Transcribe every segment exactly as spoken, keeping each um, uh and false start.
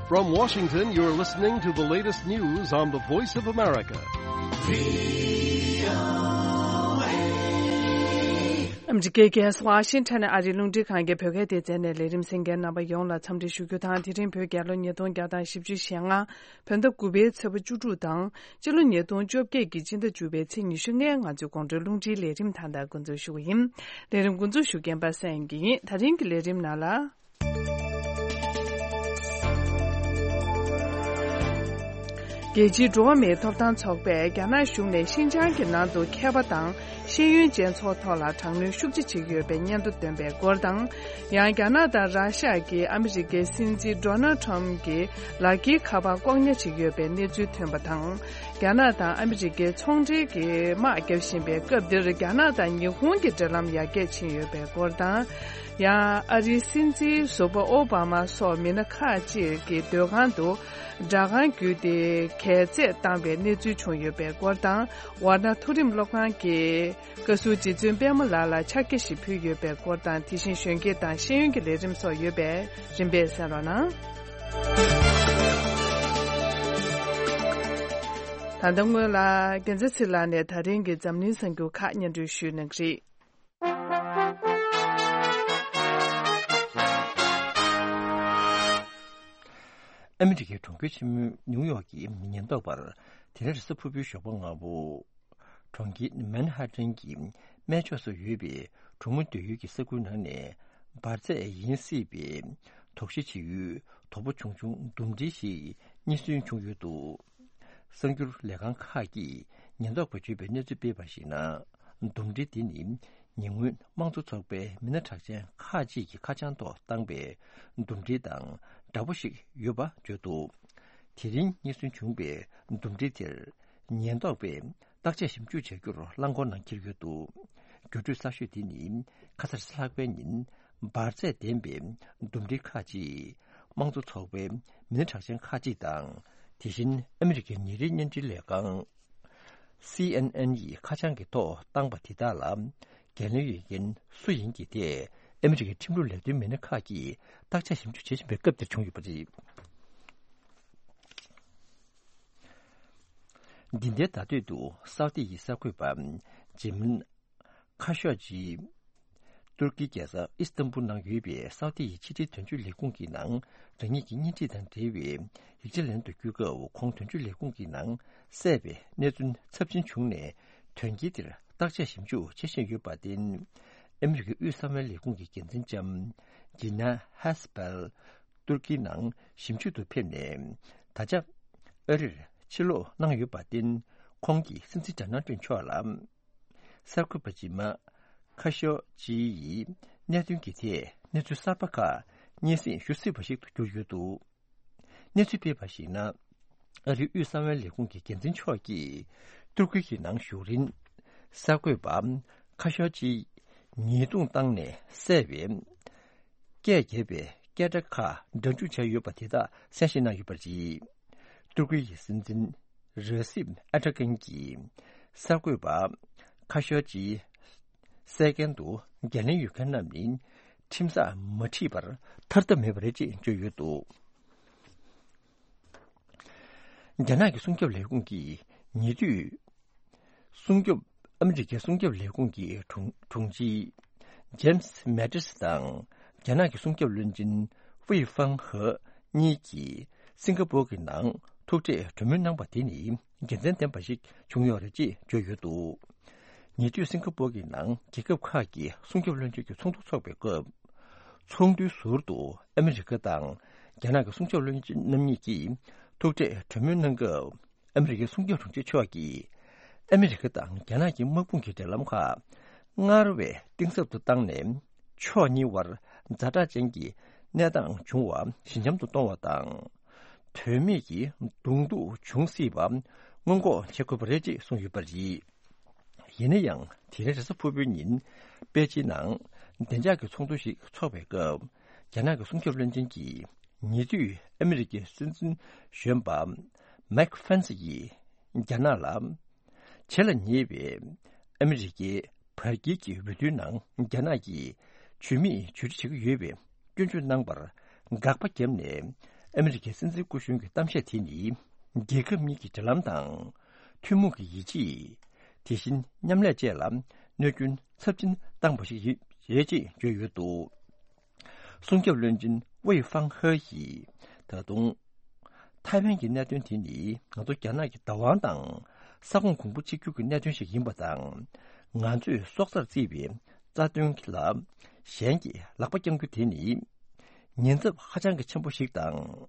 From Washington, you're listening to the latest news on the Voice of America. ཨ་མི་རི་ཀའི་རྒྱལ་ས་ཝ་ཤིང་ཊོན་ནས་ཨ་རིའི་རླུང་འཕྲིན་ཁང་གི་བོད་སྐད་སྡེ་ཚན་ནས་ལས་རིམ་གསན་མཁན་རྣམ་པ་ཡོངས་ལ་འཚམས་འདྲི་ཞུ་རྒྱུ་དང་། དེ་རིང་བོད་རྒྱལ་ལོ་ཉིས་སྟོང་བརྒྱ་དང་བཞི་བཅུ་ཞེ་ལྔ། བོད་ཟླ་དགུ་པའི་ཚེས་པ་བཅུ་དྲུག་དང་། སྤྱི་ལོ་ཉིས་སྟོང་བཅོ་བརྒྱད་ཀྱི་སྤྱི་ཟླ་བཅུ་པའི་ཚེས་ཉི་ཤུ་ལྔའི་ང་ཚོའི་དགོང་དྲོའི་རླུང་འཕྲིན་ལས་རིམ་ད་ལྟ་འགོ་འཛུགས་ཞུ་གི་ཡིན། ལས་རིམ་འགོ་འཛུགས་ཞུ་མཁན་པ་སངས་སྐྱིད་ཡིན། ད་རིང་གི་ལས་རིམ་ནང་ལ། རྒྱལ་སྤྱིའི་འགྲོ་བ་མིའི་ཐོབ་ཐང་ཚོགས་པས་རྒྱ་ནག་གཞུང་ནས་ཤིན་ཅང་གི་ནང་དུ་མཁས་པ་དང་ཤེས་ཡོན་ཅན་ཚོ་ཐོག་ལ་དྲག་གནོན་ཤུགས་ཆེ་བྱེད་ཀྱི་ཡོད་པའི་སྙན་ཐོ་བཏོན་པའི་སྐོར་དང་། ཡང་རྒྱ་ནག་དང་ར་ཤ་གིས་ཨ་མི་རི་ཀའི་སྲིད་འཛིན་ཌོ་ནལ་ཁྲམ་གྱི་ལག་འཁྱེར་ཁ་པར་ལྐོག་ཉར་བྱེད་ཀྱི་ཡོད་པའི་གནས་ཚུལ་ཐོན་པ་དང་། རྒྱ་ནག་དང་ཨ་མི་རི་ཀའི་ཚོང་འབྲེལ་གྱི་དམག་རྒྱག་བཞིན་པའི་སྐབས་འདིར་རྒྱ་ནག་དང་ཉི་ཧོང་གི་འབྲེལ་ལམ་ཡར་རྒྱས་ཕྱིན་ཡོད་པའི་སྐོར་དང་། ཡང་ཨ་རིའི་སྲིད་འཛིན་ཟུར་པ་ཨོ་བྷ་མ་སོགས་མི་སྣ་ཁག་ཅིག་གི་སྡོད་ཁང་དུ་སྦྲག་སྒང་བརྒྱུད་དེ་གྱལ་རྩེད་བཏང་བའི་གནས་ཚུལ་བྱུང་ཡོད་པའི་སྐོར་དང་། ཝཱ་ཎ་མཐོ་རིམ་སློབ་ཁང་གི་བཀའ་ཟུར་རྗེ་བཙུན་པད་མ་ལགས་ལ་ཕྱག་འཁྱེར་ཞིག་ཕུལ་ཡོད་པའི་སྐོར་དང་། དེ་བཞིན་གཞོན་སྐྱེས་དང་ཤེས་ཡོན་གྱི་ལས་རིམ་སོགས་ཡོད་པས་རིམ་པས་གསན་རོགས་གནང་། ད་ལྟ་སྔོན་ལ་རྒྱལ་མཚན་ཚེ་ལགས་ནས་ད་རིང་གི་འཛམ་གླིང་གསར་འགྱུར་ཁག་སྙན་སྒྲོན་ཞུས་གནང་གི་རེད། ཨ་མི་རི་ཀའི་གྲོང་ཁྱེར་ཆེན་མོ་ནིའུ་ཡོག་གི་ཉེན་རྟོག་པར་དེ་རིང་རེས་གཟའ་ཕུར་བུའི་ཞོགས་པ་སྔ་པོ། གྲོང་ཁྱེར་མན་ཧ་ཏན་གྱི་སྨད་ཕྱོགས་སུ་ཡོད་པའི་གྲོང་མི་སྡོད་ཡུལ་གྱི་ས་ཁུལ་ནང་ནས་འབར་རྫས་ཡིན་སྲིད་པའི་དོགས་གཞི་བྱེད་ཡུལ་དོག་པོ་ཆུང་ཆུང་འདུམ་འགྲིལ་ཞིག་རྙེད་སོན་བྱུང་ཡོད་འདུག། གསར་འགྱུར་ལས་ཁང་ཁག་གིས་ཉེན་རྟོག་པས་བརྗོད་པའི་གནས་ཚུལ་སྤེལ་བར་གཞིགས་ན། འདུམ་འགྲིལ་འདི་ནི་ཉེ་སྔོན་དམངས་གཙོ་ཚོགས་པའི་མི་སྣ་གྲགས་ཅན་ཁག་ཅིག་གི་ཁ་བྱང་ཐོག་བཏང་པའི་འདུམ་འགྲིལ་དང་འདྲ་པོ་ཞིག་ཡོད་པ་བརྗོད་འདུག། དེ་རིང་རྙེད་སོན་བྱུང་པའི་འདུམ་འགྲིལ་དེར་ཉེན་རྟོག་པས་བརྟག་དཔྱད་ཞིབ་འཇུག་བྱ་རྒྱུར་རླངས་འཁོར་ནང་འཁྱེར་ཡོད་འདུག། འགྱུར་འགྲོས་གསར་ཤོས་དེ་ནི་ཁ་སང་རེས་གཟའ་ལྷག་པའི་ཉིན་འབར་རྫས་ལྡན་པའི་འདུམ་འགྲིལ་ཁག་ཅིག་དམངས་གཙོ་ཚོགས་པའི་མི་སྣ་གྲགས་ཅན་ཁག་ཅིག་དང་། དེ་བཞིན་ཨ་མི་རི་ཀའི་ཉིན་རེའི་བརྙན་འཕྲིན་ལས་ཁང་སི་ཨེན་ཨེན་ཡི་ཁ་བྱང་གི་ཐོག་བཏང་པ་དེ་དག་ལ་འགན་ལེན་ཡོད་མཁན་སུ་ཡིན་གྱི་ཐད་ཨ་མི་རི་ཀའི་ཁྲིམས་ལུགས་ལས་དོན་མི་སྣ་ཁག་གིས་བརྟག་དཔྱད་ཞིབ་འཇུག་བྱེད་བཞིན་པའི་སྐབས་འདིར་བྱུང་ཡོད་པ་རེད། འདི་ཟླའི་ཟླ་སྟོད་དུ་སའུ་ཏི་ཡི་གསར་འགོད་པ་ཇེ་མན་ཁ་ཤོ་ཇི། ཏུར་ཀིའི་རྒྱལ་ས་ཨི་སི་ཏམ་བུལ་ནང་ཡོད་པའི་སའུ་ཏི་ཡི་ཕྱི་འབྲེལ་དོན་གཅོད་ལས་ཁུངས་ཀྱི་ནང་རང་ཉིད་ཀྱི་གཉེན་སྒྲིག་དང་འབྲེལ་བའི་ཡིག་ཆ་ལེན་དུ་བསྐྱོད་སྐབས། ཁོང་དོན་གཅོད་ལས་ཁུངས་ཀྱི་ནང་བསད་པའི་གནས་ཚུལ་ཚབས་ཆེན་བྱུང་ནས། དོན་རྐྱེན་དེར་བརྟག་དཔྱད་ཞིབ་འཇུག་བྱེད་བཞིན་ཡོད་པར་བརྟེན། ཨ་མི་རི་ཀའི་དབུས་གསང་བའི་ལས་ཁུངས་ཀྱི་འགན་འཛིན་ལྕམ་ཇི་ན་ཧེ་སི་པེལ་ཏུར་ཀིའི་ནང་ཞིབ་འཇུག་ཏུ་ཕེབས་ནས། ད་ཆ་ཨ་རིར་ཕྱིར་ལོག་གནང་ཡོད་པར་བརྟེན། ཁོང་གིས་སྲིད་འཛིན་ཌོ་ནལ་ཊམ་མཆོག་ལ། གསར་འགོད་པ་ཇི་མ་ཁ་ཤོ་ཇི་ཡིས་གནད་དོན་གྱི་ཐད་གནས་ཚུལ་གསར་པ་ཁག་སྙན་སེང་ཞུ་སྲིད་པ་ཞིག་ཏུ་གྱུར་ཡོད་འདུག། གནས་ཚུལ་སྤེལ་བར་གཞིགས་ན། ཨ་རིའི་དབུས་གསང་བའི་ལས་ཁུངས་ཀྱི་འགན་འཛིན་མཆོག་གིས་ཏུར་ཀི་ཡི་ནང་བཞུགས་རིང་། གསར་འགོད་པ་ཁ་ཤོ་ཇི་ཉེས་རྡུང་བཏང་ནས་བསད་པའི་སྐད་བརྒྱབ་པའི་སྐད་སྒྲ་ཁག་སྒྲ་འཇུག་བྱས་ཡོད་པ་དེ་དག་གསན་བཞེས་གནང་ཡོད་པ་རེད། ཏུར་ཀི་ཡི་སྲིད་འཛིན་རེ་སིབ་ཨེར་ཏོ་གྷན་གྱིས་གསར་འགོད་པ་ཁ་ཤོ་ཇི་བསད་མཁན་དུ་འགན་ལེན་ཡོད་མཁན་རྣམས་ནི་ཁྲིམས་སར་མ་ཁྲིད་པར་ཐར་ཐབས་མེད་པ་རེད་ཅེས་བརྗོད་ཡོད་འདུག། རྒྱ་ནག་གི་སྲུང་སྐྱོབ་ལས་ཁུངས་ཀྱིས་ཉེ་དུས་སྲུང་སྐྱོབ། ཨ་མི་རི་ཀའི་སྲུང་སྐྱོབ་ལས་ཁུངས་ཀྱི་དྲུང་དྲུང་ཆེ་ཇེམ་སི་མེ་ཏིས་དང་རྒྱ་ནག་གི་སྲུང་སྐྱོབ་བློན་ཆེན་ཧྥུའེ་ཧྥང་ཧེ་གཉིས་ཀྱིས་སིང་ག་པོར་གྱི་ནང་ཐུག་འཕྲད་གྲོས་མོལ་གནང་པ་དེ་ནི་དགེ་མཚན་ལྡན་པ་ཞིག་བྱུང་ཡོད་རེད་ཅེས་བརྗོད་ཡོད་འདུག། ཉེ་དུས་སིང་ག་པོར་གྱི་ནང་རྒྱལ་ཁབ་ཁག་གི་སྲུང་སྐྱོབ་བློན་ཆེན་གྱི་ཚོགས་འདུ་འཚོགས་པའི་སྐབས། ཚོགས་འདུའི་ཟུར་དུ་ཨ་མི་རི་ཀ་དང་རྒྱ་ནག་གི་སྲུང་སྐྱོབ་བློན་ཆེན་རྣམ་གཉིས་ཀྱིས་ཐུག་འཕྲད་གྲོས་མོལ་གནང་སྐབས། ཨ་མི་རི་ཀའི་སྲུང་སྐྱོབ་དྲུང་ཆེ་མཆོག་གིས་ཨ་མི་རི་ཀ་དང་རྒྱ་ནག་གི་དམག་དཔུང་གི་འབྲེལ་ལམ་ཁག་སྔར་བས་གཏིང་ཟབ་ཏུ་བཏང་ནས། ཕྱོགས་གཉིས་བར་ཛ་དྲག་ཅན་གྱི་གནས་སྟངས་འབྱུང་བ་ཞི་འཇམ་དུ་གཏོང་བ་དང་། དོན་མེད་ཀྱི་གདོང་ཐུག་འབྱུང་སྲིད་པ་སྔོན་འགོག་བྱེད་དགོས་པ་རེད་ཅེས་གསུངས་ཡོད་པ་རེད། ཡིན་ན་ཡང་། དེ་རིང་རེས་གཟའ་ཕུར་བུའི་ཉིན་པེ་ཅིན་ནང་བདེ་འཇགས་ཀྱི་ཚོགས་འདུ་ཞིག་འཚོགས་པའི་སྐབས། རྒྱ་ནག་གི་སྲུང་སྐྱོབ་བློན་ཆེན་གྱིས་ཉེ་དུས་ཨ་མི་རི་ཀའི་སྲིད་འཛིན་གཞོན་པ་མེག་ཕེན་སི་ཡིས་རྒྱ་ནག་ལ། བྱེད་ལ་ཉེ་བའི་ཨ་མི་རི་ཀའི་བར་བརྒལ་གྱི་འོས་བསྡུའི་ནང་རྒྱ་ནག་གིས་ཇུས་མེད་ཇུས་སྒྲིག་བྱེད་ཀྱི་ཡོད་པའི་སྐྱོན་བརྗོད་གནང་བར་དགག་པ་བརྒྱབ་ནས། ཨ་མི་རི་ཀའི་སྲིད་འཛིན་སྐུ་གཞོན་གྱི་གཏམ་བཤད་དེ་ནི། རྒྱལ་ཁབ་གཉིས་ཀྱི་འབྲེལ་ལམ་དང་། ཐུན་མོང་གི་ཡིད་ཆེས། དེ་བཞིན་མཉམ་ལས་བཅས་ལ་གནོད་སྐྱོན་ཚབས་ཆེན་བཏང་བ་ཞིག་ཡིན་རེད་ཅེས་བརྗོད་ཡོད་འདུག་སྲུང་སྐྱོབ་བློན་ཆེན་ཝེ་ཧྥང་ཧེ་ཡིས་ད་དུང་། ཐའེ་ཝན་གྱི་གནད་དོན་དེ་ནི་ང་ཚོ་རྒྱ་ནག་གི་བདག་དབང་དང་ས་ཁོངས་གོང་བུ་གཅིག་གྱུར་གྱི་གནད་དོན་ཞིག་ཡིན་པ་དང་། ང་ཚོས་སྲོག་རྩར་བརྩིས་པའི་རྩ་དོན་ལ་གཞན་གྱིས་ལག་པ་བརྐྱང་རྒྱུ་དེ་ནི་ཉེན་ཚབས་ཧ་ཅང་གི་ཆེན་པོ་ཞིག་དང་།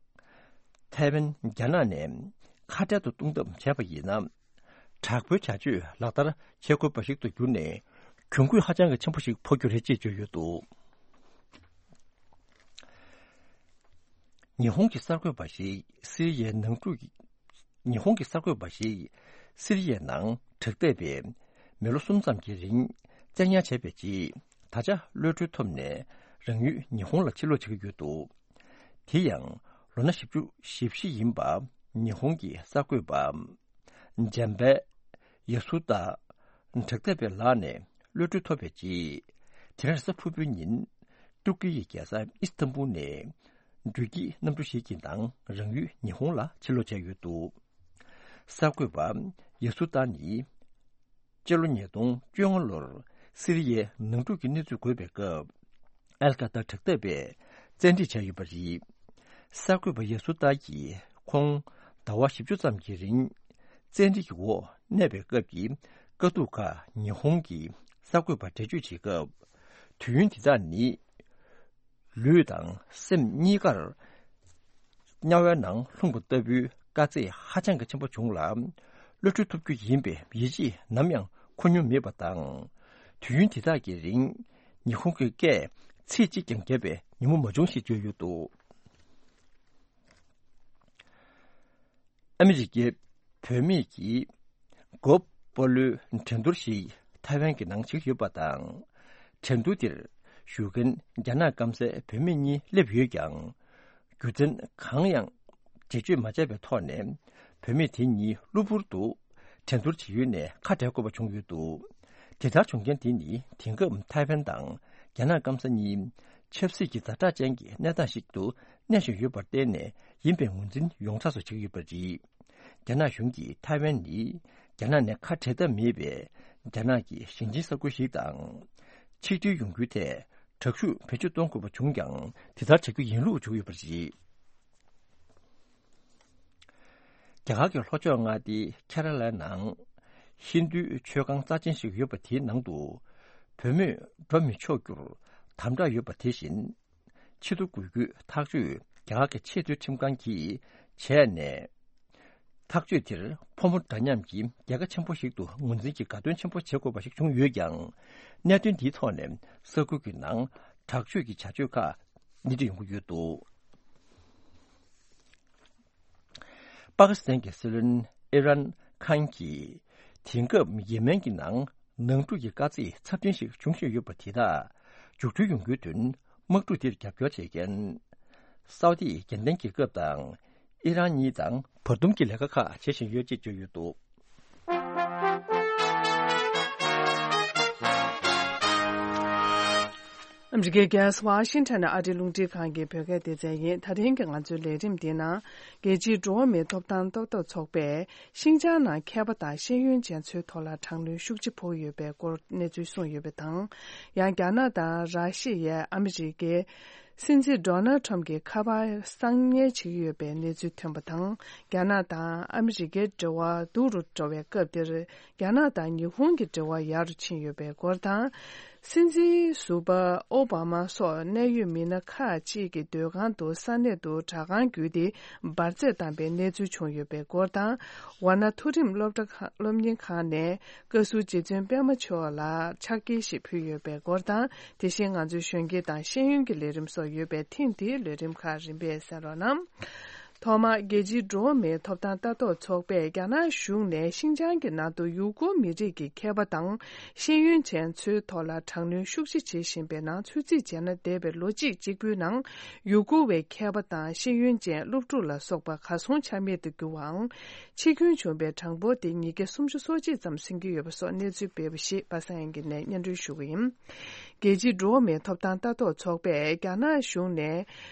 ཐའེ་ཝན་རྒྱ་ནག་ནས་ཁ་བྲལ་དུ་གཏོང་ཐབས་བྱས་པ་ཡིན་ན། དྲག་པོའི་བྱ་སྤྱོད་ལག་བསྟར་བྱེད་དགོས་པ་ཞིག་ཏུ་གྱུར་ནས་གྱོང་གུད་ཧ་ཅང་གི་ཆེན་པོ་ཞིག་ཕོག་རྒྱུ་རེད་ཅེས་བརྗོད་ཡོད་འདུག་ཉི་ཧོང་གི་གསར་འགོད་པ་ཞིག་སི་རི་ཡའི་ནང་འཁྲུག་གི། ཉི་ཧོང་གི་གསར་འགོད་པ་ཞིག་སི་རི་ཡའི་ནང་དྲག་འཐབ་པས་མི་ལོ་གསུམ་ཙམ་གྱི་རིང་བཙན་ཉར་བྱས་པའི་རྗེས། ད་ཆ་གློད་གྲོལ་ཐོབ་ནས་རང་ཡུལ་ཉི་ཧོང་ལ་ཕྱིར་ལོག་བྱེད་ཀྱི་ཡོད་འདུག་དེ་ཡང་ལོ་ན་བཞི་བཅུ་ཞེ་བཞི་ཡིན་པ་ཉི་ཧོང་གི་གསར་འགོད་པ་འཇམ་དཔལ་ཡ་སུ་ཏ་དྲག་འཐབ་པའི་ལག་ནས་གློད་གྲོལ་ཐོབ་པའི་རྗེས། དེ་རིང་རེས་གཟའ་ཕུར་བུའི་ཉིན་ཏུར་ཀི་ཡི་རྒྱལ་ས་ཨི་སི་ཐན་བུལ་ནས་འགྲུལ་སྐྱེལ་གནམ་གྲུ་ཞིག་གི་ནང་རང་ཡུལ་ཉི་ཧོང་ལ་ཕྱིར་ལོག་བྱས་ཡོད་འདུག་གསར་འགོད་པ་ཡ་སུ་ཏ་ནི་སྤྱི་ལོ་ཉིས་སྟོང་བཅོ་ལྔ་ལོར་སི་རི་ཡའི་ནང་འཁྲུག་གི་གནས་ཚུལ་འགོས་པའི་སྐབས། ཨལ་ཀ་ཏར་དྲག་འཐབ་པས་བཙན་ཁྲིད་བྱས་ཡོད་པ་རེད། གསར་འགོད་པ་ཡ་སུ་ཏཱ་ཡིས་ཁོང་ཟླ་བ་བཞི་བཅུ་ཙམ་གྱི་རིང་བཙན་ཁྲིད་ཀྱི་འོག་གནས་པའི་སྐབས་ཀྱི་དཀའ་སྡུག་ཁག་ཉི་ཧོང་གི་གསར་འགོད་པར་འགྲེལ་བརྗོད་བྱེད་སྐབས། དུས་ཡུན་འདི་དག་ནི་ལུས་དང་སེམས་གཉིས་ཀར་དམྱལ་བའི་ནང་ལྷུང་བ་ལྟ་བུའི་དཀའ་ཚེགས་ཧ་ཅང་གི་ཆེན་པོ་བྱུང་ལ། གློད་གྲོལ་ཐོབ་རྒྱུ་ཡིན་པའི་ཡིད་ཆེས་ནམ་ཡང་འཁོར་མྱོང་མེད་པ་དང་། དུས་ཡུན་དེ་དག་གི་རིང་ཉི་ཧོང་གི་སྐད་ཚིག་གཅིག་ཀྱང་བརྒྱབ་པའི་ཉིན་མོ་མ་བྱུང་ཞེས་བརྗོད་ཡོད་འདུག་ཨ་མི་རི་ཀའི་བུད་མེད་ཀྱིས་གོ་པོ་ལོའི་འགྲན་བསྡུར་ཞིག་ཐའེ་ཝན་གྱི་ནང་བྱེད་ཀྱི་ཡོད་པ་དང་། འགྲན་བསྡུར་དེར་ཞུགས་མཁན་རྒྱ་ནག་སྐམ་སའི་བུད་མེད་གཉིས་སླེབས་ཡོད་ཀྱང་། རྒྱུ་མཚན་གང་ཡང་འགྲེལ་བརྗོད་མ་བྱས་པའི་ཐོག་ནས། བུད་མེད་དེ་གཉིས་གློ་བུར་དུ་འགྲན་བསྡུར་བྱེད་ཡུལ་ནས་ཁ་བྲལ་དགོས་པ་བྱུང་ཡོད་འདུག་དེ་ལྟར་བྱུང་རྐྱེན་དེ་ནི་དེང་སྐབས་ཐའེ་ཝན་དང་རྒྱ་ནག་སྐམ་ས་གཉིས་ཆབ་སྲིད་ཀྱི་ཛ་དྲག་ཅན་གྱི་གནས་སྟངས་ཤིག་ཏུ་གནས་བཞིན་ཡོད་པར་བརྟེན་ནས་ཡིན་པའི་ངོས་འཛིན་ཡོངས་གྲགས་སུ་བྱེད་ཀྱི་ཡོད་པ་རེད། རྒྱ་ནག་གཞུང་གིས་ཐའེ་ཝན་ནི་རྒྱ་ནག་ནས་ཁ་བྲལ་ཐབས་མེད་པའི་རྒྱ་ནག་གི་ཞིང་ཆེན་ས་ཁུལ་ཞིག་དང་། ཆིག་སྒྲིལ་ཡོང་རྒྱུའི་ཐད་དྲག་ཤུགས་བེད་སྤྱོད་གཏོང་དགོས་པ་བྱུང་ཀྱང་། དེ་ལྟར་བྱ་རྒྱུ་ཡིན་ལུགས་བྱུང་ཡོད་པ་རེད། རྒྱ་གར་གྱི་ལྷོ་ཕྱོགས་མངའ་སྡེ་ཁེ་ར་ལའི་ནང་ཧིན་རྡུའི་མཆོད་ཁང་རྩ་ཆེན་ཞིག་ཡོད་པ་དེའི་ནང་དུ་བུད་མེད་འགྲོ་མི་ཆོག་རྒྱུར་དམ་དྲག་ཡོད་པ་དེ་བཞིན། ཆེས་མཐོ་དགོས་རྒྱུའི་ཐག་གཅོད་རྒྱ་གར་གྱི་ཆེས་མཐོའི་ཁྲིམས་ཁང་གིས་བྱས་ནས། ཐག་གཅོད་དེར་ཕོ་མོ་འདྲ་མཉམ་གྱི་རྒྱལ་ཁ་ཆེན་པོ་ཞིག་ཏུ་ངོས་འཛིན་གྱི་དགའ་སྟོན་ཆེན་པོ་བྱེད་དགོས་པ་ཞིག་བྱུང་ཡོད་ཀྱང་། གནད་དོན་འདིའི་ཐོག་ནས་ས་ཁུལ་གྱི་ནང་དྲག་སྤྱོད་ཀྱི་བྱ་སྤྱོད་ཁག་སྣེ་ཁྲིད་ཡོང་གི་ཡོད་འདུག་པ་ཀི་སི་ཐན་གྱི་སྲིད་བློན་ཨི་རན་ཁཱན་གྱིས་དེང་སྐབས་ཡེ་མེན་གྱི་ནང་ནང་འཁྲུག་གི་དཀའ་ཚེགས་ཚབས་ཆེན་ཞིག་འབྱུང་བཞིན་ཡོད་པ་དེ་དག་མཇུག་སྒྲིལ་ཡོང་རྒྱུའི་དོན་དམག་འཁྲུག་དེར་རྒྱབ་སྐྱོར་བྱེད་མཁན་སའུ་ཏི་རྒྱལ་བསྟན་གྱི་སྐབས་དང་ཨི་རན་གཉིས་དང་བར་འདུམ་གྱི་ལས་ཀ་ཁག་བྱེད་བཞིན་ཡོད་ཅེས་བརྗོད་ཡོད་འདུག་ཨ་མི་རི་ཀའི་རྒྱལ་ས་ཝ་ཤིང་ཊོན་ནས་ཨ་རིའི་རླུང་འཕྲིན་ཁང་གི་བོད་སྐད་སྡེ་ཚན་ཡིན། ད་ཐེངས་ཀྱི་ང་ཚོའི་ལས་རིམ་འདིའི་ནང་རྒྱལ་སྤྱིའི་འགྲོ་བ་མིའི་ཐོབ་ཐང་ལྟ་རྟོག་ཚོགས་པས་ཤིན་ཅང་ནང་མཁས་པ་དང་ཤེས་ཡོན་ཅན་ཚོའི་ཐོག་ལ་དྲག་གནོན་ཤུགས་ཆེ་ཕོག་ཡོད་པའི་སྐོར་གནས་ཚུལ་གསུངས་ཡོད་པ་དང་། ཡང་རྒྱ་ནག་དང་ར་ཤི་ཡས་ཨ་མི་རི་ཀའི་སྲིད་འཛིན་ཌོ་ནལ་ཁྲམ་གྱི་ཁ་པར་གསང་ཉུལ་བྱེད་ཀྱི་ཡོད་པའི་གནས་ཚུལ་ཐོན་པ་དང་། རྒྱ་ནག་དང་ཨ་མི་རི་ཀའི་འབྲེལ་བ་སྡུག་རུ་འགྲོ་བའི་སྐབས་འདིར། རྒྱ་ནག་དང་ཉི་ཧོང་གི་འབྲེལ་བ་ཡག་རུ་ཕྱིན་ཡོད་པའི་སྐོར་དང་། སྲིད་འཛིན་ཟུར་པ་ཨོ་བྷ་མ་སོགས་གནད་ཡོད་མི་སྣ་ཁག་ཅིག་གི་སྡོད་ཁང་དུ་ས་གནས་དུ་དྲ་ཁང་བརྒྱུད་དེ་འབར་རྫས་བཏང་པའི་གནས་ཚུལ་བྱུང་ཡོད་པའི་སྐོར་དང་། ཝཱ་ཎ་མཐོ་རིམ་སློབ་གྲྭ་ཁང་སློབ་གཉེར་ཁང་ནས་བཀའ་ཟུར་རྗེ་བཙུན་པད་མ་མཆོག་ལ་ཕྱག་འཁྱེར་ཞིག་ཕུལ་ཡོད་པའི་སྐོར་དང་། དེ་བཞིན་ང་ཚོའི་གཞོན་སྐྱེས་དང་ཤེས་ཡོན་གྱི་ལས་རིམ་སོགས་ཡོད་པས། ཐེངས་འདིའི་ལས་རིམ་ཁག་རིམ་པས་གསན་རོགས་གནང་། ཐོག་མར་རྒྱལ་སྤྱིའི་འགྲོ་བ་མིའི་ཐོབ་ཐང་ལྟ་རྟོག་ཚོགས་པས་རྒྱ་ནག་གཞུང་ནས་ཤིན་ཅང་གི་ནང་དུ་ཡུ་གུར་མི་རིགས་ཀྱི་མཁས་པ་དང་ཤེས་ཡོན་ཅན་ཚོའི་ཐོག་ལ་དྲག་གནོན་ཤུགས་ཆེ་བྱེད་བཞིན་པའི་ནང་ཚུད་རྩིས་བྱས་ན། འདས་པའི་ལོ་གཅིག་གཅིག་པུའི་ནང་ཡུ་གུར་བའི་མཁས་པ་དང་ཤེས་ཡོན་ཅན་སློབ་ཕྲུག་ལ་སོགས་པ་གར་སོང་ཆ་མེད་དུ་གྱུར་བའམ། འཆི་སྐྱོན་བྱུང་བའི་གྲངས་འབོར་དེ་ཉིས་བརྒྱ་སུམ་ཅུ་སོ་གཅིག་ཙམ་ཟིན་གྱི་ཡོད་པ་སོགས་གནས་ཚུལ་སྤེལ་བ་ཞིག་པ་སངས་དབྱངས་སྐྱིད་ནས་སྙན་སྒྲོན་ཞུ་གི་ཡིན། རྒྱལ་སྤྱིའི་འགྲོ་བ་མིའི་ཐོབ་ཐང་ལྟ་རྟོག་ཚོགས་པས་རྒྱ་ནག་གཞུང་ནས་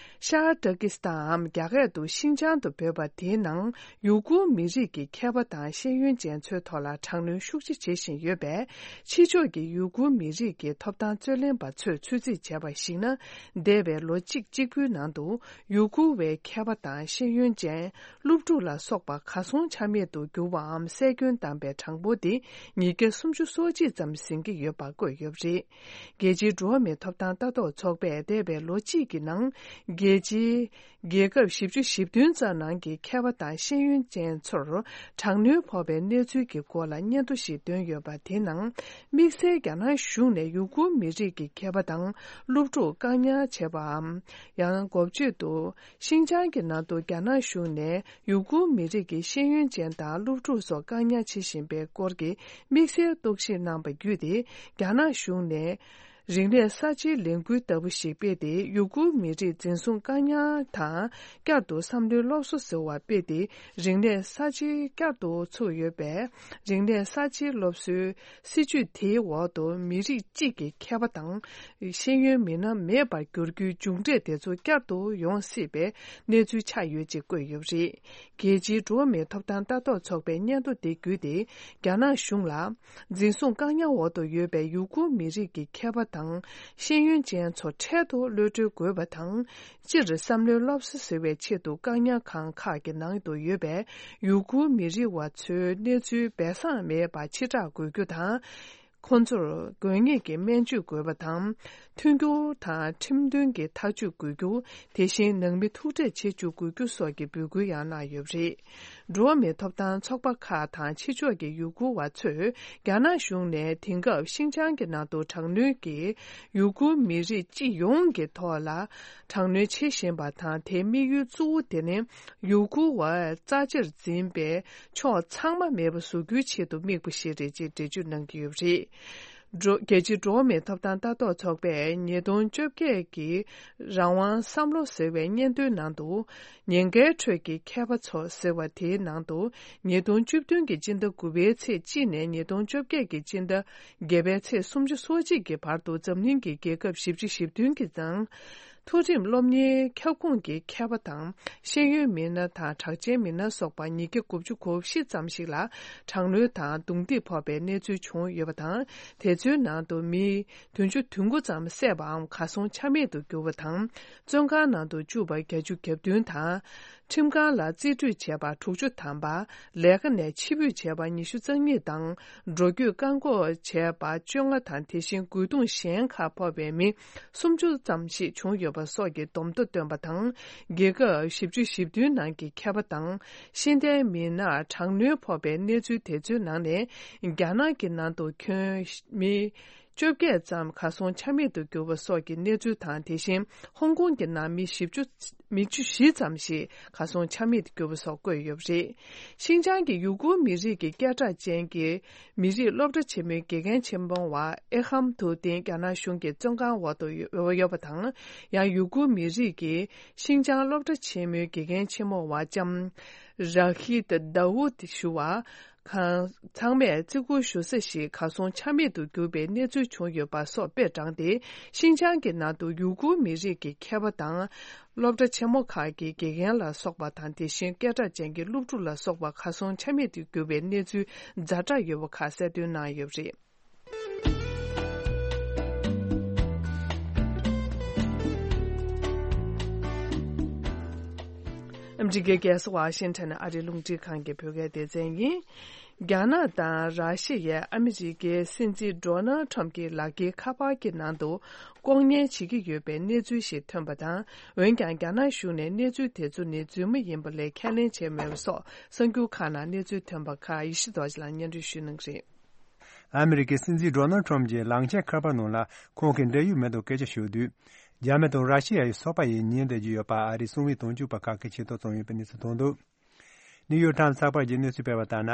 ཤར་ཏུར་ཀི་སི་ཐན་འམ་རྒྱ་སྐད་དུ་ཤིན་ཅང་དུ་འབོད་པ་དེའི་ནང་ཡུ་གུར་མི་རིགས་ཀྱི་མཁས་པ་དང་ཤེས་ཡོན་ཅན་ཚོའི་ཐོག་ལ་དྲག་གནོན་ཤུགས་ཆེ་བྱེད་བཞིན་ཡོད་པས། ཕྱི་ཕྱོགས་ཀྱི་ཡུ་གུར་མི་རིགས་ཀྱི་ཐོབ་ཐང་རྩོད་ལེན་པ་ཚོས་ཚོད་རྩིས་བྱས་པར་གཞིགས་ན། འདས་པའི་ལོ་གཅིག་གཅིག་པུའི་ནང་དུ་ཡུ་གུར་བའི་མཁས་པ་དང་ཤེས་ཡོན་ཅན། སློབ་ཕྲུག་ལ་སོགས་པ་གར་སོང་ཆ་མེད་དུ་གྱུར་བའམ་བསད་སྐྱོན་བཏང་པའི་གྲངས་འབོར་དེ་ཉིས་བརྒྱ་སུམ་ཅུ་སོ་གཅིག་ཙམ་ཟིན་གྱི་ཡོད་པ་བཀོད་ཡོད་པ་རེད། རྒྱལ་སྤྱིའི་འགྲོ་བ་མིའི་ཐོབ་ཐང་ལྟ་རྟོག་ཚོགས་པས་འདས་པའི་ལོ་གཅིག་གི་ནང་རྒྱལ་སྤྱིའི་རྒྱལ་ཁབ་བཞི་བཅུ་ཞེ་བདུན་ཙམ་ནང་གི་མཁས་པ་དང་ཤེས་ཡོན་ཅན་ཚོར་དྲག་གནོན་ཕོག་པའི་གནས་ཚུལ་གྱི་སྐོར་ལ་སྙན་ཐོ་ཞིག་བཏོན་ཡོད་པ། དེའི་ནང་དམིགས་བསལ་རྒྱ་ནག་གཞུང་ནས་ཡུ་གུར་མི་རིགས་ཀྱི་མཁས་པ་དང་སློབ་ཕྲུག་བཀག་ཉར་བྱས་པའམ། ཡང་འགོ་བརྗོད་དུ། ཤིན་ཅང་གི་ནང་དུ་རྒྱ་ནག་གཞུང་ནས་ཡུ་གུར་མི་རིགས་ཀྱི་ཤེས་ཡོན་ཅན་དང་སློབ་ཕྲུག་སོགས་བཀག་ཉར་བྱེད་བཞིན་པའི་སྐོར་གྱི་དམིགས་བསལ་རྟོག་ཞིབ་གནང་པ་བརྒྱུད་དེ། རྒྱ་ནག་གཞུང་ནས་རིག་གནས་གསར་བརྗེའི་ལས་འགུལ་ལྟ་བུ་ཞིག་སྤེལ་ཏེ། ཡུ་གུར་མི་རིགས་འཛིན་བཟུང་བཀག་ཉར་དང་བསྐྱར་དུ་བསམ་བློའི་སློབ་གསོ་ཟེར་བ་སྤེལ་ཏེ། རིག་གནས་གསར་བརྗེ་བསྐྱར་དུ་ཚུགས་ཡོད་པས། རིག་གནས་གསར་བརྗེའི་སློབ་གསོའི་སྲིད་ཇུས་དེའི་འོག་ཏུ་མི་རིགས་གཅིག་གི་མཁས་པ་དང་ཤེས་ཡོན་མི་སྣ་མེད་པར་འགྱུར་རྒྱུའི་མཇུག་འབྲས་དེ་ཚོ་བསྐྱར་དུ་ཡོང་སྲིད་པའི་གནས་ཚུལ་ཆགས་ཡོད་ཅེས་བཀོད་ཡོད་པ་རེད། རྒྱལ་སྤྱིའི་འགྲོ་བ་མིའི་ཐོབ་ཐང་ལྟ་རྟོག་ཚོགས་པའི་སྙན་ཐོ་དེ་བརྒྱུད་དེ། རྒྱ་ནག་གཞུང་ལ་འཛིན་བཟུང་བཀག་ཉར་འོག་ཏུ་ཡོད་པའི་ཡུ་གུར་མི་རིགས་ཀྱི་མཁས་པ་དང་ཤེས་ཡོན་ཅན་ཚོ་འཕྲལ་དུ་གློད་གྲོལ་དགོས་པ་དང་། སྤྱིར་བསམ་བློའི་སློབ་གསོ་ཟེར་བའི་ཆེད་དུ་བཀག་ཉར་ཁང་ཁག་གི་ནང་དུ་ཡོད་པའི་ཡུ་གུར་མི་རིགས་པ་ཚོའི་གནས་ཚུལ་སྦས་གསང་མེད་པར་ཕྱིར་བསྒྲགས་དགོས་རྒྱུ་དང་། ཁོང་ཚོར་དགོས་ངེས་ཀྱི་སྨན་བཅོས་དགོས་པ་དང་། མཐུན་འགྱུར་དང་ཁྲིམས་མཐུན་གྱི་ཐག་གཅོད་དགོས་རྒྱུ། དེ་བཞིན་ནང་མི་ཐུག་འཕྲད་བྱེད་བཅུག་དགོས་རྒྱུ་སོགས་ཀྱི་འབོད་སྐུལ་ཡང་གནང་ཡོད་པ་རེད། འགྲོ་བ་མིའི་ཐོབ་ཐང་ཚོགས་པ་ཁག་དང་ཕྱི་ཕྱོགས་ཀྱི་ཡུ་གུར་བ་ཚོས་རྒྱ་ནག་གཞུང་ནས་དེང་སྐབས་ཤིན་ཅང་གི་ནང་དུ་དྲག་གནོན་གྱིས་ཡུ་གུར་མི་རིགས་སྤྱི་ཡོངས་ཀྱི་ཐོག་ལ་དྲག་གནོན་བྱེད་བཞིན་པ་དང་། དེའི་དམིགས་ཡུལ་གཙོ་བོ་དེ་ནི་ཡུ་གུར་བ་རྩ་ཆེར་འཛིན་པའི་ཕྱོགས་ཚང་མ་མེད་པ་བཟོ་རྒྱུའི་ཆེད་དུ་དམིགས་པ་ཞིག་རེད་ཅེས་འགྲེལ་བརྗོད་གནང་གི་ཡོད་པ་རེད། འགྲོ། རྒྱལ་སྤྱིའི་འགྲོ་བ་མིའི་ཐོབ་ཐང་ལྟ་རྟོག་ཚོགས་པས་ཉིས་སྟོང་བཅོ་བརྒྱད་ཀྱི་རང་དབང་བསམ་བློ་ཟེར་བའི་སྙན་ཐོའི་ནང་དུ། ཉེན་ཁའི་ཁྲོད་ཀྱི་མཁས་པ་ཚོ་ཟེར་བ་དེའི་ནང་དུ། ཉིས་སྟོང་བཅུ་བདུན་གྱི་སྤྱི་ཟླ་དགུ་པའི་ཚེས་གཅིག་ནས་ཉིས་སྟོང་བཅོ་བརྒྱད་ཀྱི་སྤྱི་ཟླ་བརྒྱད་པའི་ཚེས་སུམ་ཅུ་སོ་གཅིག་གི་བར་དུ་འཛམ་གླིང་གི་རྒྱལ་ཁབ་བཞི་བཅུ་ཞེ་བདུན་གྱི་ནང་། མཐོ་རིམ་སློབ་གཉེར་ཁྱབ་ཁོངས་ཀྱི་མཁས་པ་དང་ཤེས་ཡོན་མི་སྣ་དང་གྲགས་ཅན་མི་སྣ་སོགས་པ་ཉིས་བརྒྱ་དགུ་བཅུ་གོ་བཞི་ཙམ་ཞིག་ལ་དྲག་གནོན་དང་རྡུང་རྡེག་ཕོག་པའི་གནས་ཚུལ་བྱུང་ཡོད་པ་དང་། དེ་ཚོའི་ནང་དུ་མི་བདུན་ཅུ་དོན་དགུ་ཙམ་བསད་པའམ་གར་སོང་ཆ་མེད་དུ་གྱུར་བ་དང་། བཙོན་ཁང་ནང་དུ་བཅུག་པ་བརྒྱད་ཅུ་གྱ་བདུན་དང་། ཁྲིམས་ཁང་ལ་རྩིས་སྤྲོད་བྱས་པ་དྲུག་ཅུ་ཐམ་པ། ལས་ཀ་ནས་ཕྱིར་འབུད་བྱས་པ་ཉི་ཤུ་རྩ་གཉིས་དང་། འགྲོ་སྐྱོད་བཀག་འགོག་བྱས་པ་བཅོ་ལྔ་དང་། དེ་བཞིན་རྒོལ་རྡུང་གཞན་ཁག་ཕོག་པའི་མི་སུམ་ཅུ་ཙམ་ཞིག་བྱུང་ཡོད་པ་སོགས་ཀྱི་བསྡོམས་ཐོ་བཏོན་པ་དང་། རྒྱལ་ཁབ་བཞི་བཅུ་ཞེ་བདུན་ནང་གི་མཁས་པ་དང་ཤེས་ལྡན་མི་སྣར་དྲག་གནོན་ཕོག་པའི་གནས་ཚུལ་དེ་ཚོའི་ནང་ནས། རྒྱ་ནག་གི་ནང་དུ་ཁྱོན་མི་བཅོ་བརྒྱད་ཙམ་གར་སོང་ཆ་མེད་དུ་གྱུར་པ་སོགས་ཀྱི་གནས་ཚུལ་དང་། དེ་བཞིན་ཧོང་ཀོང་གི་ནང་མི་བཞི་བཅུ། མི་བཅུ་བཞི་ཙམ་ཞིག་གར་སོང་ཆ་མེད་དུ་གྱུར་པ་སོགས་བཀོད་ཡོད་པ་རེད། ཤིན་ཅང་གི་ཡུ་གུར་མི་རིགས་ཀྱི་སྐད་གྲགས་ཅན་གྱི་མི་རིགས་སློབ་གྲྭ་ཆེན་མོའི་དགེ་རྒན་ཆེན་མོ་བ་ཨེ་ཧམ་ཐུའུ་ཏིན་རྒྱ་ནག་གཞུང་གི་བཙོན་ཁང་འོག་ཏུ་ཡོད་ཡོད་པ་དང་། ཡང་ཡུ་གུར་མི་རིགས་ཀྱི་ཤིན་ཅང་སློབ་གྲྭ་ཆེན་མོའི་དགེ་རྒན་ཆེན་མོ་བ་ལྕམ་ར་ཧི་ཏ་དཱ་ཝུད་ཞུ་བ། ཁང་ཚང་མས་བརྩི་བཀུར་ཞུ་ས་ཞིག་གར་སོང་ཆ་མེད་དུ་གྱུར་པའི་གནས་ཚུལ་བྱུང་ཡོད་པ་སོགས་དཔེ་དྲངས་ཏེ། ཤིན་ཅང་གི་ནང་དུ་ཡུ་གུར་མི་རིགས་ཀྱི་མཁས་པ་དང་། སློབ་གྲྭ་ཆེན་མོ་ཁག་གི་དགེ་རྒན་ལ་སོགས་པ་དང་། དེ་བཞིན་སྐད་གྲགས་ཅན་གྱི་སློབ་ཕྲུག་ལ་སོགས་པ་གར་སོང་ཆ་མེད་དུ་གྱུར་པའི་གནས་ཚུལ་ཛ་དྲག་ཡོད་པ་ཁག་གསལ་སྟོན་གནང་ཡོད་པ་རེད། ཨ་མི་རི་ཀའི་རྒྱལ་ས་ཝ་ཤིང་ཊོན་ཨ་རིའི་རླུང་འཕྲིན་ཁང་གི་བོད་སྐད་སྡེ་ཚན་ཡིན། རྒྱ་ནག་དང་ར་ཤི་ཡས་ཨ་མི་རི་ཀའི་སྲིད་འཛིན་ཌོ་ནལ་ཁྲམ་གྱི་ལག་འཁྱེར་ཁ་པར་གྱི་ནང་དུ་ལྐོག་ཉན་བྱེད་ཀྱི་ཡོད་པའི་གནས་ཚུལ་ཞིག་ཐོན་པ་དང་། འོན་ཀྱང་རྒྱ་ནག་གཞུང་ནས་གནས་ཚུལ་དེ་ཚོ་ནི་རྫུན་མ་ཡིན་པ་ལས་ཁས་ལེན་བྱས་མེད་པ་སོགས་གསར་འགྱུར་ཁག་ནང་གནས་ཚུལ་ཐོན་པ་ཁག་ཡེ་ཤེས་རྡོ་རྗེ་ལགས་སྙན་སྒྲོན་ཞུ་གནང་གི་རེད། ཨ་མི་རི་ཀའི་སྲིད་འཛིན་ཌོ་ནལ་ཁྲམ་གྱི་ལག་འཁྱེར་ཁ་པར་ནང་ལ་ཁོང་གི་འབྲེལ་ཡོད་མི་དང་སྐད་ཆ་ཤོད་དུས། རྒྱ་མི་དང་ར་ཤི་ཡ་ཡི་ཚོགས་པ་ཡིས་ཉན་བསྡད་ཀྱི་ཡོད་པ་ཨ་རིའི་གསང་བའི་དོན་གཅོད་པ་ཁག་གིས་ཆེད་དུ་བཙོང་ཡོད་པའི་གནས་ཚུལ་ཐོན་འདུག་ནིའུ་ཡོག་ཊའིམ་ཚགས་པར་གྱིས་གནས་ཚུལ་སྤེལ་བ་ལྟར་ན།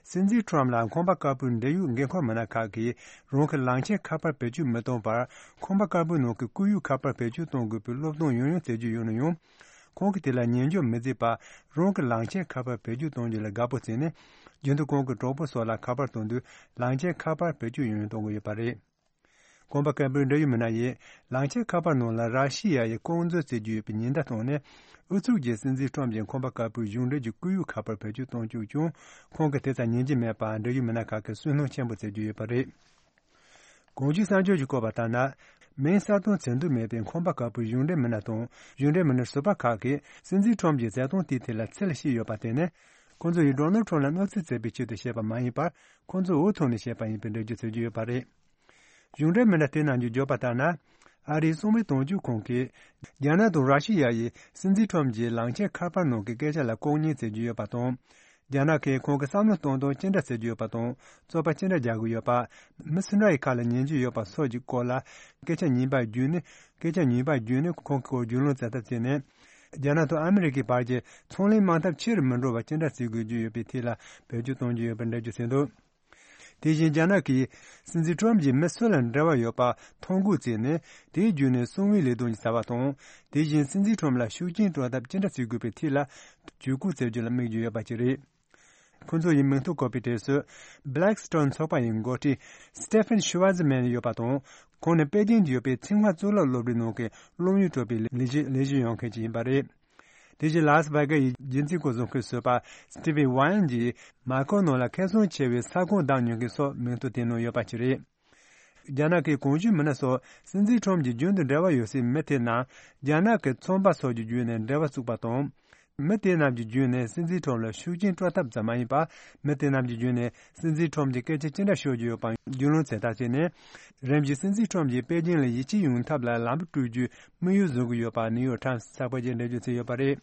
སྲིད་འཛིན་ཁྲོམ་ལ་ཁང་པ་དཀར་པོའི་འབྲེལ་ཡོད་འགན་ཁུར་མི་སྣ་ཁག་གིས་རང་གི་ལག་འཁྱེར་ཁ་པར་བེད་སྤྱོད་མི་གཏོང་བར། ཁང་པ་དཀར་པོའི་ནང་གི་སྐུ་ཡུག་ཁ་པར་བེད་སྤྱོད་གཏོང་དགོས་པའི་སློབ་སྟོན་ཡང་ཡང་བསྩལ་རྒྱུ་ཡོད་ན་ཡང་། ཁོང་གིས་དེ་ལ་ཉན་འཇོག་མི་བྱེད་པར། རང་གི་ལག་འཁྱེར་ཁ་པར་བེད་སྤྱོད་གཏོང་རྒྱུ་ལ་དགའ་པོ་བྱས་ནས། རྒྱུན་དུ་ཁོང་གི་གྲོགས་པོ་སོགས་ལ་ཁ་པར་གཏོང་དུས། ལག་འཁྱེར་ཁ་པར་བེད་སྤྱོད་ཡང་ཡང་གཏོང་གི་ཡོད་པ་རེད། ཁང་པ་དཀར་པོའི་འབྲེལ་ཡོད་མི་སྣ་ཡིས་གླང་ཆེན་ཁ་པར་ནང་ལ་ར་ཤི་ཡ་ཡི་ལྐོག་འཛུལ་བྱེད་རྒྱུ་ཡོད་པའི་ཉེན་བརྡ་བཏང་ནས། ཨུ་ཚུགས་ཀྱིས་སྲིད་འཛིན་ཁྲོམ་གྱི་ཁང་པ་དཀར་པོའི་གཞུང་འབྲེལ་གྱི་བཀོད་ཡིག་ཁ་པར་བེད་སྤྱོད་གཏོང་བཅུག་ཀྱང་། ཁོང་གིས་དེ་ཙམ་ཉན་གྱི་མེད་པར་འབྲེལ་ཡོད་མི་སྣ་ཁག་གིས་སུན་སྣང་ཆེན་པོ་བྱེད་ཀྱི་ཡོད་པ་རེད། གོང་ཞུས་གསར་འགྱུར་གྱིས་བཀོད་པ་ལྟར་ན། མིང་གསལ་སྟོན་བྱེད་འདོད་མེད་པའི་ཁང་པ་དཀར་པོའི་གཞུང་འབྲེལ་མི་སྣ་དང་གཞུང་འབྲེལ་མི་སྣ་ཟུར་པ་ཁག་གིས་སྲིད་འཛིན་ཁྲོམ་གྱི་བྱེད་སྟངས་དེའི་ཐད་ལ་འཚེར་བཤད་ཡོད་པ་དེ་ནི། ཁོང་ཚོ་ཡིས་ཌོ་ནལ་ཁྲོམ་ལ་གནོད་འཚེ་བྱེད་པའི་ཆེད་དུ་བཤད་པ་མ་ཡིན་པར། ཁོང་ཚོས་འུ་ཐུག་ནས་བཤད་པ་ཡིན་པའི་འགྲེལ་བརྗོད་བྱེད་ཀྱི་ཡོད་པ་རེད། གཞུང་འབྲེལ་མི་སྣ་དེ་རྣམས་ཀྱིས་བརྗོད་པ་ལྟར་ན། ཨ་རིའི་གསང་བའི་དོན་གཅོད་ཁང་གིས། རྒྱ་ནག་དང་ར་ཤི་ཡ་ཡིས་སྲིད་འཛིན་ཁྲོམ་གྱི་གླང་ཆེན་ཁ་པར་ནང་གི་སྐད་ཆ་ལ་ལྐོག་ཉན་བྱེད་ཀྱི་ཡོད་པ་དང་། རྒྱ་ནག་གིས་ཁོང་གི་བསམ་བློ་གཏོང་སྟངས་ཅི་འདྲ་བྱེད་ཀྱི་ཡོད་པ་དང་། རྩོད་པ་ཅི་འདྲ་རྒྱག་གི་ཡོད་པ། མི་སུ་འདྲ་ཡི་ཁ་ལ་ཉན་གྱི་ཡོད་པ་སོགས་ཀྱི་སྐོར་ལ། སྐད་ཆ་ཉན་པ་བརྒྱུད་ནས། སྐད་ཆ་ཉན་པ་བརྒྱུད་ནས་ཁོང་གི་སྐོར་རྒྱུས་ལོན་བྱེད་ཐབས་བྱས་ནས། རྒྱ་ནག་དང་ཨ་མི་རི་ཀའི་བར་གྱི་ཚོང་ལས་དམག་འཐབ་ཆེ་རུ་མི་འགྲོ་བ་ཅི་འདྲ་བྱེད་དགོས་ཀྱི་ཡོད་པའི་ཐད་ལ་བེད་སྤྱོད་གཏོང་གི་ཡོད་པར་འགྲེལ་བརྗོད་བྱས་འདུག་དེ་བཞིན་རྒྱ་ནག་གིས་སྲིད་འཛིན་ཁྲོམ་གྱིས་མི་སུ་ལ་འབྲེལ་བ་ཡོད་པ་ཐོ་འགོད་བྱས་ནས། དེའི་བརྒྱུད་ནས་གསང་བའི་ལས་དོན་གྱི་བྱ་བ་དང་། དེ་བཞིན་སྲིད་འཛིན་ཁྲོམ་ལ་ཤུགས་རྐྱེན་སྤྲོད་ཐབས་ཅི་འདྲ་བྱེད་དགོས་པའི་ཐད་ལ་ཇུས་འགོད་བྱེད་རྒྱུ་ལ་དམིགས་ཀྱི་ཡོད་པ་ཅིག་རེད། ཁོ་ཚོ་ཡིས་མིང་ཐོ་བཀོད་པའི་གྲས་སུ། Blackstone ཚོགས་པ་ཡི་འགོ་ཁྲིད་Stephen Schwarzman ཡོད་པ་དང་། ཁོང་ནི་པེ་ཅིང་དུ་ཡོད་པའི་ཚིང་ཧྭ་གཙུག་ལག་སློབ་གྲྭའི་ནང་གི་སློབ་ཡོན་སྤྲོད་པའི་ལས་གཞི་ལས་གཞི་ཡོད་མཁན་ཅིག་ཡིན་པ་རེད། དེ་བཞིན་ལཱ་སི་ཝེ་གྷ་ཡི་རྒྱུན་བཙུགས་སྐོར་བཟོ་མཁན་བཟོ་པ་Stevie Wynn གྱིས་མར་ཁེ་ནང་ལ་ཁེ་བཟང་ཆེ་བའི་ས་ཁོངས་བདག་ཉོ་མཁན་སོགས་མིང་ཐོ་དེ་ནང་ཡོད་པ་ཅིག་རེད། རྒྱ་ནག་གི་གོང་ཞུས་མི་སྣ་སོགས་སྲིད་འཛིན་ཁྲོམ་གྱི་རྒྱུན་དུ་འབྲེལ་བ་ཡོད་སའི་མི་དེ་རྣམས་རྒྱ་ནག་གི་ཚོང་པ་སོགས་ཀྱི་བརྒྱུད་ནས་འབྲེལ་བ་བཙུགས་པ་དང་། མི་དེ་རྣམས་ཀྱི་བརྒྱུད་ནས་སྲིད་འཛིན་ཁྲོམ་ལ་ཤུགས་རྐྱེན་སྤྲོད་ཐབས་ཙམ་མ་ཡིན་པར། མི་དེ་རྣམས་ཀྱི་བརྒྱུད་ནས་སྲིད་འཛིན་ཁྲོམ་གྱི་སྐད་ཆ་ཅི་འདྲ་ཤོད་ཀྱི་ཡོད་པ་རྒྱུས་ལོན་བྱེད་ཐབས་བྱས་ནས། རིམ་བཞིན་སྲིད་འཛིན་ཁྲོམ་གྱིས་པེ་ཅིང་ལ་ཡིད་ཆེས་ཡོང་ཐབས་ལ་ལམ་བུ་བསྐྲུན་རྒྱུའི་དམིགས་ཡུལ་བཟུང་གི་ཡོད་པ་ནིའུ་ཡོག་ཊའིམ་སི་ཚགས་པར་གྱིས་འགྲེལ་བརྗོད་བྱས་ཡོད་པ་རེད།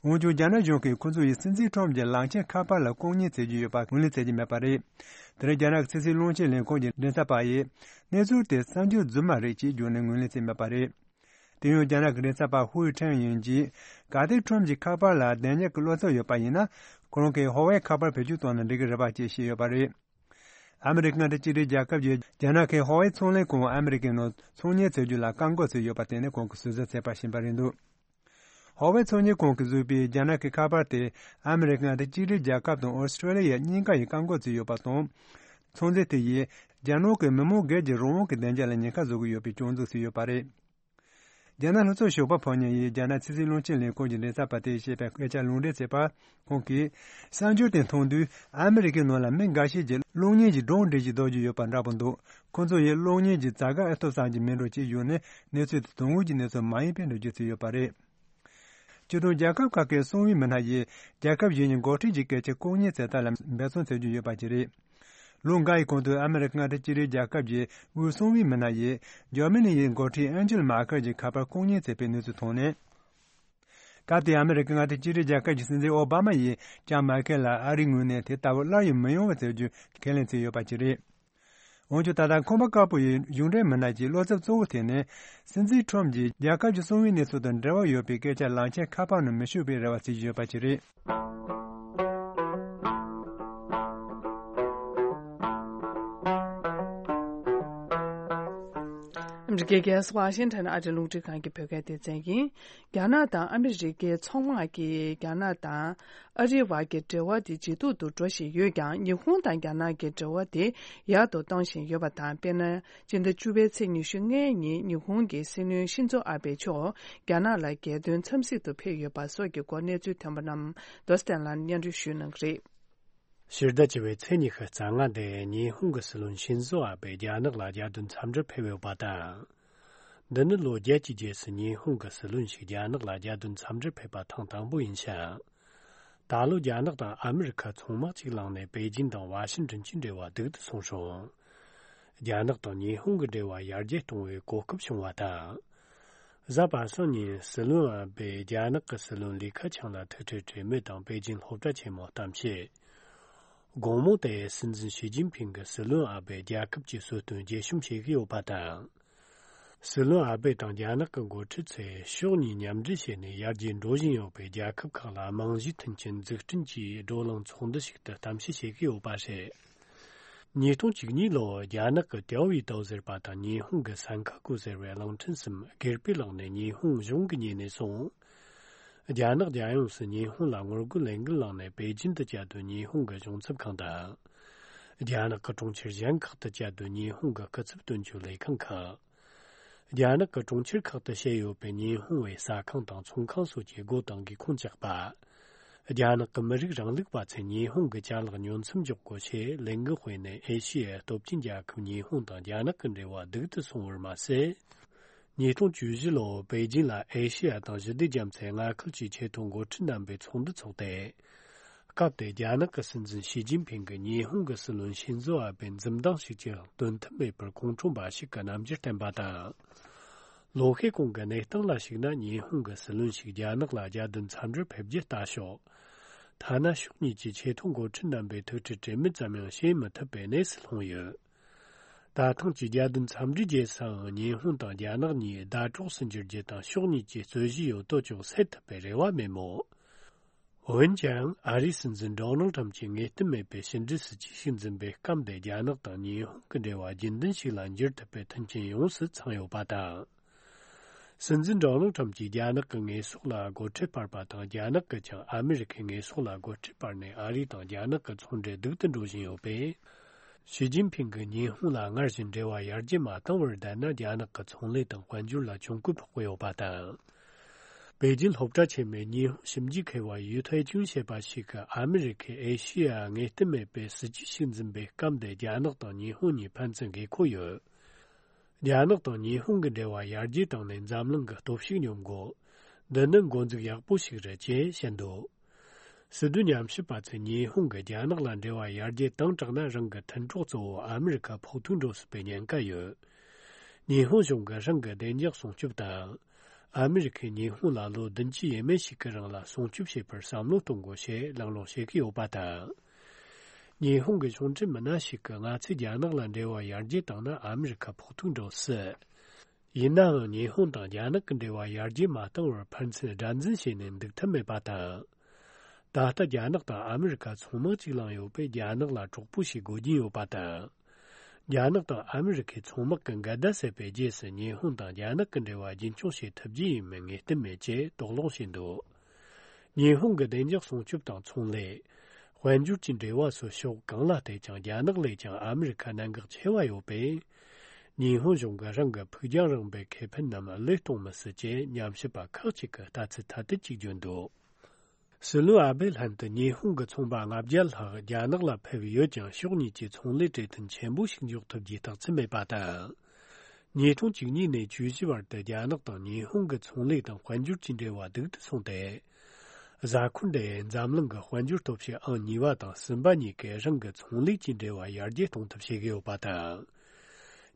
འོན་ཀྱང་རྒྱ་ནག་གཞུང་གིས་ཁོ་ཚོ་ཡིས་སྲིད་འཛིན་ཁྲོམ་གྱི་གླང་ཆེན་ཁ་པར་ལ་ལྐོག་ཉན་བྱེད་ཀྱི་ཡོད་པ་ངོས་ལེན་བྱེད་ཀྱི་མེད་པ་རེད། དེ་རིང་རྒྱ་ནག་གི་ཕྱི་སྲིད་བློན་ཆེན་ལས་ཁུངས་ཀྱི་མགྲིན་ཚབ་པ་ཡིས། གནས་ཚུལ་དེ་གསར་འགྱུར་རྫུན་མ་རེད་ཅེས་བརྗོད་ནས་ངོས་ལེན་བྱས་མེད་པ་རེད། དེ་ཡང་རྒྱ་ནག་གི་མགྲིན་ཚབ་པ་ཧུའུ་ཁྲེང་ཡིན་གྱིས། གལ་ཏེ་ཁྲོམ་གྱི་ཁ་པར་ལ་བདེན་དཔྱད་ཀྱི་བློ་འཚབ་ཡོད་པ་ཡིན་ན། ཁོ་རང་གིས་ཧོ་ཝེ་ཁ་པར་བེད་སྤྱོད་བཏང་ན་འགྲིག་གི་རེད་པ་ཅེས་བཤད་ཡོད་པ་རེད། ཨ་མི་རི་ཀ་མངའ་སྡེ་གཅིག་སྒྲིལ་རྒྱལ་ཁབ་ཀྱིས་རྒྱ་ནག་གི་ཧོ་ཝེ་ཚོང་ལས་ཁང་ཨ་མི་རི་ཀའི་ནང་ཚོང་གཉེར་བྱེད་རྒྱུ་ལ་བཀག་འགོག་བྱས་ཡོད་པ་དེ་ནི་ཁོང་གིས་ཟུར་ཟ་བྱས་པ་ཞིག་ཡིན་པ་རེད་འདུག་ཧོ་ཝེ་ཚོང་གཉེར་ཁང་གིས་བཟོས་པའི་རྒྱ་ནག་གི་ཁ་པར་དེ་ཨ་མི་རི་ཀ་མངའ་སྡེ་གཅིག་སྒྲིལ་རྒྱལ་ཁབ་དང་ཨོ་སི་ཀྲོ་ལི་ཡ་གཉིས་ཀ་ཡིས་བཀག་འགོག་བྱས་ཡོད་པ་དང་། ཚོང་རྫས་དེ་ཡིས་རྒྱ་ནག་གི་མི་མང་སྒེར་གྱི་རང་དབང་གི་བདེ་འཇགས་ལ་ཉེན་ཁ་བཟོ་གི་ཡོད་པའི་སྐྱོན་འཛུགས་བྱས་ཡོད་པ་རེད། རྒྱ་ནག་ལྷོ་ཕྱོགས་ཞོགས་པ་ཕོ་ཉ་ཡིས་རྒྱ་ནག་ཕྱི་སྲིད་བློན་ཆེན་ལས་ཁུངས་ཀྱི་མགྲིན་ཚབ་པ་དེས་བཤད་པའི་སྐད་ཆར་ལུང་འདྲེན་བྱས་པར། ཁོང་གིས། གསར་འགྱུར་དེ་མཐོང་དུས་ཨ་མི་རི་ཀའི་ནང་ལ་མི་འགའ་ཤས་ཀྱིས་གློག་བརྙན་གྱི་སྒྲུང་འབྲི་བཞིན་འདུག་རྒྱུ་ཡོད་པ་འདྲ་པོ་འདུག་ཁོ་ཚོ་ཡིས་གློག་བརྙན་གྱི་བྱ་དགའ་ཨེ་ཐོབ་བསམ་གྱི་མེད་འགྲོ་ཅེས་བརྗོད་ནས། གནས་ཚུལ་དེ་དོན་དངོས་ཀྱི་གནས་ཚུལ་མ་ཡིན་པའི་འགྲེལ་བརྗོད་བྱས་ཡོད་པ་རེད། སྤྱིར་བཏང་རྒྱལ་ཁབ་ཁག་གི་གསང་བའི་མི་སྣ་ཡིས་རྒྱལ་ཁབ་གཞན་གྱི་འགོ་ཁྲིད་ཀྱི་སྐད་ཆ་ལྐོག་ཉན་བྱེད་སྟངས་ལ་འབད་བརྩོན་བྱེད་རྒྱུ་ཡོད་པ་ཅིག་རེད། ལོ་འགའ་ཡི་གོང་དུ་ཨ་མི་རི་ཀ་མངའ་སྡེ་གཅིག་སྒྲིལ་རྒྱལ་ཁབ་ཀྱི་དབུས་གསང་བའི་མི་སྣ་ཡིས་འཇར་མ་ནི་ཡི་འགོ་ཁྲིད་ཨན་ཇེལ་མར་ཀལ་གྱི་ཁ་པར་ལྐོག་ཉན་བྱས་པའི་གནས་ཚུལ་ཐོན་ནས། སྐབས་དེའི་ཨ་མི་རི་ཀ་མངའ་སྡེ་གཅིག་སྒྲིལ་རྒྱལ་ཁབ་ཀྱི་སྲིད་འཛིན་ཨོ་བྷ་མ་ཡིས་ཀྱང་མར་ཀལ་ལ་ཨ་རིའི་ངོས་ནས་དེ་ལྟ་བུ་སླར་ཡང་མི་ཡོང་བ་བྱ་རྒྱུ་ཁས་ལེན་བྱས་ཡོད་པ་ཅིག་རེད། འོན་ཀྱང་ད་ལྟ་ཁང་པ་དཀར་པོ་ཡི་གཞུང་འབྲེལ་མི་སྣ་གྱི་བློ་འཚབ་གཙོ་བོ་དེ་ནི། སྲིད་འཛིན་ཁྲོམ་གྱིས་རྒྱལ་ཁབ་ཀྱི་གསང་བའི་གནས་ཚུལ་དང་འབྲེལ་བ་ཡོད་པའི་སྐད་ཆ་གླང་ཆེན་ཁ་པར་ནང་མི་ཤོད་པའི་རེ་བ་བྱེད་ཀྱི་ཡོད་པ་ཅིག་རེད། ཨ་མི་རི་ཀའི་རྒྱལ་ས་ཝ་ཤིང་ཊོན་ཨ་རིའི་རླུང་འཕྲིན་ཁང་གི་བོད་སྐད་སྡེ་ཚན་ཡིན། རྒྱ་ནག་དང་ཨ་མི་རི་ཀའི་ཚོང་དམག་གིས་རྒྱ་ནག་དང་ཨ་རིའི་བར་གྱི་འབྲེལ་བ་དེ་ཇེ་སྡུག་ཏུ་འགྲོ་བཞིན་ཡོད་ཀྱང་། ཉི་ཧོང་དང་རྒྱ་ནག་གི་འབྲེལ་བ་དེ་ཡག་ཏུ་གཏོང་བཞིན་ཡོད་པ་དང་། དཔེར་ན། སྤྱི་ཟླ་བཅུ་པའི་ཚེས་ཉི་ཤུ་ལྔའི་ཉིན་ཉི་ཧོང་གི་སྲིད་བློན་ཤིན་ཛོ་ཨ་བྷེ་མཆོག་རྒྱ་ནག་ལ་རྒྱལ་དོན་འཚམས་གཟིགས་དུ་ཕེབས་ཡོད་པ་སོགས་ཀྱི་སྐོར་གནས་ཚུལ་ཐོན་པ་རྣམས་རྡོ་སྟན་ལ་སྙན་སྒྲོན་ཞུ་གནང་གི་རེད། ཕྱི་ཟླ་བཅུ་པའི་ཚེས་ཉི་ཤུ་རྩ་ལྔ་དེ་ཉི་ཧོང་གི་སྲིད་བློན་ཤིན་ཛོ་ཨ་བྷེ་རྒྱ་ནག་ལ་རྒྱལ་དོན་འཚམས་འདྲིར་ཕེབས་ཡོད་པ་དང་། འདི་ནི་ལོ་བརྒྱད་ཀྱི་རྗེས་སུ་ཉི་ཧོང་གི་སྲིད་བློན་ཞིག་རྒྱ་ནག་ལ་རྒྱལ་དོན་འཚམས་འདྲིར་ཕེབས་པ་ཐེངས་དང་པོ་ཡིན་ཞིང་། ད་ལོ་རྒྱ་ནག་དང་ཨ་མི་རི་ཁ་ཚོང་དམག་ཅིག་བླངས་ནས་པེ་ཅིན་དང་ཝ་ཤིན་ཏོན་གྱི་འབྲེལ་བ་སྡུག་ཏུ་སོང་ཞིང་། རྒྱ་ནག་དང་ཉི་ཧོང་གི་འབྲེལ་བ་ཡར་རྒྱས་གཏོང་བའི་གོ་སྐབས་བྱུང་བ་དང་། གཟའ་པ་སངས་ཉིན་སྲིད་བློན་ཨ་བྷེས་རྒྱ་ནག་གི་སྲིད་བློན་ལི་ཁེ་ཆང་ལ་ཐུག་འཕྲད་གྲོས་མོལ་དང་པེ་ཅིན་སློབ་གྲྭ་ཆེན་མོར་གཏམ་བཤད། དགོང་མོ་དེར་སྲིད་འཛིན་ཞི་ཅིན་ཕིང་གིས་སྲིད་བློན་ཨ་བྷེས་རྒྱལ་ཁབ་ཀྱི་སྲོལ་རྒྱུན་རྒྱས་ཤོམ་བྱེད་ཀྱི་ཡོད་པ་དང་། སྲིད་བློན་ཨ་བྷེ་དང་རྒྱ་ནག་གི་འགོ་ཁྲིད་ཚོས་ཕྱོགས་གཉིས་མཉམ་འབྲེལ་བྱས་ནས་ཡར་རྒྱས་འགྲོ་བཞིན་ཡོད་པའི་རྒྱལ་ཁབ་ཁག་ལ་རྨང་གཞིའི་མཐུན་རྐྱེན་འཛུགས་སྐྲུན་གྱི་བགྲོ་གླེང་ཚོགས་འདུ་ཞིག་ཏུ་གཏམ་བཤད་བྱེད་ཀྱི་ཡོད་པ་རེད། ཉིས་སྟོང་བཅུ་གཉིས་ལོར་རྒྱ་ནག་གི་ཏའོ་ཝེ་ཏའོ་ཟེར་བ་དང་ཉི་ཧོང་གི་སན་ཁ་ཀུ་ཟེར་བའི་གླིང་ཕྲན་གསུམ་སྒེར་པས་བླངས་ནས་ཉི་ཧོང་གཞུང་གི་ཉེ་གནས་སོང་། རྒྱ་ནག་རྒྱལ་ཡོངས་སུ་ཉི་ཧོང་ལ་ངོ་རྒོལ་ལས་འགུལ་བསླངས་ནས་པེ་ཅིན་དུ་བཅའ་སྡོད་ཉི་ཧོང་གི་གཞུང་ཚབ་ཁང་དང་། རྒྱ་ནག་གི་གྲོང་ཁྱེར་གཞན་ཁག་ཏུ་བཅད་དོན་ཉི་ཧོང་གི་སྐུ་ཚབ་དོན་གཅོད་ལས་ཁང་ཁག་རྒྱ་ནག་གི་གྲོང་ཁྱེར་ཁག་ཏུ་བྱས་ཡོད་པའི་ཉི་ཧོང་བའི་ཟ་ཁང་དང་ཚོང་ཁང་སོགས་ཀྱི་སྒོ་དང་གི་ཁོངས་བཅག་པ། རྒྱ་ནག་གི་མི་རིགས་རིང་ལུགས་པ་ཚོས་ཉི་ཧོང་གི་ཅ་ལག་ཉོ་མཚམས་འཇོག་དགོས་ཞེས་ལས་འགུལ་སྤེལ་ནས་ཨེ་ཤི་ཡའི་སྟོབས་ཆེན་རྒྱལ་ཁབ་ཉི་ཧོང་དང་རྒྱ་ནག་གི་འབྲེལ་བ་སྡུག་ཏུ་སོང་བར་མ་ཟད། ཉིས་སྟོང་བཅུ་བཞི་ལོར་པེ་ཅིང་ལ་ཨེ་ཤེ་ཡ་དང་ཞི་བདེ་རྒྱ་མཚོའི་མངའ་ཁུལ་གྱི་ཆེས་མཐོའི་འགོ་ཁྲིད་རྣམ་པའི་ཚོགས་འདུ་འཚོགས་ཏེ། སྐབས་དེར་རྒྱ་ནག་གི་སྲིད་འཛིན་ཞི་ཅིན་ཕིང་གིས་ཉི་ཧོང་གི་སྲིད་བློན་ཤིན་ཛོ་ཨ་བྷེ་འཛུམ་མདངས་ཤིག་ཀྱང་སྟོན་ཐབས་མེད་པར་ཁོང་ཁྲོ་འབའ་ཞིག་གི་རྣམ་འགྱུར་བསྟན་པ་དང་། ལོ་ཤས་གོང་གི་གནས་སྟངས་ལ་གཞིགས་ན། ཉི་ཧོང་གི་སྲིད་བློན་ཞིག་རྒྱ་ནག་ལ་རྒྱལ་དོན་འཚམས་འདྲིར་ཕེབས་རྒྱུ་ལྟ་ཞོག་ཐ་ན་ཕྱོགས་གཉིས་ཀྱི་ཆེས་མཐོའི་འགོ་ཁྲིད་རྣམ་པའི་ཐུག་འཕྲད་གྲོས་མོལ་ཙམ་ཡང་བྱེད་མི་ཐུབ་པའི་གནས་སུ་ལྷུང་ཡོད། ད་ཐེངས་ཀྱི་རྒྱལ་དོན་འཚམས་འདྲིའི་རྗེས་སུའང་ཉི་ཧོང་དང་རྒྱ་ནག་གཉིས་ཟླ་གྲོགས་སུ་འགྱུར་རྒྱུ་དང་ཕྱོགས་གཉིས་ཀྱི་རྩོད་གཞི་ཡོད་དོ་ཅོག་སེལ་ཐུབ་པའི་རེ་བ་མེད་མོད། འོན་ཀྱང་ཨ་རིའི་སྲིད་འཛིན་ཌོ་ནལ་ཁྲམ་གྱིས་ངེས་གཏན་མེད་པའི་ཕྱི་འབྲེལ་སྲིད་ཇུས་ཤིག་འཛིན་པའི་སྐབས་འདིར་རྒྱ་ནག་དང་ཉི་ཧོང་གི་འབྲེལ་བ་རྒྱུན་ལྡན་ཞིག་ལ་འགྱུར་ཐུབ་པའི་མཐུན་རྐྱེན་ཡོངས་སུ་ཚང་ཡོད་པ་དང་། སྲིད་འཛིན་ཌོ་ནལ་ཁྲམ་གྱིས་རྒྱ་ནག་གི་ངོས་ཕྱོགས་ལ་སྒོ་ཁྲལ་སྤར་པ་དང་། རྒྱ་ནག་གིས་ཀྱང་ཨ་མི་རི་ཁའི་ངོས་ཕྱོགས་ལ་སྒོ་ཁྲལ་སྤར་ནས། ཨ་རི་དང་རྒྱ་ནག་གི་ཚོང་འབྲེལ་སྡུག་ཏུ་འགྲོ་བཞིན་ཡོད་པས། ཞི་ཅིན་ཕིང་གིས་ཉི་ཧོང་ལ་སྔར་བཞིན་འབྲེལ་བ་ཡར་རྒྱས་མ་བཏང་བར་བསྡད་ན། རྒྱ་ནག་གི་ཚོང་ལས་དང་དཔལ་འབྱོར་ལ་གྱོང་གུན་ཕོག་གི་ཡོད་པ་དང་། པེ་ཅིན་སློབ་གྲྭ་ཆེན་མོའི་ཉི་ཧོང་ཞིབ་འཇུག་མཁས་པ་ཡུས་ཐའེ་ཅུན་ཞེས་པ་ཞིག་གིས། ཨ་མི་རི་ཁས་ཨེ་ཤེ་ཡ་ངེས་གཏན་མེད་པའི་སྲིད་ཇུས་ཤིག་འཛིན་པའི་སྐབས་འདིར་རྒྱ་ནག་དང་ཉི་ཧོང་གཉིས་ཕན་ཚུན་དགོས་མཁོ་ཡོད། རྒྱ་ནག་དང་ཉི་ཧོང་གི་འབྲེལ་བ་ཡར་རྒྱས་བཏང་ནས་འཛམ་གླིང་གི་སྟོབས་ཤུགས་སྙོམས་དགོས། འདི་ནི་འགོ་འཛུགས་ཡག་པོ་ཞིག་རེད་ཅེས་བཤད་འདུག་སྲིད་དོན་ཉམས་ཞིབ་པ་ཚོས་ཉི་ཧོང་གིས་རྒྱ་ནག་ལ་འབྲེལ་བ་ཡར་རྒྱས་བཏང་དྲགས་ན། རང་གི་མཐུན་གྲོགས་གཙོ་བོ་ཨ་མི་རི་ཁ་ཕོག་ཐུག་འགྲོ་སྲིད་པའི་ཉེན་ཁ་ཡོད། ཉི་ཧོང་གཞུང་གིས་རང་གི་བདེ་འཇགས་སྲུང་སྐྱོབ་དང་། ཨ་མི་རི་ཁས་ཉི་ཧོང་ལ་ལོ་བདུན་ཅུ་ཡས་མས་ཤིག་གི་རིང་ལ་སྲུང་སྐྱོབ་བྱེད་པར་བསམ་བློ་གཏོང་དགོས་ཞེས་གླེང་སློང་བྱེད་ཀྱི་ཡོད་པ་དང་། ཉི་ཧོང་གི་གཞུང་འབྲེལ་མི་སྣ་ཞིག་གིས། ང་ཚོས་རྒྱ་ནག་ལ་འབྲེལ་བ་ཡར་རྒྱས་བཏང་ན་ཨ་མི་རི་ཁ་ཕོག་ཐུག་འགྲོ་སྲིད། ཡིན་ནའང་ཉི་ཧོང་དང་རྒྱ་ནག་གི་འབྲེལ་བ་ཡར་རྒྱས་མ་བཏང་བར་ཕན་ཚུན་དགྲར་འཛིན་བྱས་ནས་འདུག་ཐབས་མེད་པ་དང་། ད་ལྟ་རྒྱ་ནག་དང་ཨ་མི་རི་ཁ་ཚོང་དམག་གཅིག་བླངས་ཡོད་པས། རྒྱ་ནག་ལ་གྲོགས་པོ་ཞིག་དགོས་ཀྱིན་ཡོད་པ་དང་། རྒྱ་ནག་དང་ཨ་མི་རི་ཁའི་ཚོང་དམག་གི་འགལ་ཟླ་སེལ་བའི་རྗེས་སུ། ཉི་ཧོང་དང་རྒྱ་ནག་གི་འབྲེལ་བ་རྒྱུན་འཁྱོངས་བྱེད་ཐུབ་རྒྱུ་ཡིན་མིན་ངེས་གཏན་མེད་ཅེས་དོགས་སློང་བྱས་འདུག་ཉི་ཧོང་གི་བདེ་འཇགས་སྲུང་སྐྱོབ་དང་ཚོང་ལས། དཔལ་འབྱོར་གྱི་འབྲེལ་བ་སོགས་ཕྱོགས་གང་ལ་བལྟས་ཀྱང་རྒྱ་ནག་ལས་ཀྱང་ཨ་མི་རི་ཁ་གནད་འགག་ཆེ་བ་ཡོད་པས། ཉི་ཧོང་གཞུང་གིས་རང་གི་ཕུགས་རྒྱང་རིང་པོའི་ཁེ་ཕན་རྣམས་བློས་གཏོང་མི་སྲིད་ཅེས་ཉམས་ཞིབ་པ་ཁག་ཅིག་གིས་ལྟ་ཚུལ་ཐ་དད་ཅིག་བརྗོད་འདུག་སྲིད་བློན་ཨ་བྷེ་ལྷན་དུ་ཉི་ཧོང་གི་ཚོང་པ་ལྔ་བརྒྱ་ལྷག་རྒྱ་ནག་ལ་ཕེབས་ཡོད་ཀྱང་། ཕྱོགས་གཉིས་ཀྱི་ཚོང་ལས་གྲོས་མཐུན་ཆེན་པོ་ཞིག་འཇོག་ཐུབ་རྒྱུའི་རྟགས་མཚན་མེད་པ་དང་། ཉིས་སྟོང་བཅུ་གཉིས་ནས་བཅུ་བཞི་བར་དུ་རྒྱ་ནག་དང་ཉི་ཧོང་གི་ཚོང་ལས་དང་དཔལ་འབྱོར་གྱི་འབྲེལ་བ་སྡུག་ཏུ་སོང་སྟེ། གཟའ་འཁོར་འདིའི་འཛམ་གླིང་གི་དཔལ་འབྱོར་སྟོབས་ཤུགས་ཨང་གཉིས་པ་དང་གསུམ་པ་གཉིས་ཀས་རང་གི་ཚོང་ལས་ཀྱི་འབྲེལ་བ་ཡར་རྒྱས་གཏོང་ཐབས་བྱེད་ཀྱི་ཡོད་པ་དང་།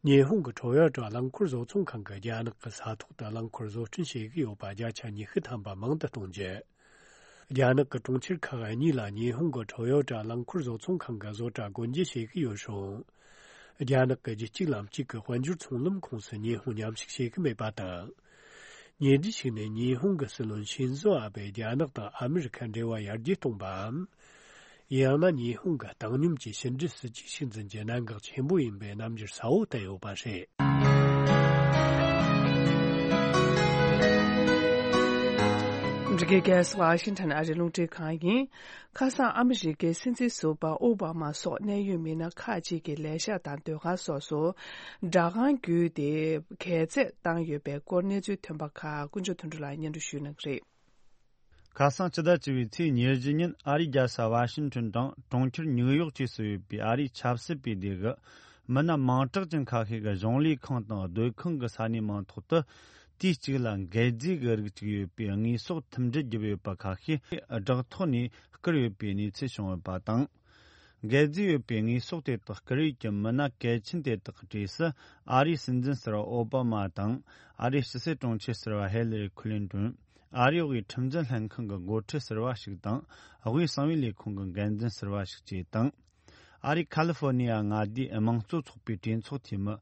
ཉི་ཧོང་གི་ཁྲོ་ཡོ་ཏྲ་རླངས་འཁོར་བཟོ་ཚོང་ཁང་གིས་རྒྱ་ནག་གི་ས་ཐོག་ཏུ་རླངས་འཁོར་བཟོ་སྐྲུན་བྱེད་ཀྱི་ཡོད་པ་བརྒྱ་ཆ་ཉི་ཤུ་ཐམ་པ་མང་དུ་གཏོང་རྒྱུ། རྒྱ་ནག་གི་གྲོང་ཁྱེར་ཁག་གཉིས་ལ་ཉི་ཧོང་གི་ཁྲོ་ཡོ་ཏྲ་རླངས་འཁོར་བཟོ་ཚོང་ཁང་གི་བཟོ་གྲྭ་སྒོ་འབྱེད་བྱེད་ཀྱི་ཡོད་རུང་། རྒྱ་ནག་གི་རྒྱུད་གཅིག་ལམ་གཅིག་གི་དཔལ་འབྱོར་ཚོང་ལམ་ཁོངས་སུ་ཉི་ཧོང་མཉམ་ཞུགས་བྱེད་ཀྱི་མེད་པ་དང་། ཉེ་དུས་ཤིག་ནས་ཉི་ཧོང་གི་སྲིད་བློན་ཤིན་ཛོ་ཨ་བྷེས་རྒྱ་ནག་དང་ཨ་མི་རི་ཁ་འབྲེལ་བ་ཡར་རྒྱས་གཏོང་པའམ། ཡང་ན་ཉི་ཧོང་གི་བཏང་སྙོམས་ཀྱི་ཕྱི་འབྲེལ་སྲིད་ཇུས་ཤིག་འཛིན་རྒྱུ་གནད་འགག་ཆེན་པོ་ཡིན་པའི་རྣམ་འགྱུར་གསལ་བོ་བསྟན་ཡོད་པ་རེད། འདི་གའི་རྒྱལ་ས་ཝ་ཤིང་ཊོན་ཨ་རིའི་རླུང་འཕྲིན་ཁང་ཡིན། ཁ་སང་ཨ་མི་རི་ཀའི་སྲིད་འཛིན་ཟུར་པ་ཨོ་བྷ་མ་སོགས་གནད་ཡོད་མི་སྣ་ཁག་ཅིག་གི་ལས་ཤག་དང་སྡོད་ཁང་སོགས་སུ་སྦྲག་ཁང་བརྒྱུད་དེ་གྱེས་ཚད་བཏང་ཡོད་པའི་སྐོར་གནས་ཚུལ་ཐོན་པ་ཁག་དཀོན་མཆོག་དོན་གྲུབ་ལགས་སྙན་སྒྲོན་ཞུ་གནང་གི་རེད། ཁ་སང་སྤྱི་ཟླ་བཅུ་པའི་ཚེས་ཉེར་བཞི་ཉིན་ཨ་རིའི་རྒྱལ་ས་ཝ་ཤིང་ཊོན་དང་གྲོང་ཁྱེར་ཉིའུ་ཡོག་བཅས་སུ་ཡོད་པའི་ཨ་རིའི་ཆབ་སྲིད་པའི་སྡེ་གི་མི་སྣ་མིང་གྲགས་ཅན་ཁ་ཤས་ཀྱིས་གཞུང་ལས་ཁང་དང་སྡོད་ཁང་གི་ས་གནས་མིང་ཐོག་ཏུ། དུས་གཅིག་ལ་འགད་རྫས་ཀྱི་རིགས་གཅིག་ཡོད་པའི་དངོས་ཟོག་མཐུན་སྒྲིལ་བརྒྱབ་ཡོད་པ་ཁ་ཤས་སྦྲག་ཐོག་ནས་བསྐུར་ཡོད་པའི་གནས་ཚུལ་བྱུང་ཡོད་པ་དང་། འགད་རྫས་ཡོད་པའི་དངོས་ཟོག་དེ་དག་བསྐུར་ཡུལ་གྱི་མི་སྣ་གལ་ཆེན་དེ་དག་གི་གྲས་སུ་ཨ་རིའི་སྲིད་འཛིན་ཟུར་པ་ཨོ་བྷ་མ་དང་། ཨ་རིའི་ཕྱི་སྲིད་དྲུང་ཆེ་ཟུར་པ་ཧེ་ལི་རི་ཁི་ལིན་ཏོན། ཨ་རིའི་དབུས་ཁྲིམས་འཛིན་ལྷན་ཁང་གི་འགོ་ཁྲིད་ཟུར་པ་ཞིག་དང་། དབུས་གསང་བའི་ལས་ཁུངས་ཀྱི་འགན་འཛིན་ཟུར་པ་ཞིག་བཅས་དང་། ཨ་རིའི་ཁ་ལི་ཧྥོ་ནི་ཡ་མངའ་སྡེའི་དམངས་གཙོ་ཚོགས་པའི་གྲོས་ཚོགས་འཐུས་མི་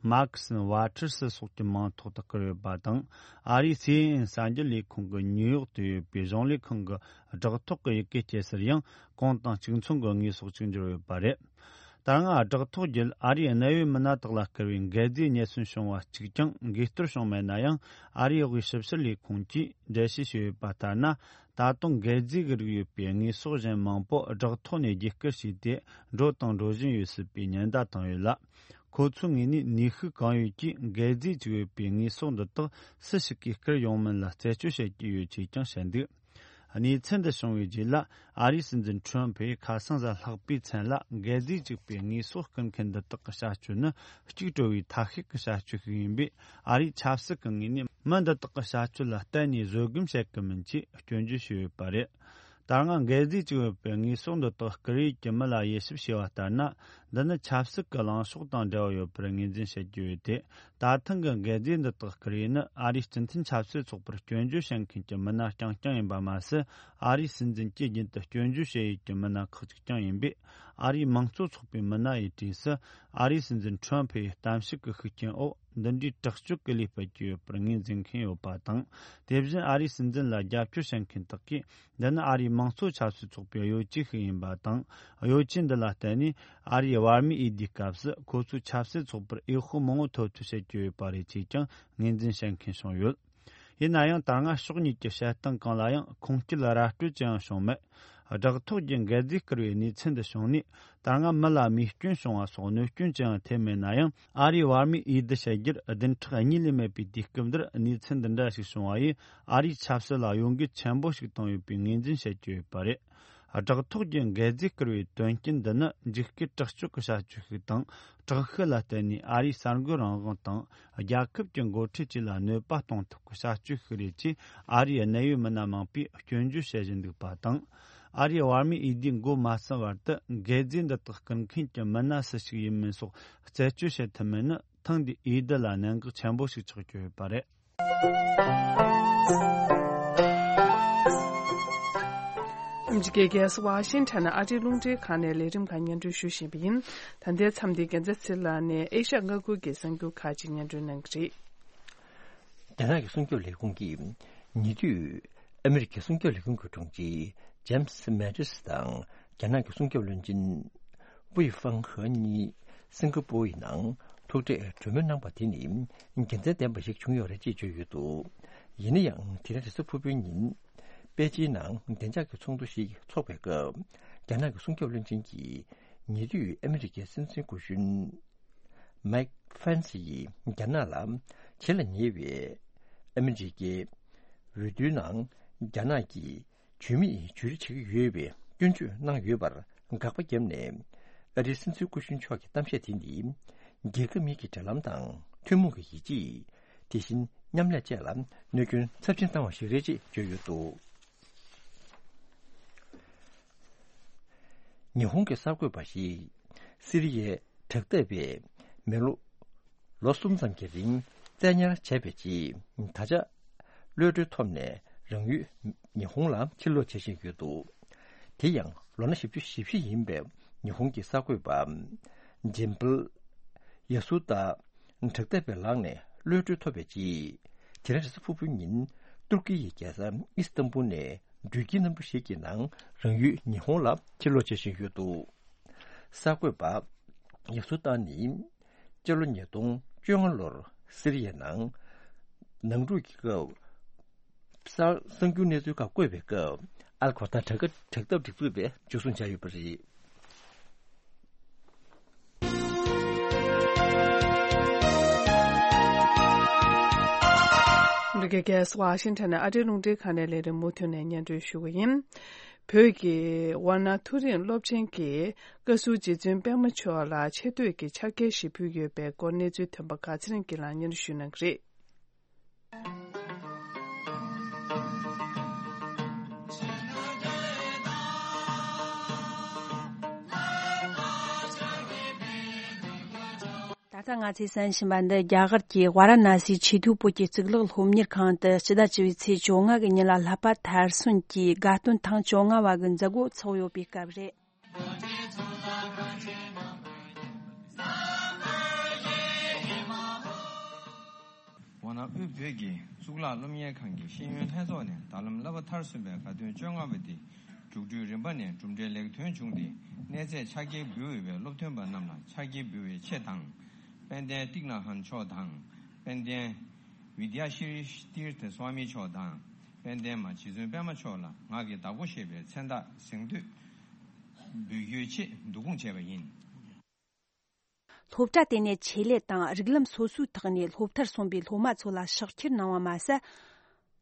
མར་ཁི་སན་ཝ་ཊར་སི་སོགས་ཀྱི་མིང་ཐོག་ཏུ་བསྐུར་ཡོད་པ་དང་། ཨ་རིའི་སི་ཨེན་ཨེན་གསར་འགྱུར་ལས་ཁུངས་ཀྱི་ཉིའུ་ཡོག་ཏུ་ཡོད་པའི་གཞུང་ལས་ཁང་གི་སྦྲག་ཐོག་གི་ཡི་གེ་སྐྱེལ་སར་ཡང་གོང་དང་གཅིག་མཚུངས་ཀྱི་དངོས་ཟོག་ཅིག་འབྱོར་ཡོད་པ་རེད། ད་སྔ་བསྒྲགས་ཐོག་བརྒྱུད་ཨ་རིའི་གནད་ཡོད་མི་སྣ་དག་ལ་བསྐུར་བའི་འགད་རྫས་རྙེད་སོན་བྱུང་བ་གཅིག་ཀྱང་འགུལ་སྟོར་བྱུང་མེད་ན་ཡང་། ཨ་རིའི་དབུས་ཞིབ་བཤེར་ལས་ཁུངས་ཀྱིས་འགྲེལ་བཤད་ཞུས་ཡོད་པ་ལྟར་ན། ད་དུང་འགད་རྫས་ཀྱི་རིགས་ཡོད་པའི་དངོས་ཟོག་གཞན་མང་པོ་བསྒྲགས་ཐོག་ནས་བརྒྱུད་བསྐུར་བྱས་ཏེ། འགྲོ་དང་འགྲོ་བཞིན་ཡོད་སྲིད་པའི་ཉེན་བརྡ་བཏང་ཡོད་ལ། ཁོ་ཚོའི་ངོས་ནས་ནུས་ཤུགས་གང་ཡོད་ཀྱིས་འགད་རྫས་ཅིག་ཡོད་པའི་དངོས་ཟོག་འདི་དག་སུ་ཞིག་གིས་བསྐུར་ཡོང་མིན་ལ་རྩད་གཅོད་བྱེད་ཀྱི་ཡོད་ཅེས་ཀྱང་བཤད་འདུག་གནས་ཚུལ་འདི་བྱུང་བའི་རྗེས་ལ། ཨ་རིའི་སྲིད་འཛིན་ཁྲོམ་ཕུས་ཁ་སང་གཟའ་ལྷག་པའི་མཚན་ལ། འགད་རྫས་གཅིག་པའི་དངོས་ཟོག་བསྐུར་མཁན་འདི་དག་གི་བྱ་སྤྱོད་ནི་གཅིག་སྤྲོ་བའི་ཐ་ཤལ་གྱི་བྱ་སྤྱོད་ཞིག་ཡིན་པས། ཨ་རིའི་ཆབ་སྲིད་ཀྱི་ངོས་ནས་མི་འདི་དག་གི་བྱ་སྤྱོད་ལ་གཏན་ནས་བཟོད་སྒོམ་བྱེད་ཀྱི་མིན་ཅེས་སྐྱོན་བརྗོད་ཞུས་ཡོད་པ་རེད། ད་སྔ་འགད་རྫས་གཅིག་ཡོད་པའི་དངོས་ཟོག་འདི་དག་བསྐུར་ཡས་ཀྱི་མི་ལ་དབྱེ་ཞིབ་བྱས་པ་ལྟར་ན། འདི་ནི་ཆབ་སྲིད་ཀྱི་ལངས་ཕྱོགས་དང་འབྲེལ་བ་ཡོད་པར་ངོས་འཛིན་བྱེད་ཀྱི་ཡོད་དེ། ད་ཐེངས་ཀྱི་འགད་རྫས་འདི་དག་བསྐུར་ཡས་ནི་ཨ་རིའི་སྤྱི་མཐུན་ཆབ་སྲིད་ཚོགས་པར་སྐྱོན་བརྗོད་བྱེད་མཁན་གྱི་མི་སྣ་རྐྱང་རྐྱང་ཡིན་པ་མ་ཟད། ཨ་རིའི་སྲིད་འཛིན་གྱིས་རྒྱུན་དུ་སྐྱོན་བརྗོད་བྱེད་ཡས་ཀྱི་མི་སྣ་ཁག་ཅིག་ཀྱང་ཡིན་པས། ཨ་རིའི་དམངས་གཙོ་ཚོགས་པའི་མི་སྣ་ཡི་གྲས་སུ། ཨ་རིའི་སྲིད་འཛིན་ཁྲོམ་ཕུའི་གཏམ་བཤད་ཀྱི་ཤུགས་རྐྱེན་འོག་འདི་འདྲའི་དྲག་སྤྱོད་ཀྱི་ལས་སྤེལ་གྱི་ཡོད་པར་ངོས་འཛིན་མཁན་ཡོད་པ་དང་། དེ་བཞིན་ཨ་རིའི་སྲིད་འཛིན་ལ་རྒྱབ་སྐྱོར་བྱེད་མཁན་དག་གིས། འདི་ནི་ཨ་རིའི་དམངས་གཙོ་ཆབ་སྲིད་ཚོགས་པའི་གཡོ་ཇུས་ཤིག་ཡིན་པ་དང་། གཡོ་ཇུས་འདི་ལ་བརྟེན་ནས་ཨ་རིའི་བར་མིའི་འོས་བསྡུའི་སྐབས་སུ་ཁོ་ཚོའི་ཆབ་སྲིད་ཚོགས་པར་འོས་ཤོག་མང་བོ་ཐོབ་ཐབས་བྱེད་ཀྱི་ཡོད་པ་རེད་ཅེས་ཀྱང་ངོས་འཛིན་བྱེད་མཁན་བྱུང་ཡོད། ཡིན་ན་ཡང་། ད་སྔ་ཕྱོགས་གཉིས་ཀྱི་བྱེད་སྟངས་གང་ལ་ཡང་ཁུངས་སྐྱེལ་ར་སྤྲོད་ཅི་ཡང་བྱུང་མེད། བསྒྲགས་ཐོག་བརྒྱུད་འགད་རྫས་བསྐུར་བའི་གནས་ཚུལ་འདི་བྱུང་ནས། ད་སྔ་མི་ལ་རྨས་སྐྱོན་བྱུང་བ་སོགས་གནོད་སྐྱོན་ཅི་ཡང་ཐེབས་མེད་ན་ཡང་། ཨ་རིའི་བར་མིའི་འོས་བསྡུ་བྱ་རྒྱུར་བདུན་ཕྲག་གཉིས་ལས་མེད་པའི་དུས་སྐབས་འདིར་གནས་ཚུལ་འདི་འདྲ་ཞིག་བྱུང་བ་ཡིས། ཨ་རིའི་ཆབ་སྲིད་ལ་གཡོ་འགུལ་ཆེན་པོ་ཞིག་བཏང་ཡོད་པའི་ངོས་འཛིན་བྱེད་ཀྱི་ཡོད་པ་རེད། བསྒྲགས་ཐོག་བརྒྱུད་འགད་རྫས་བསྐུར་བའི་དོན་རྐྱེན་འདི་ནི་འཇིགས་སྐུལ་དྲག་སྤྱོད་ཀྱི་བྱ་སྤྱོད་ཞིག་དང་། དྲག་ཤུགས་ལ་བརྟེན་ནས་ཨ་རིའི་གསར་འགོད་རང་དབང་དང་། རྒྱལ་ཁབ་ཀྱི་འགོ་ཁྲིད་བཅས་ལ་གནོད་པ་གཏོང་ཐབས་ཀྱི་བྱ་སྤྱོད་ཞིག་རེད་ཅེས་ཨ་རིའི་གནད་ཡོད་མི་སྣ་མང་པོས་སྐྱོན་བརྗོད་བྱེད་བཞིན་འདུག་པ་དང་། ཨ་རིའི་བར་མིའི་འོས་བསྡུ་འགོ་མ་ཚུགས་བར་དུ་འགད་རྫས་འདི་དག་བསྐུར་མཁན་གྱི་མི་སྣ་སུ་ཞིག་ཡིན་མིན་སོགས་རྩད་གཅོད་བྱེད་ཐུབ་མིན་ནི། ཐེངས་འདིའི་འོས་བསྡུ་ལ་གནད་འགག་ཆེན་པོ་ཞིག་ཆགས་ཀྱི་ཡོད་པ་རེད། ཨ་མི་རི་ཀའི་རྒྱལ་ས་ཝ་ཤིང་ཊོན་ནས་ཨ་རིའི་རླུང་འཕྲིན་ཁང་ནས་ལས་རིམ་ཁག་སྙན་སྒྲོན་ཞུ་བཞིན་པ་ཡིན། ད་ལྟའི་མཚམས་འདིར་རྒྱལ་མཚན་ཚེ་ལགས་ནས་ཨེ་ཤ་ཡ་མངའ་ཁུལ་གྱི་གསར་འགྱུར་ཁག་ཅིག་སྙན་སྒྲོན་གནང་གི་རེད། རྒྱ་ནག་གི་སྲུང་སྐྱོབ་ལས་ཁུངས་ཀྱིས་ཉེ་དུས་ཨ་མི་རི་ཀའི་སྲུང་སྐྱོབ་ལས་ཁུངས་ཀྱི་དྲུང་ཆེ་ཇེམ་སི་མེ་ཏིས་དང་རྒྱ་ནག་གི་སྲུང་སྐྱོབ་བློན་ཆེན་ཝུའེ་ཧྥང་ཧེ་གཉིས་སིང་ག་པུར་ཡི་ནང་ཐུག་འཕྲད་གྲོས་མོལ་གནང་པ་དེ་ནི་དགེ་མཚན་ལྡན་པ་ཞིག་བྱུང་ཡོད་རེད་ཅེས་བརྗོད་ཡོད་འདུག་ཡིན་ན་ཡང་དེ་རིང་རེས་གཟའ་ཕུར་བུའི་ཉིན་པེ་ཅིན་ནང་བདེ་འཇགས་ཀྱི་ཚོགས་འདུ་ཞིག་འཚོགས་པའི་སྐབས་རྒྱ་ནག་གི་སྲུང་སྐྱོབ་བློན་ཆེན་གྱིས་ཉེ་དུས་ཨ་མི་རི་ཀའི་སྲིད་འཛིན་སྐུ་གཞོན་མའིག་ཕེན་སི་ཡིས་རྒྱ་ནག་ལ་བྱེད་ལ་ཉེ་བའི་ཨ་མི་རི་ཀའི་འོས་བསྡུའི་ནང་རྒྱ་ནག་གིས་ཇུས་མེད་ཇུས་རེ་བྱེད་ཀྱི་ཡོད་པའི་སྐྱོན་བརྗོད་གནང་ཡོད་པར་དགག་པ་བརྒྱབ་ནས། ཨ་རིའི་སྲིད་འཛིན་སྐུ་གཞོན་མཆོག་གི་གཏམ་བཤད་དེ་ནི་རྒྱལ་ཁབ་གཉིས་ཀྱི་འབྲེལ་ལམ་དང་ཐུན་མོང་གི་ཡིད་ཆེས། དེ་བཞིན་མཉམ་ལས་བཅས་ལ་གནོད་སྐྱོན་ཚབས་ཆེན་བཏང་བ་ཞིག་རེད་ཅེས་བརྗོད་ཡོད་འདུག་ཉི་ཧོང་གི་གསར་འགོད་པ་ཞིག་སི་རི་ཡའི་དྲག་འཐབ་པས་མི་ལོ་ལོ་གསུམ་ཙམ་གྱི་རིང་བཙན་ཉར་བྱས་པའི་རྗེས། ད་ཆ་གློད་གྲོལ་ཐོབ་ནས་རང་ཡུལ་ཉི་ཧོང་ལ་ཕྱིར་ལོག་བྱེད་བཞིན་ཡོད་འདུག་དེ་ཡང་ལོ་ན་བཞི་བཅུ་ཞེ་བཞི་ཡིན་པའི་ཉི་ཧོང་གི་གསར་འགོད་པ་ཇེམ་པལ་ཡ་སུ་ཏཱ་དྲག་འཐབ་པའི་ལག་ནས་གློད་གྲོལ་ཐོབ་པའི་རྗེས། དེ་རིང་རེས་གཟའ་ཕུར་བུའི་ཉིན་ཏུར་ཀི་ཡི་རྒྱལ་ས་ཨི་སི་ཏམ་པུལ་ནས་འགྲུལ་སྐྱེལ་གནམ་གྲུ་ཞིག་གི་ནང་རང་ཡུལ་ཉི་ཧོང་ལ་ཕྱིར་ལོག་བྱེད་བཞིན་ཡོད་འདུག་གསར་འགོད་པ་ཡ་སུ་ཏཱ་ནི་སྤྱི་ལོ་ཉིས་སྟོང་བཅོ་ལྔ་ལོར་སི་རི་ཡའི་ནང་ནང་འཁྲུག་གི་སྐབས། གསར་གསར་འགྱུར་གནས་ཚུལ་ཁག་བཀོད་པའི་སྐབས་ཨལ་ཁོ་ཐ་དྲག་དྲག་འཐབ་སྒྲིག་འཛུགས་པས་འཇུ་བཟུང་བྱས་ཡོད་པ་རེད། འདི་གའི་རྒྱལ་ས་ཝ་ཤིང་ཊོན་ནས་ཨ་རིའི་རླུང་འཕྲིན་ཁང་ནས་ལས་རིམ་མུ་མཐུད་ནས་སྙན་སྒྲོན་ཞུ་གི་ཡིན། བོད་ཀྱི་ཝཱ་ཎ་མཐོ་རིམ་སློབ་ཆེན་གྱི་བཀའ་ཟུར་རྗེ་བཙུན་པད་མ་མཆོག་ལ་ཆེ་བསྟོད་ཀྱི་ཕྱག་འཁྱེར་ཞིག་ཕུལ་ཡོད་པའི་སྐོར་གནས་ཚུལ་ཐོན་པ་ཁག་ཚེ་རིང་སྐྱིད་ལགས་སྙན་སྒྲོན་ཞུ་གནང་གི་རེད། ད་ལྟ་ང་ཚོས་གསན་བཞིན་པ་འདི་རྒྱ་གར་གྱི་ཝཱ་ར་ཎ་སིའི་ཆེས་མཐོའི་བོད་ཀྱི་གཙུག་ལག་སློབ་གཉེར་ཁང་དུ་སྤྱི་ཟླ་བཅུ་པའི་ཚེས་བཅོ་ལྔ་གི་ཉིན་ལ་བསླབ་པ་མཐར་སོན་གྱི་དགའ་སྟོན་ཐེངས་བཅོ་ལྔ་བ་གི་མཛད་སྒོ་འཚོགས་ཡོད་པའི་སྐབས་རེད། ཝཱ་ཎ་དབུས་བོད་ཀྱི་གཙུག་ལག་སློབ་གཉེར་ཁང་གི་ཤེས་ཡོན་ལྷན་ཚོགས་ནས་ད་ལམ་བསླབ་པ་མཐར་སོན་པའི་དགའ་སྟོན་བཅོ་ལྔ་པ་འདི་ རྒྱུགས་སྤྲོད་རིམ་པ་ནས་གྲུབ་འབྲས་ལེགས་ཐོན་བྱུང་སྟེ། གནས་ཚད་ཕྱག་འཁྱེར་འབུལ་འོས་པའི་སློབ་ཐོན་པ་རྣམས་ལ་ཕྱག་འཁྱེར་འབུལ་བའི་ཆེད་དང་། དཔལ་ལྡན་ཏིག་ན་ཧན་མཆོག་དང་། དཔལ་ལྡན་ཝི་དྱ་ཤྲི་ཏིར་ཐ་སྭ་མི་མཆོག་དང་། དཔལ་ལྡན་མ་རྗེ་བཙུན་པད་མ་མཆོག་ལ་ངག་གི་བདག་པོ་ཞེས་པའི་མཚན་རྟགས་གཟེངས་བསྟོད་འབུལ་རྒྱུའི་ཆེད་བསྡུ་སྐོང་བྱས་པ་ཡིན། སློབ་གྲྭ་དེ་ནས་ཆེད་ལས་དང་རིགས་ལམ་སོ་སོའི་ཐོག་ནས་སློབ་མཐར་སོན་པའི་སློབ་མ་ཚོ་ལ་ཕྱག་འཁྱེར་གནང་བ་མ་ཟད།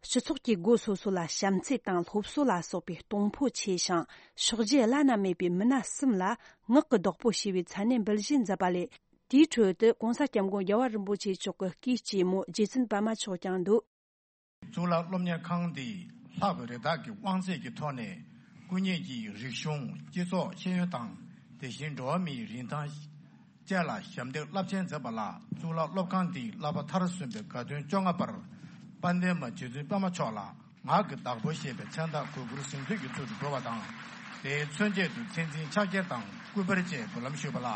སྤྱི་ཚོགས་ཀྱི་སྒོ་སོ་སོ་ལ་བྱམས་བརྩེ་དང་སློབ་གསོ་ལ་སོགས་པའི་གཏོང་ཕོད་ཆེ་ཞིང་ཕྱག་རྗེས་བླ་ན་མེད་པའི་མི་སྣ་གསུམ་ལ་ངག་གི་བདག་པོ་ཞེས་པའི་མཚན་གནས་འབུལ་བཞེས་མཛད་པ་ལས། དེའི་ཁྲོད་དུ་༸གོང་ས་༸སྐྱབས་མགོན་རྒྱལ་བ་རིན་པོ་ཆེ་མཆོག་གི་སྐུའི་གཅེན་མོ་རྗེ་བཙུན་པད་མ་མཆོག་ཀྱང་འདུ། གཙུག་ལག་སློབ་གཉེར་ཁང་འདིས་ལྷག་པའི་རེ་ཐག་གི་དབང་ཚད་ཀྱི་ཐོག་ནས་སྐུ་ཉིད་ཀྱི་རིག་གཞུང་། སྤྱི་ཚོགས། ཤེས་ཡོན་དང་། དེ་བཞིན་འགྲོ་བ་མིའི་རིན་ཐང་བཅས་ལ་ཞབས་འདེགས་རླབས་ཆེན་མཛད་པ་ལ། གཙུག་ལག་སློབ་ཁང་འདིའི་བསླབ་པ་མཐར་སོན་པའི་དགའ་སྟོན་བཅོ་ལྔ་པར། དཔལ་ལྡན་མ་རྗེ་བཙུན་པད་མ་མཆོག་ལ་ངག་གི་བདག་པོ་ཞེས་པའི་མཚན་རྟགས་གུས་བཀུར་གཟེངས་བསྟོད་ཀྱི་ཚུལ་དུ་འབུལ་བ་དང་། དེའི་མཚོན་ཆེད་དུ་མཚན་འཛིན་ཕྱག་འཁྱེར་དང་སྐུ་པར་བཅས་འབུལ་ལམ་ཞུས་པ་ལ།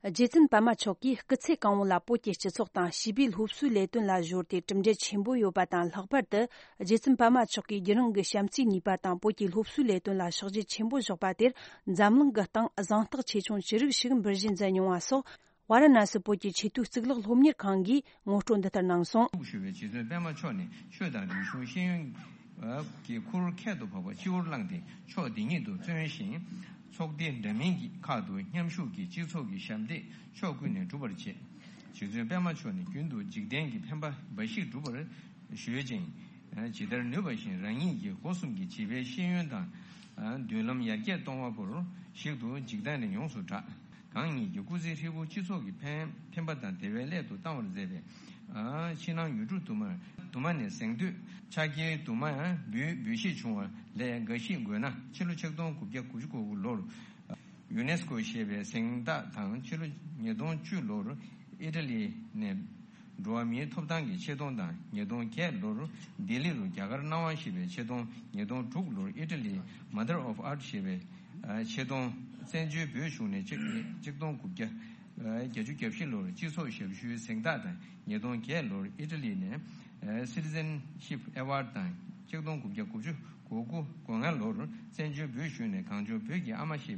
རྗེ་བཙུན་པད་མ་མཆོག་གིས་སྐུ་ཚེ་གང་བོ་ལ་བོད་ཀྱི་སྤྱི་ཚོགས་དང་བྱིས་པའི་སློབ་གསོའི་ལས་དོན་ལ་གཞོལ་ཏེ་གྲུབ་འབྲས་ཆེན་པོ་ཡོད་པ་དང་། ལྷག་པར་དུ་རྗེ་བཙུན་པད་མ་མཆོག་གིས་རྒྱུན་རིང་གི་བྱམས་བརྩེའི་ནུས་པ་དང་བོད་ཀྱི་སློབ་གསོའི་ལས་དོན་ལ་ཕྱག་རྗེས་ཆེན་པོ་བཞག་པ་དེར་འཛམ་གླིང་གི་སྟེང་གཟེངས་རྟགས་ཆེ་ཆུང་ཅི་རིགས་ཤིག་འབུལ་བཞེས་མཛད་མྱོང་བ་སོགས། ཝཱ་ར་ཎ་སི་བོད་ཀྱི་ཆེས་མཐོའི་གཙུག་ལག་སློབ་གཉེར་ཁང་གིས་ངོ་སྤྲོད་འདི་ལྟར་གནང་སོང་། ཐུགས་ཞུ་བའི་རྗེ་བཙུན་པད་མ་མཆོག་ནི་ཆོས་དང་རིག་གཞུང་ཤེས་ཡོན་གྱི་ཁུར་ཁྱད་དུ་འཕགས་པ་སྤྱི་བོར་བླངས་ཏེ་ཕྱོགས་འདི་ཉིད་དུ་བརྩོན་ཞིང་། ཚོགས་སྡེ་འདྲ་མིན་གྱི་ཁག་ཏུ་མཉམ་ཞུགས་ཀྱིས་སྤྱི་ཚོགས་ཀྱི་ཞབས་འདེགས་ཕྱོགས་ཀུན་ནས་སྒྲུབ་པར་བྱེད། རྗེ་བཙུན་པད་མ་མཆོག་ནི་རྒྱུན་དུ་འཇིག་རྟེན་གྱི་ཕན་པ་འབའ་ཞིག་སྒྲུབ་པར་གཞོལ་ཅིང་། ཇི་ལྟར་ནུས་པ་བཞིན་རང་ཉིད་ཀྱི་སྒོ་གསུམ་གྱི་བྱིས་པའི་ཤེས་ཡོན་དང་། མདུན་ལམ་ཡར་རྒྱས་གཏོང་བ་པོར་ཞིག་ཏུ་འཇིག་རྟེན་ནས་ཡོངས་སུ་གྲགས། གང་ཉིད་ཀྱི་སྐུ་ཚེ་ཧྲིལ་པོ་སྤྱི་ཚོགས་ཀྱི་ཕན་ཕན་པ་དང་བདེ་བའི་སླད་དུ་བཏང་བར་མཛད་པའི། ཕྱི་ནང་ཡུལ་གྲུ་དུ་མར་དུ་མ་ནས་གཟེངས་བསྟོད་ཕྱག་འཁྱེར་དུ་མ་འབུལ་འབུལ་བཞེས་བྱུང་བ་ལས་འགའ་ཞིག་འགོད་ན། ཕྱི་ལོ་ཆིག་སྟོང་དགུ་བརྒྱ་དགུ་བཅུ་གོ་དགུ་ལོར་ཡུ་ནེ་སི་ཀོ་ཞེས་པའི་གཟེངས་རྟགས་དང་། ཕྱི་ལོ་ཉིས་སྟོང་བཅུ་ལོར་ཨི་ཊ་ལི་ནས་འགྲོ་བ་མིའི་ཐོབ་ཐང་གི་ཆེ་མཐོང་དང་། ཉིས་སྟོང་བརྒྱད་ལོར་ལྡི་ལི་རུ་རྒྱ་གར་སྣང་བ་ཞེས་པའི་ཆེ་མཐོང་། ཉིས་སྟོང་དྲུག་ལོར་ཨི་ཊ་ལི་Mother of Art ཞེས་པའི་ཆེ་མཐོང་། བཙན་བྱོལ་བོད་གཞུང་ནས་ཆིག་ཆིག་སྟོང་དགུ་བརྒྱ་བརྒྱད་ཅུ་གྱ་བཞི་ལོར་སྤྱི་ཚོགས་ཞབས་ཞུའི་གཟེངས་རྟགས་དང་། ཉིས་སྟོང་བརྒྱད་ལོར་ཨི་ཊ་ལི་ནས་Citizenship Award དང་། ཆིག་སྟོང་དགུ་བརྒྱ་དགུ་བཅུ་གོ་དགུ་གོ་ལྔ་ལོར་བཙན་བྱོལ་བོད་གཞུང་ནས་གངས་ལྗོངས་བོད་ཀྱི་ཨ་མ་ཞེས་པའི་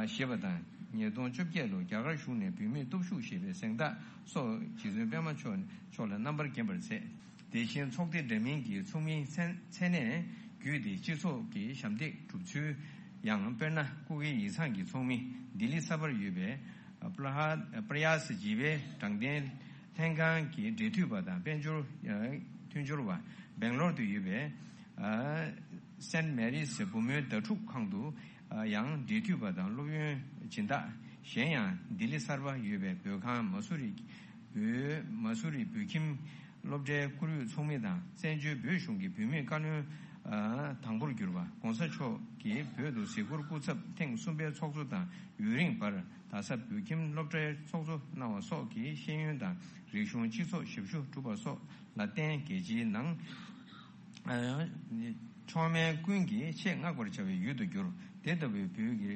ཞེས་པ་དང་། ཉིས་སྟོང་བཅོ་བརྒྱད་ལོར་རྒྱ་གར་གཞུང་ནས་བུད་མེད་སྟོབས་ཤུགས་ཞེས་པའི་གཟེངས་རྟགས་སོགས་རྗེ་བཙུན་པད་མ་མཆོག་མཆོག་ལ་རྣམ་པར་བརྒྱན་པར་མཛད། དེ་བཞིན་ཚོགས་སྡེ་འདྲ་མིན་གྱི་ཚོགས་མིའི་མཚན་མཚན་གནས་བརྒྱུད་དེ་སྤྱི་ཚོགས་ཀྱི་ཞབས་འདེགས་སྒྲུབ་ཚུལ་ཡང་། དཔེར་ན། སྐུ་སྒེར་ཡིག་ཚང་གི་ཚོགས་མི་ལྡི་ལི་གསར་པར་ཡོད་པའི་པྲ་ཧ་པྲ་ཡ་སི་ཇི་པའི་དྲང་བདེན་ལྷན་ཁང་གི་འབྲེལ་མཐུད་པ་དང་། དཔལ་འབྱོར་མཐུན་སྦྱོར་བ། སྦེང་ལོར་དུ་ཡོད་པའི་སེན་མེ་རིས་བུ་མོའི་ཟླ་དྲུག་ཁང་དུ་ཡང་འབྲེལ་མཐུད་པ་དང་སློབ་ཡོན་སྦྱིན་བདག། གཞན་ཡང་ལྡི་ལི་གསར་པ་ཡོད་པའི་བོད་ཁང་མ་སུ་རི་བོད་མ་སུ་རི་བོད་ཁྱིམ་སློབ་གྲྭའི་བཀུར་འོས་ཚོགས་མི་དང་། བཙན་བྱོལ་བོད་གཞུང་གི་བུད་མེད་བཀའ་བློན་དང་པོར་གྱུར་པ་༸གོང་ས་མཆོག་གིས་བོད་དུ་གཟིགས་སྐོར་སྐུ་ཚབ་ཐེངས་གསུམ་པའི་ཚོགས་གཙོ་དང་ཡུན་རིང་བར་རྡ་ས་བོད་ཁྱིམ་སློབ་གྲྭའི་ཚོགས་གཙོ་གནང་བ་སོགས་ཀྱིས་ཤེས་ཡོན་དང་རིག་གཞུང་། སྤྱི་ཚོགས་ཞབས་ཞུ་བསྒྲུབས་པ་སོགས་ལ་བརྟེན། རྒྱལ་སྤྱིའི་ནང་མཆོག་དམན་ཀུན་གྱིས་ཆེས་བསྔགས་པར་བྱ་བའི་ཡུལ་དུ་གྱུར། དེ་ལྟ་བུའི་བོད་ཀྱི་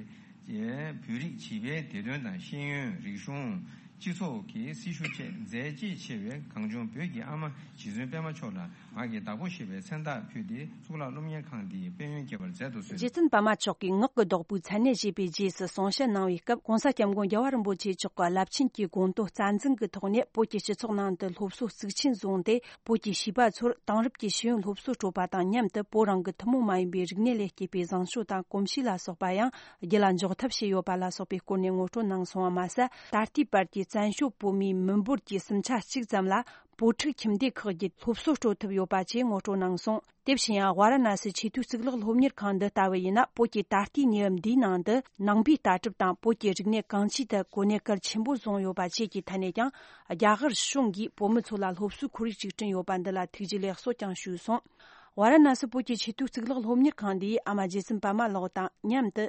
བོད་རིགས་བྱིས་པའི་བདེ་དོན་དང་། ཤེས་ཡོན། རིག་གཞུང་། སྤྱི་ཚོགས་ཀྱི་སྲི་ཞུ་བཅས་མཛད་རྗེས་ཆེ་བའི་གངས་ལྗོངས་བོད་ཀྱི་ཨ་མ་རྗེ་བཙུན་པད་མ་མཆོག་ལ་ངག་གི་བདག་པོ་ཞེས་པའི་མཚན་རྟགས་ཕུལ་ཏེ། གཙུག་ལག་སློབ་གཉེར་ཁང་འདིའི་དཔལ་ཡོན་བསྐྱེད་པར་མཛད་དུ་གསོལ། རྗེ་བཙུན་པད་མ་མཆོག་གིས་ངག་གི་བདག་པོའི་མཚན་གནས་བཞེས་པའི་རྗེས་སུ་གསུང་བཤད་གནང་བའི་སྐབས། ༸གོང་ས་༸སྐྱབས་མགོན་རྒྱལ་བ་རིན་པོ་ཆེ་མཆོག་གི་རླབས་ཆེན་གྱི་དགོངས་དོན་རྩ་འཛིན་གྱི་ཐོག་ནས། བོད་ཀྱི་སྤྱི་ཚོགས་ནང་དུ་སློབ་གསོ་གཙིགས་ཆེན་བཟུང་སྟེ། བོད་ཀྱི་བྱིས་པ་ཚོར་དེང་རབས་ཀྱི་ཤེས་ཡོན་སློབ་གསོ་སྤྲོད་པ་དང་མཉམ་དུ། བོད་རང་གི་ཐུན་མོང་མ་ཡིན་པའི་རིག་གནས་ལས་སྐྱེས་པའི་བཟང་སྤྱོད་དང་གོམས་གཤིས་ལ་སོགས་པ་ཡང་རྒྱུད་ལ་འཇོག་ཐབས་བྱས་ཡོད་པ་ལ་སོགས་པའི་སྐོར་ནས་ངོ་སྤྲོད་གནང་སོང་བ་མ་ཟད། ད་ལྟའི་བར་གྱི་བཙན་བྱོལ་བོད་མིའི་མི་འབོར་གྱི་གསུམ་ཆ་གཅིག་ཙམ་ལ་བོད་ཕྲུག་ཁྱིམ་སྡེ་ཁག་གིitས་སློབ་གསོ་སྤྲོད་ཐུབ་ཡོད་པ་བཅས་ངོ་སྤྲོད་གནང་སོང་། དེ་བཞིན་ཡང་ཝཱ་ར་ཎ་སི་ཆེས་མཐོའི་གཙུག་ལག་སློབ་གཉེར་ཁང་འདི་ལྟ་བུ་ཡིན་ན། བོད་ཀྱི་ད་ལྟའི་གནས་བབ་འདིའི་ནང་དུ་ནང་པའི་ལྟ་གྲུབ་དང་བོད་ཀྱི་རིག་གནས་གང་ཅིའི་ཐད་གོ་གནས་གལ་ཆེན་པོ་བཟུང་ཡོད་པ་བཅས་ཀྱི་ཐད་ནས་ཀྱང་རྒྱ་གར་གཞུང་གིས་བོད་མི་ཚོ་ལ་སློབ་གསོའི་ཁོར་ཡུག་ཅིག་བསྐྲུན་ཡོད་པ་འདི་ལ་ཐུགས་རྗེ་ལེགས་གསོལ་ཀྱང་ཞུས་སོང་། ཝཱ་ར་ཎ་སི་བོད་ཀྱི་ཆེས་མཐོའི་གཙུག་ལག་སློབ་གཉེར་ཁང་འདིས་ཨ་མ་རྗེ་བཙུན་པད་མ་ལགས་དང་མཉམ་དུ་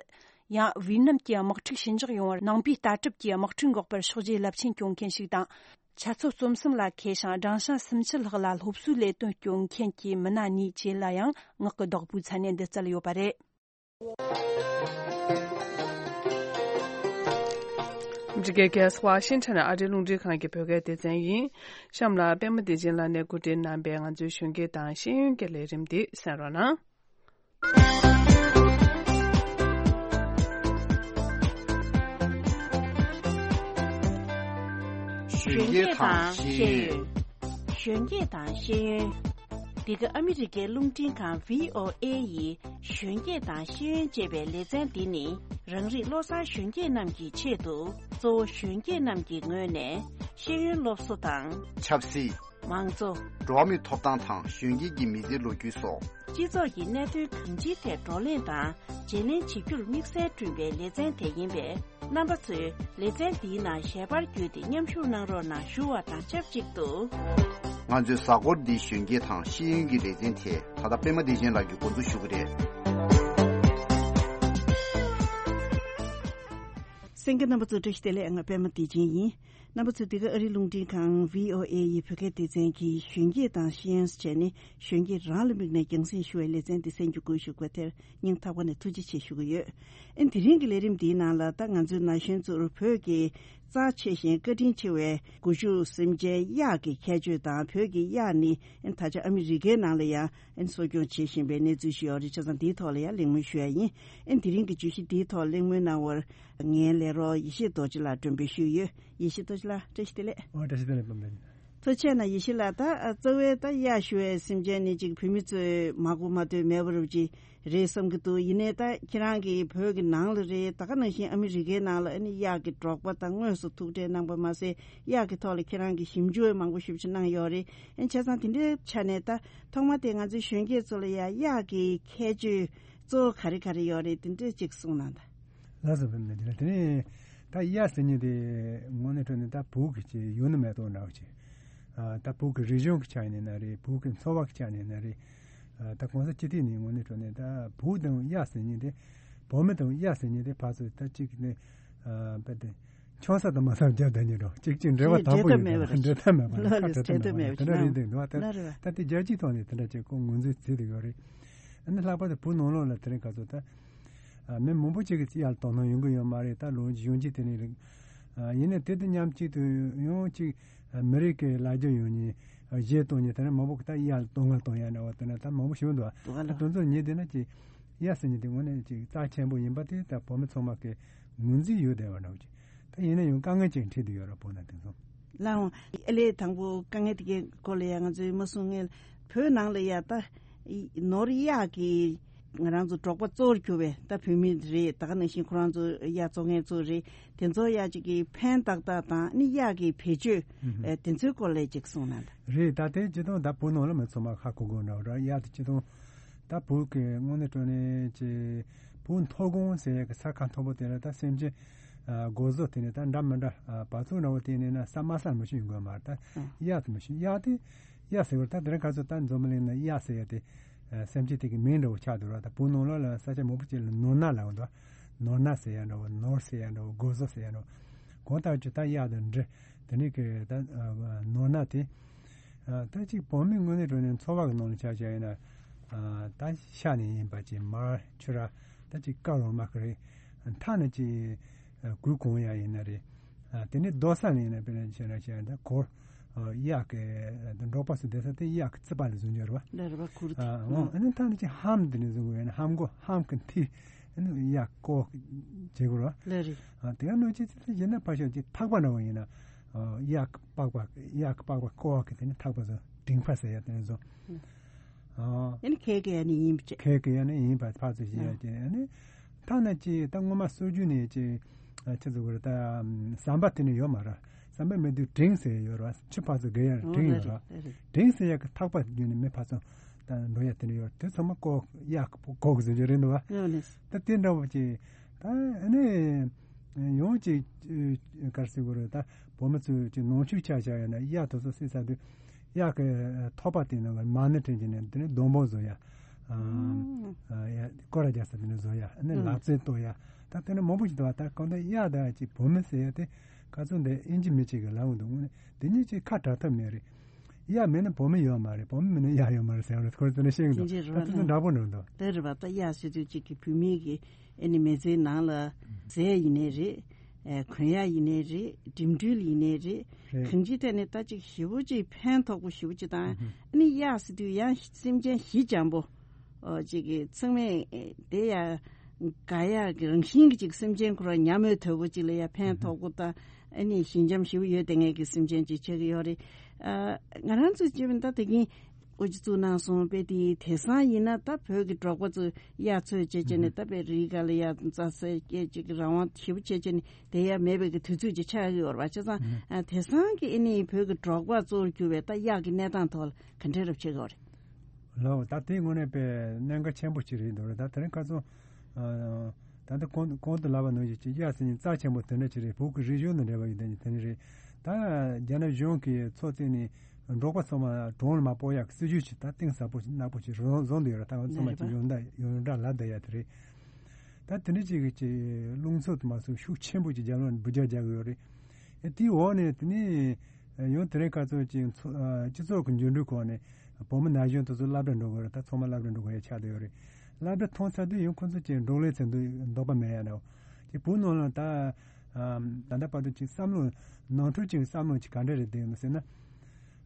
ཡང་། ཝི་ཡེད་ནམ་གྱི་དམག་འཁྲུག་ཞི་འཇགས་ཡོང་བར་ནང་པའི་ལྟ་གྲུབ་ཀྱི་དམག་འཁྲུག་འགོག་པར་ཕྱག་རྗེས་རླབས་ཆེན་བསྐྱོན་མཁན་ཞིག་དང་། ཆ་ཚོད་རྩོམ་གསུམ་ལ་མཁས་ཤིང་སྦྲང་ཤ་སུམ་ཅུ་ལྷག་ལ་སློབ་གསོའི་ལས་དོན་སྐྱོན་མཁན་གྱི་མི་སྣ་གཉིས་བཅས་ལ་ཡང་ངག་གི་བདག་པོའི་མཚན་གནས་འདི་སྩལ་ཡོད་པ་རེད། འདི་ག་ག་ས་ཝ་ཤིང་ཊོན་ཨ་རིའི་རླུང་འཕྲིན་ཁང་གི་བོད་སྐད་སྡེ་ཚན་ཡིན། གཤམ་ལ་པད་མ་བདེ་ཆེན་ལགས་ནས་གོ་སྒྲིག་གནང་པའི་ང་ཚོའི་གཞོན་སྐྱེས་དང་ཤེས་ཡོན་སྐྱེས་ལས་རིམ་འདི་གསན་རོགས་གནང་། གཞོན་སྐྱེས་དང་ཤེས་ཡོན། གཞོན་སྐྱེས་དང་ཤེས་ཡོན། འདི་ག་ཨ་མི་རི་ཀའི་རླུང་འཕྲིན་ཁང་བྷི་ཨོ་ཨེ་ཡི་གཞོན་སྐྱེས་དང་ཤེས་ཡོན་ཅེས་པའི་ལེ་ཚན་འདི་ནི་རང་རིགས་བློ་བཟང་གཞོན་སྐྱེས་རྣམས་ཀྱི་ཆེད་དུ་གཙོ་བོ་གཞོན་སྐྱེས་རྣམས་ཀྱི་ངོས་ནས་ཤེས་ཡོན་སློབ་གསོ་དང་། ཆབ་སྲིད། མང་གཙོ། འགྲོ་བ་མིའི་ཐོབ་ཐང་དང་གཞོན་སྐྱེས་ཀྱི་མི་ཚེའི་ལོ་རྒྱུས་སོགས། སྤྱི་ཚོགས་ཀྱི་གནད་དོན་གང་ཅིའི་ཐད་བགྲོ་གླེང་དང་བརྗེ་ལེན་བྱེད་རྒྱུར་དམིགས་བསལ་བསྐྲུན་པའི་ལེ་ཚན་དེ་ཡིན་པས། རྣམ་པ་ཚོས་ལེ་ཚན་འདིའི་ནང་ཞལ་པར་བརྒྱུད་དེ་མཉམ་ཞུགས་གནང་རོགས་གནང་ཞུ་བ་དང་ཆབས་ཅིག་ཏུ། ང་ཚོའི་གཟའ་འཁོར་འདིའི་གཞོན་སྐྱེས་དང་ཤེས་ཡོན་གྱི་ལེ་ཚན་དེ་ད་ལྟ་པད་མ་བདེ་ཆེན་ལགས་ཀྱིས་འགོ་འཛུགས་ཞུ་གི་རེད། གསན་མཁན་རྣམ་པ་ཚོ་བཀྲ་ཤིས་བདེ་ལེགས། ང་པད་མ་བདེ་ཆེན་ཡིན། རྣམ་པ་ཚོས་འདི་ག་ཨ་རིའི་རླུང་འཕྲིན་ཁང་བྷི་ཨོ་ཨེ་ཡི་བོད་སྐད་སྡེ་ཚན་གྱི་གཞོན་སྐྱེས་དང་ཤེས་ཡོན་ཟེར་བྱས་ནས་གཞོན་སྐྱེས་རང་ལ་དམིགས་ནས་རྒྱང་སྲིང་ཞུ་བའི་ལེ་ཚན་འདི་གསན་རྒྱུ་དགོས་ཞུ་དགོས་དེར་སྙིང་ཐག་པ་ནས་ཐུགས་རྗེ་ཆེ་ཞུ་གི་ཡོད། ཨེ་དེ་རིང་གི་ལས་རིམ་འདིའི་ནང་ལ་ད་ང་ཚོའི་ན་གཞོན་ཚོར་བོད་ཀྱི་རྩ་ཆེ་ཞིང་བཀའ་དྲིན་ཆེ་བའི་སྒོ་ཕྱུགས་སེམས་ཅན་གཡག་གི་ཁྱད་ཆོས་དང་། བོད་ཀྱི་གཡག་ནི་ཨེ་ད་ཆ་ཨ་མི་རི་ཀའི་ནང་ལ་ཡང་ཨེ་གསོ་སྐྱོང་བྱེད་བཞིན་པའི་གནས་ཚུལ་ཞིག་ཡོད་རེད། བྱས་ཙང་འདིའི་ཐོག་ལ་ཡང་གླེང་མོལ་ཞུ་ཡ་ཡིན། ཨེ་དེ་རིང་གི་བརྗོད་གཞི་འདིའི་ཐོག་གླེང་མོལ་གནང་བར་ངའི་ལས་རོགས་ཡེ་ཤེས་རྡོ་རྗེ་ལགས་མགྲོན་འབོད་ཞུས་ཡོད། ཡེ་ཤེས་རྡོ་རྗེ་ལགས་བཀྲ་ཤིས་བདེ་ལེགས། ཨོ་བཀྲ་ཤིས་བདེ་ལེགས་པ་འདི། ཐུགས་རྗེ་ཆེ་གནང་། ཡེ་ཤེས་ལགས། ད་གཙོ་བོའི་ད་གཡག་ཞུ་བའི་སེམས་ཅན་ནི་ཅིག་བོད་མི་ཚོས་མ་གོ་མ་ཐོས་མེད་པ་རུ་ཅིག་རེད་བསམ་གྱི་འདུག། ཡིན་ནའི་ད་ཁྱེད་རང་གིས་བོད་ཀྱི་ནང་ལ་རེད། ད་ག་ནང་བཞིན་ཨ་མི་རི་ཀའི་ནང་ལ་ཨ་ནི་གཡག་གི་འབྲོག་པ་དང་དངོས་སུ་ཐུག་འཕྲད་གནང་པ་མ་ཟད། གཡག་གི་ཐོག་ལ་ཁྱེད་རང་གིས་ཞིབ་འཇུག་མང་པོ་ཞིབ་ཅིག་གནང་ཡོད་རེད། ཨ་ནི་བྱས་ཙང་དེ་འདྲའི་ཆ་ནས་ད་ཐོག་མ་དེ་ང་ཚོའི་གཞོན་སྐྱེས་ཚོ་ལ་ཡ་གཡག་གི་ཁྱད་ཆོས་གཙོ་བོ་ག་རེ་ག་རེ་ཡོད་རེད། དེ་འདྲ་ཅིག་གསུངས་གནང་དང་། ལགས་སོ། བུད་མེད་དེ་ལ་དེ་ནས་ད་གཡག་ཟེར་མཁན་དེ་དངོས་གནས་དྲང་གནས་ད་བོད་ཀྱི་ཅིག་ཡུལ་ནི་མེ་ཏོག་འདྲ་བོ་ཅིག། ཨ་ད་བོད་ཀྱི་རིག་གཞུང་གི་ཆ་ནས་ན་རེད། བོད་ཀྱི་འཚོ་བ་གི་ཆ་ནས་ན་རེད། ཨ་ད་གོང་ས་སྤྱི་འཐུས་ནས་དངོས་གནས་དྲང་གནས་ད་བོད་དང་གཡག་ཟེར་མཁན་དེ། བོད་མི་དང་གཡག་ཟེར་མཁན་དེ་ཕར་ཚུར་ད་ཅིག་ནས་ཨ་བས་ཏེ་ཆང་ས་དང་མ་ས་རྒྱབ་བསྡད་མཁན་འདྲ་བོ་ཅིག་ཅིག་འབྲེལ་བ་དམ་པོ་ཡོད་འབྲེལ་ཐབས་མེད་པ་རེད། འབྲེལ་ཐབས་མེད་པ་རེད། ཁ་བྲལ་ཐབས་མེད་པ་རེད། དེ་འདྲ་རེད་འདུག་འདུག་བ། ད་ད་དེ་རྒྱལ་སྤྱིའི་ཐོག་ནས་དེ་འདྲ་ཅིག་ཁོ་ངོས་འཛིན་བྱེད་བསྡད་ཡོད་རེད། ཨ་ནི་ལྷག་པར་དུ་བོད་ནང་ལོགས་ལ་དེ་རིང་ཁ་སང་ད། ཨ་མི་མང་པོ་ཅིག་གིས་གཡག་ལ་དོ་སྣང་ཡོང་གི་ཡོད་མ་རེད། ད་ལོ་གཞོན་སྐྱེས་དེ་ནས་རེད། ཨ་ཡིན་ནའི་དེ་དང་མཉམ་གཅིག་ཏུ་ཡང་ཅིག་ཨ་མི་རིགས་ཀྱི་ལ་རྒྱ་ཡོད་མཁན་གཞས་གཏོང་མཁན་དེ་ནས་མང་པོ་གིས་ད་གཡག་ལ་དོ་སྣང་གཏོང་ཡ་འདྲ་བོ་དེ་ནས་ད་མང་པོ་ཞིག་འདུག། ད་དེ་ཚོ་ཉིད་དེ་ན་ཅིག་གཡག་ཟེར་མཁན་དེ་དངོས་གནས་ཅིག་རྩ་ཆེན་པོ་ཡིན་པ་དེ་ད་བོད་མི་ཚང་མ་གིས་ངོས་འཛིན་ཡོད་བསྡད་པ་འདྲ་བོ་ཅིག། ད་ཡིན་ན་ཡང་དཀའ་ངལ་ཅིག་འཕྲད་བསྡད་ཡོད་རེད། བོད་ནང་དེ་ཚོ། ལགས་འོང་། ཨ་ལས་དང་པོ་དཀའ་ངལ་དེ་གའི་སྐོར་ལ་ཡ་ང་ཚོས་མ་གསུང་སྔོན། བོད་ནང་ལ་ཡ་ད་ནོར་གཡག་གི་ང་རང་ཚོ་འབྲོག་པ་གཙོ་བོར་གྱུར་པའི་ད་བོད་མི་རེད། ད་ག་ནང་བཞིན་ཁོ་རང་ཚོ་གཡག་བཙོང་མཁན་ཚོ་རེད། དེ་ཚོ་ཡ་ཅིག་གི་ཕན་ཏག་ཏག་དང་ནི་གཡག་གི་བེད་སྤྱོད་ཨ་དེ་ཚོའི་སྐོར་ལ་ཅིག་གསུངས་གནང་དང་། རེད། ད་དེ་སྤྱིར་བཏང་ད་བོད་ནང་ལ་མི་ཚང་མ་ཧ་གོ་གོ་འདྲ་བོ་ར། གཡག་དེ་སྤྱིར་བཏང་ད་བོད་ཀྱི་དངོས་གནས་དྲང་གནས་ཀྱི་བོད་མཐོ་སྒང་ཟེར་ཡག་གི་ས་ཁ་མཐོ་པོ་དེ་ལ་ད་སེམས་ཅན་ཨ་སྒོ་ཟོག་དེ་ནས་ད་འདྲ་མི་འདྲ་ཨ་བ་ཚུགས་འདྲ་བོ་དེ་ནས་ན་ས་དམའ་ས་མི་ཤེས་ཡོང་གི་མ་རེད། ད་ཨ་གཡག་དེ་མི་ཤེས། གཡག་དེ་གཡག་ཟེར་བར་ད་དེ་རིང་ཁ་སང་ད་འཛམ་བུ་གླིང་ན་གཡག་ཟེར་ཡག་དེ་ཨ་སེམས་ཅན་དེ་གི་མིང་འདྲ་བོ་ཆགས་འདུག་ར། ད་བོད་ནང་ལོགས་ལ་ས་ཆ་མང་པོ་ཅིག་ལ་ནོར་ནག་ལབ་འདུག། ནོར་ནག་ཟེར་ཡག་འདྲ་བོ། ནོར་ཟེར་ཡག་འདྲ་བོ། སྒོ་ཟོག་ཟེར་ཡག་འདྲ་བོ། གང་ལྟར་ཅིག་ད་གཡག་དང་འདྲ། དེ་ནས་ཀྱི་ད་ནོར་ནག་དེ། ད་ཅིག་བོད་མི་དངོས་གནས་དྲང་གནས་འཚོ་བ་གི་ནང་ལ་ཆ་བཞག་ཡིན་ན། ད་ཤ་ནས་ཡིན་པ་ཅིག་མར་ཕྱུར་ར། ད་ཅིག་ཀ་རོ་མ་ཀི་རེད། མཐའ་ན་ཅིག་གོས་གོན་ཡག་ཡིན་ན་རེད། དེ་ནས་རྡོ་ས་ནས་ཡིན་ན་དཔེར་ན་བྱས་ན་བྱས་ན་ད་གུར། གཡག་གི་འབྲོག་པ་ཚོ་བསྡད་ས་དེ་གཡག་གི་རྩིག་པ་ལ་བཟོ་རྒྱུ་རེད་བ། ལ་རེད་བ། གུར་དེ། ཨ་ནི་མཐའ་ན་ཅིག་ལྷམ་དེ་ནས་བཟོ་དགོས་ཡིན་ན་ལྷམ་གོག་ལྷམ་གི་མཐིལ། ཨ་ནི་གཡག་ཀོ་བྱེད་དགོས་རེད། ལགས་རེད། ཨ་དེ་ག་ནང་བཞིན་ཅིག་ཡིན་ན་ཕར་ཞོག་ཅིག་ཐག་པ་འདྲ་བོ་ཡིན་ན། ཨ་གཡག་པགས་པ་གཡག་པགས་པ་ཀོ་བ་གི་དེ་ནི་ཐག་པ་བཟོ། མགྲིན་པ་ཟེར་ཡ་དེ་ནི་བཟོ། ཨ་ཡིན་ཁེ་གི་ཡ་ནི་ཡིན་པ་ཅིག། ཁེ་གི་ཡ་ནི་ཡིན་པ་ཕར་ཚུར་བཞི་ཡ་ཅིག། ཨ་ནི་ཐ་ན་ཅིག་ད་སྔོན་མ་སྲོལ་རྒྱུན་ནས་ཅིག་ཨ་ཅི་ཟེར་དགོས་རེད། ད་ཟམ་པ་དེ་ནི་ཡོད་མ་རེད། ཟམ་པ་མེད་དུས་འབྲིང་ཟེར་ཡོད་རེད། ཆུ་ཕར་ཚུར་བརྒལ་ཡ་འབྲིང་ཡོད་རེད། འབྲིང་ཟེར་ཡ་གི་ཐག་པ་བརྒྱུད་ནས་མི་ཕར་ཚུར་ད་འགྲོ་ཡ་དེ་ནི་ཡོད་རེད། དེ་ཚང་མ་ཀོ་གཡག་ཀོ་གི་ཟེར་རྒྱུ་རེད་འདུག་བ། ད་དེ་འདྲ་བོ་ཅིག་ད་ཨ་ནི་ཡང་ཅིག་ག་རེ་ཟེར་དགོས་རེད། ད་བོད་མི་ཚོས་ཅིག་ནང་ཆོས་ཆ་བཞག་ཡོད་ན་གཡག་དེ་ཚོ་བསད་ཚར་དུས་གཡག་གི་ཐོད་པ་དེ་ནང་གི་མ་ཎི་བྲིས་བྱས་ནས་དེ་ནས་སྡོང་པོ་བཟོ་ཡ། ཨ་ཡ་སྐོར་ར་རྒྱག་ས་དེ་ནས་བཟོ་ཡ། ཨ་ནི་ལག་རྩལ་གཏོད་ཡ། ད་དེ་ནས་མང་པོ་ཞིག་འདུག་བ། ད་གང་ལྟར་གཡག་ད་ཅིག་བོད་མི་ཟེར་ཡ་དེ་ག་ཚོད་འདི་ཨིན་ཇི་མི་གཅིག་གི་ལབ་འདུག། དེ་གཉིས་ཅིག་ཁ་བྲལ་ཐབས་མེད་རེད། གཡག་མེད་ན་བོད་མི་ཡོད་མ་རེད། བོད་མི་མེད་ན་གཡག་ཡོད་མ་རེད་ཟེར་བ་རེད། ཁོ་ཚོ་ནས་ཤེས་འདུག། ད་དེ་ཚོ་འདྲ་པོ་འགྲོ་འདུག། དེ་རེད་པ། ད་གཡག་ཟེར་དུས་གཅིག་གི་བོད་མི་གི་ཨ་ནི་མི་ཚེའི་ནང་ལ་ཟས་ཡིན་ནའི་རེད། ཨེ་གོན་ཡག་ཡིན་ནའི་རེད། འགྲིམ་འགྲུལ་ཡིན་ནའི་རེད། རེད། གང་ཅིའི་ཐད་ནས་ད་ཅིག་ཞེ་པོ་ཅིག་ཕན་ཐོགས་པོ་ཞེ་པོ་ཅིག་དང་། ཨ་ནི་གཡག་ཟེར་དུས་ཡང་སེམས་ཅན་ཞི་འཇམ་པོ། ཨོ་ཅིག་གི་ཚང་མས་དེ་ཡ་དགའ་ཡག་གི་རང་བཞིན་གྱི་ཅིག་སེམས་ཅན་ཁོ་རང་ཉམས་མྱོང་དོད་པོ་ཅིག་ལ་ཡ་ཕན་ཐོགས་པོ་དང་། ཨ་ནི་ཞི་འཇམ་ཞེ་པོ་ཡོད་བསྡད་མཁན་གྱི་སེམས་ཅན་ཅིག་ཆགས་ཀྱི་ཡོད་རེད། ཨ་ང་རང་ཚོས་བྱས་པ་ཡིན་ན་ད་དེ་གིན་དབུ་འཛུགས་གནང་སོང་པས། དེ་དེང་སང་ཡིན་ན་ད་བོད་ཀྱི་འབྲོག་པ་ཚོ་གཡག་འཚོལ་བྱས་བྱས་ནས་ད་དཔེ་རིའི་སྒང་ལ་ཡར་རྩྭ་ཟ་སྐྱེལ་ཅིག་རང་དབང་ཞེ་པོ་བྱས་བྱས་ནས་བསྡད་ཡ་མེད་པའི་གི་དུས་ཚོད་ཅིག་ཆགས་ཀྱི་ཡོད་རེད་པ། བྱས་ཙང་ཨ་དེང་སང་གི་ཨ་ནི་བོད་ཀྱི་འབྲོག་པ་གཙོ་བོར་གྱུར་པའི་ད་གཡག་གི་གནས་སྟངས་ཐོག་ལ་ག་འདྲས་རབ་བྱེད་ཀྱི་ཡོད་རེད། ལགས། ད་དེ་དངོས་གནས་དཔེ་གནད་འགག་ཆེན་པོ་ཅིག་རེད་འདུག་རེད། ད་དེ་རིང་ཁ་སང་ཨ་ད་ལྟ་གོང་གོང་དུ་ལབ་པ་ནང་བཞིན་གྱི་གཡག་ཟེར་མཁན་རྩ་ཆེན་པོ་དེ་འདྲ་ཅིག་རེད། བོད་ཀྱི་རིག་གཞུང་དང་འབྲེལ་བ་ཡོད་དེ་དེ་འདྲ་རེད། ད་རྒྱ་ནག་གཞུང་གིས་ཚོགས་བཙུགས་ནས་འབྲོག་པ་ཚང་མ་གྲོང་ལ་མར་སྤོ་ཡག་སྲིད་ཇུས་ཅིག་ད་གཏིང་ཟབ་པོ་ཅིག་ནག་པོ་ཅིག་བཟོ་བཟོ་འདོད་ཡོད་རེད། ད་ང་ཚང་མ་ཅིག་ཡོངས་གྲགས་ཡོངས་གྲགས་ལབ་བསྡད་ཡ་དེ་རེད། ད་དེ་འདྲ་ཅིག་གི་ཅིག་རླུང་འཚུབ་དུ་མ་སོང་ཤུགས་ཆེན་པོ་ཅིག་རྒྱབ་ལོགས་ནས་འབུད་རྒྱག་རྒྱག་གི་ཡོད་རེད། ཨེ་དེའི་འོག་ནས་དེ་ནས་ཡང་དེ་རིང་ཁ་སང་ཅིག་ཚོ་ཨ་སྤྱི་ཚོགས་ཀྱི་འགྱུར་འགྲོས་ཁོངས་ནས་བོད་མི་ན་གཞོན་དེ་ཚོ་སློབ་གྲྭ་འགྲོ་དགོས་རེད། ད་ཚང་མ་སློབ་གྲྭ་འགྲོ་དགོས་ཡ་ཆགས་བསྡད་ཡོད་རེད། སློབ་གྲྭ་ཐོན་ཚར་དུས་ཡང་ཁོ་ཚོ་ཅིག་འབྲོག་ལས་ཚན་དུ་འདོད་པ་མེད་ཡ་འདྲ་བོ། ཅིག་བོད་ནང་ལ་ད་ཨ་ད་ལྟ་བར་དུ་ཅིག་བསམ་བློ་ནང་ཁྲོལ་ཅིག་བསམ་བློ་ཅིག་ག་འདྲ་རེད་བསྡད་ཡོད་ཟེར་ན།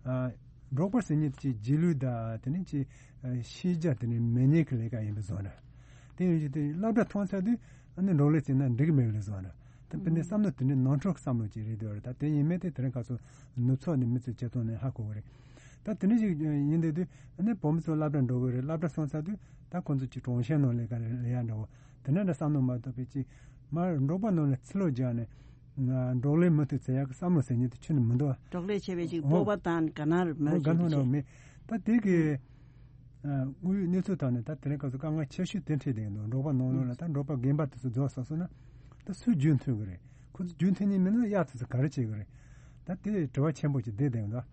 ཨ་འབྲོག་པ་ཟེར་མཁན་ཅིག་རྗེས་ལུས་དང་དེ་ནས་ཅིག་ཨ་ཤེས་རྒྱ་དེ་ནས་མེད་མཁན་གྱི་ལས་ཀ་ཡིན་པའི་བཟོ་འདྲ། དེ་ཡིན་ཞིག་དེ་སློབ་གྲྭ་ཐོན་ཚར་དུས་ཨ་ནི་འབྲོག་ལས་བྱས་ན་འགྲིག་གི་མེད་པའི་བཟོ་འདྲ། ད་དཔེར་ན་བསམ་བློ་དེ་འདྲའི་ནང་ཁྲོལ་གྱི་བསམ་བློ་ཅིག་རེད་འདུག་རེད། ད་དེ་ཡིན་མིན་དེ་དེ་རིང་ཁ་སང་ནུབ་ཕྱོགས་ནས་མི་ཚོས་བྱེད་སྟངས་ནས་ཧ་གོ་གི་རེད། ད་དེ་འདྲ་ཞིག་ཡིན་བསྡད་དུས་ཨ་ནི་བོད་མི་ཚོ་སློབ་གྲྭ་འགྲོ་གི་རེད། སློབ་གྲྭ་སོང་ཚར་དུས་ད་ཁོང་ཚོ་ཅིག་གྲོང་ཁྱེར་ནང་ལས་ཀ་རེད་ལས་ཡ་འདྲ་བོ་དེ་འདྲ་འདྲ་བསམ་བློ་མ་གཏོགས་པའི་ཅིག་མར་འབྲོག་པ་ནང་ལ་ཚུར་ལོག་རྒྱག་ནས་ང་འབྲོག་ལས་མུ་མཐུད་བྱེད་ཡག་གི་བསམ་བློ་ཟེར་མཁན་དེ་ཁྱོན་ནས་མི་འདུག་འབྲོག་ལས་བྱས་པའི་ཅིག་སྤོབས་པ་དང་དགའ་སྣང་མོད་འོ་དགའ་སྣང་འདྲ་བོ་མེད། ད་དེ་གི་དངོས་ཡོད་གནས་ཚུལ་ཐོག་ནས་ད་དེ་རིང་ཁ་སང་དཀའ་ངལ་ཆེ་ཤོས་དེ་འཕྲད་བསྡད་འདུག་འབྲོག་པ་ནང་ལོགས་ལ་ད་འབྲོག་པ་རྒན་པ་དེ་ཚོ་རྫོགས་སོང་སོང་ན་ད་སུས་རྒྱུན་མཐུད་གི་རེད། ཁོ་ཚོ་རྒྱུན་མཐུད་ཉན་མིན་ན་གཡག་དེ་ཚོ་ག་རེ་བྱེད་གི་རེད། ད་དེ་དྲི་བ་ཆེན་པོ་ཅིག་བསྡད་བསྡད་འདུག་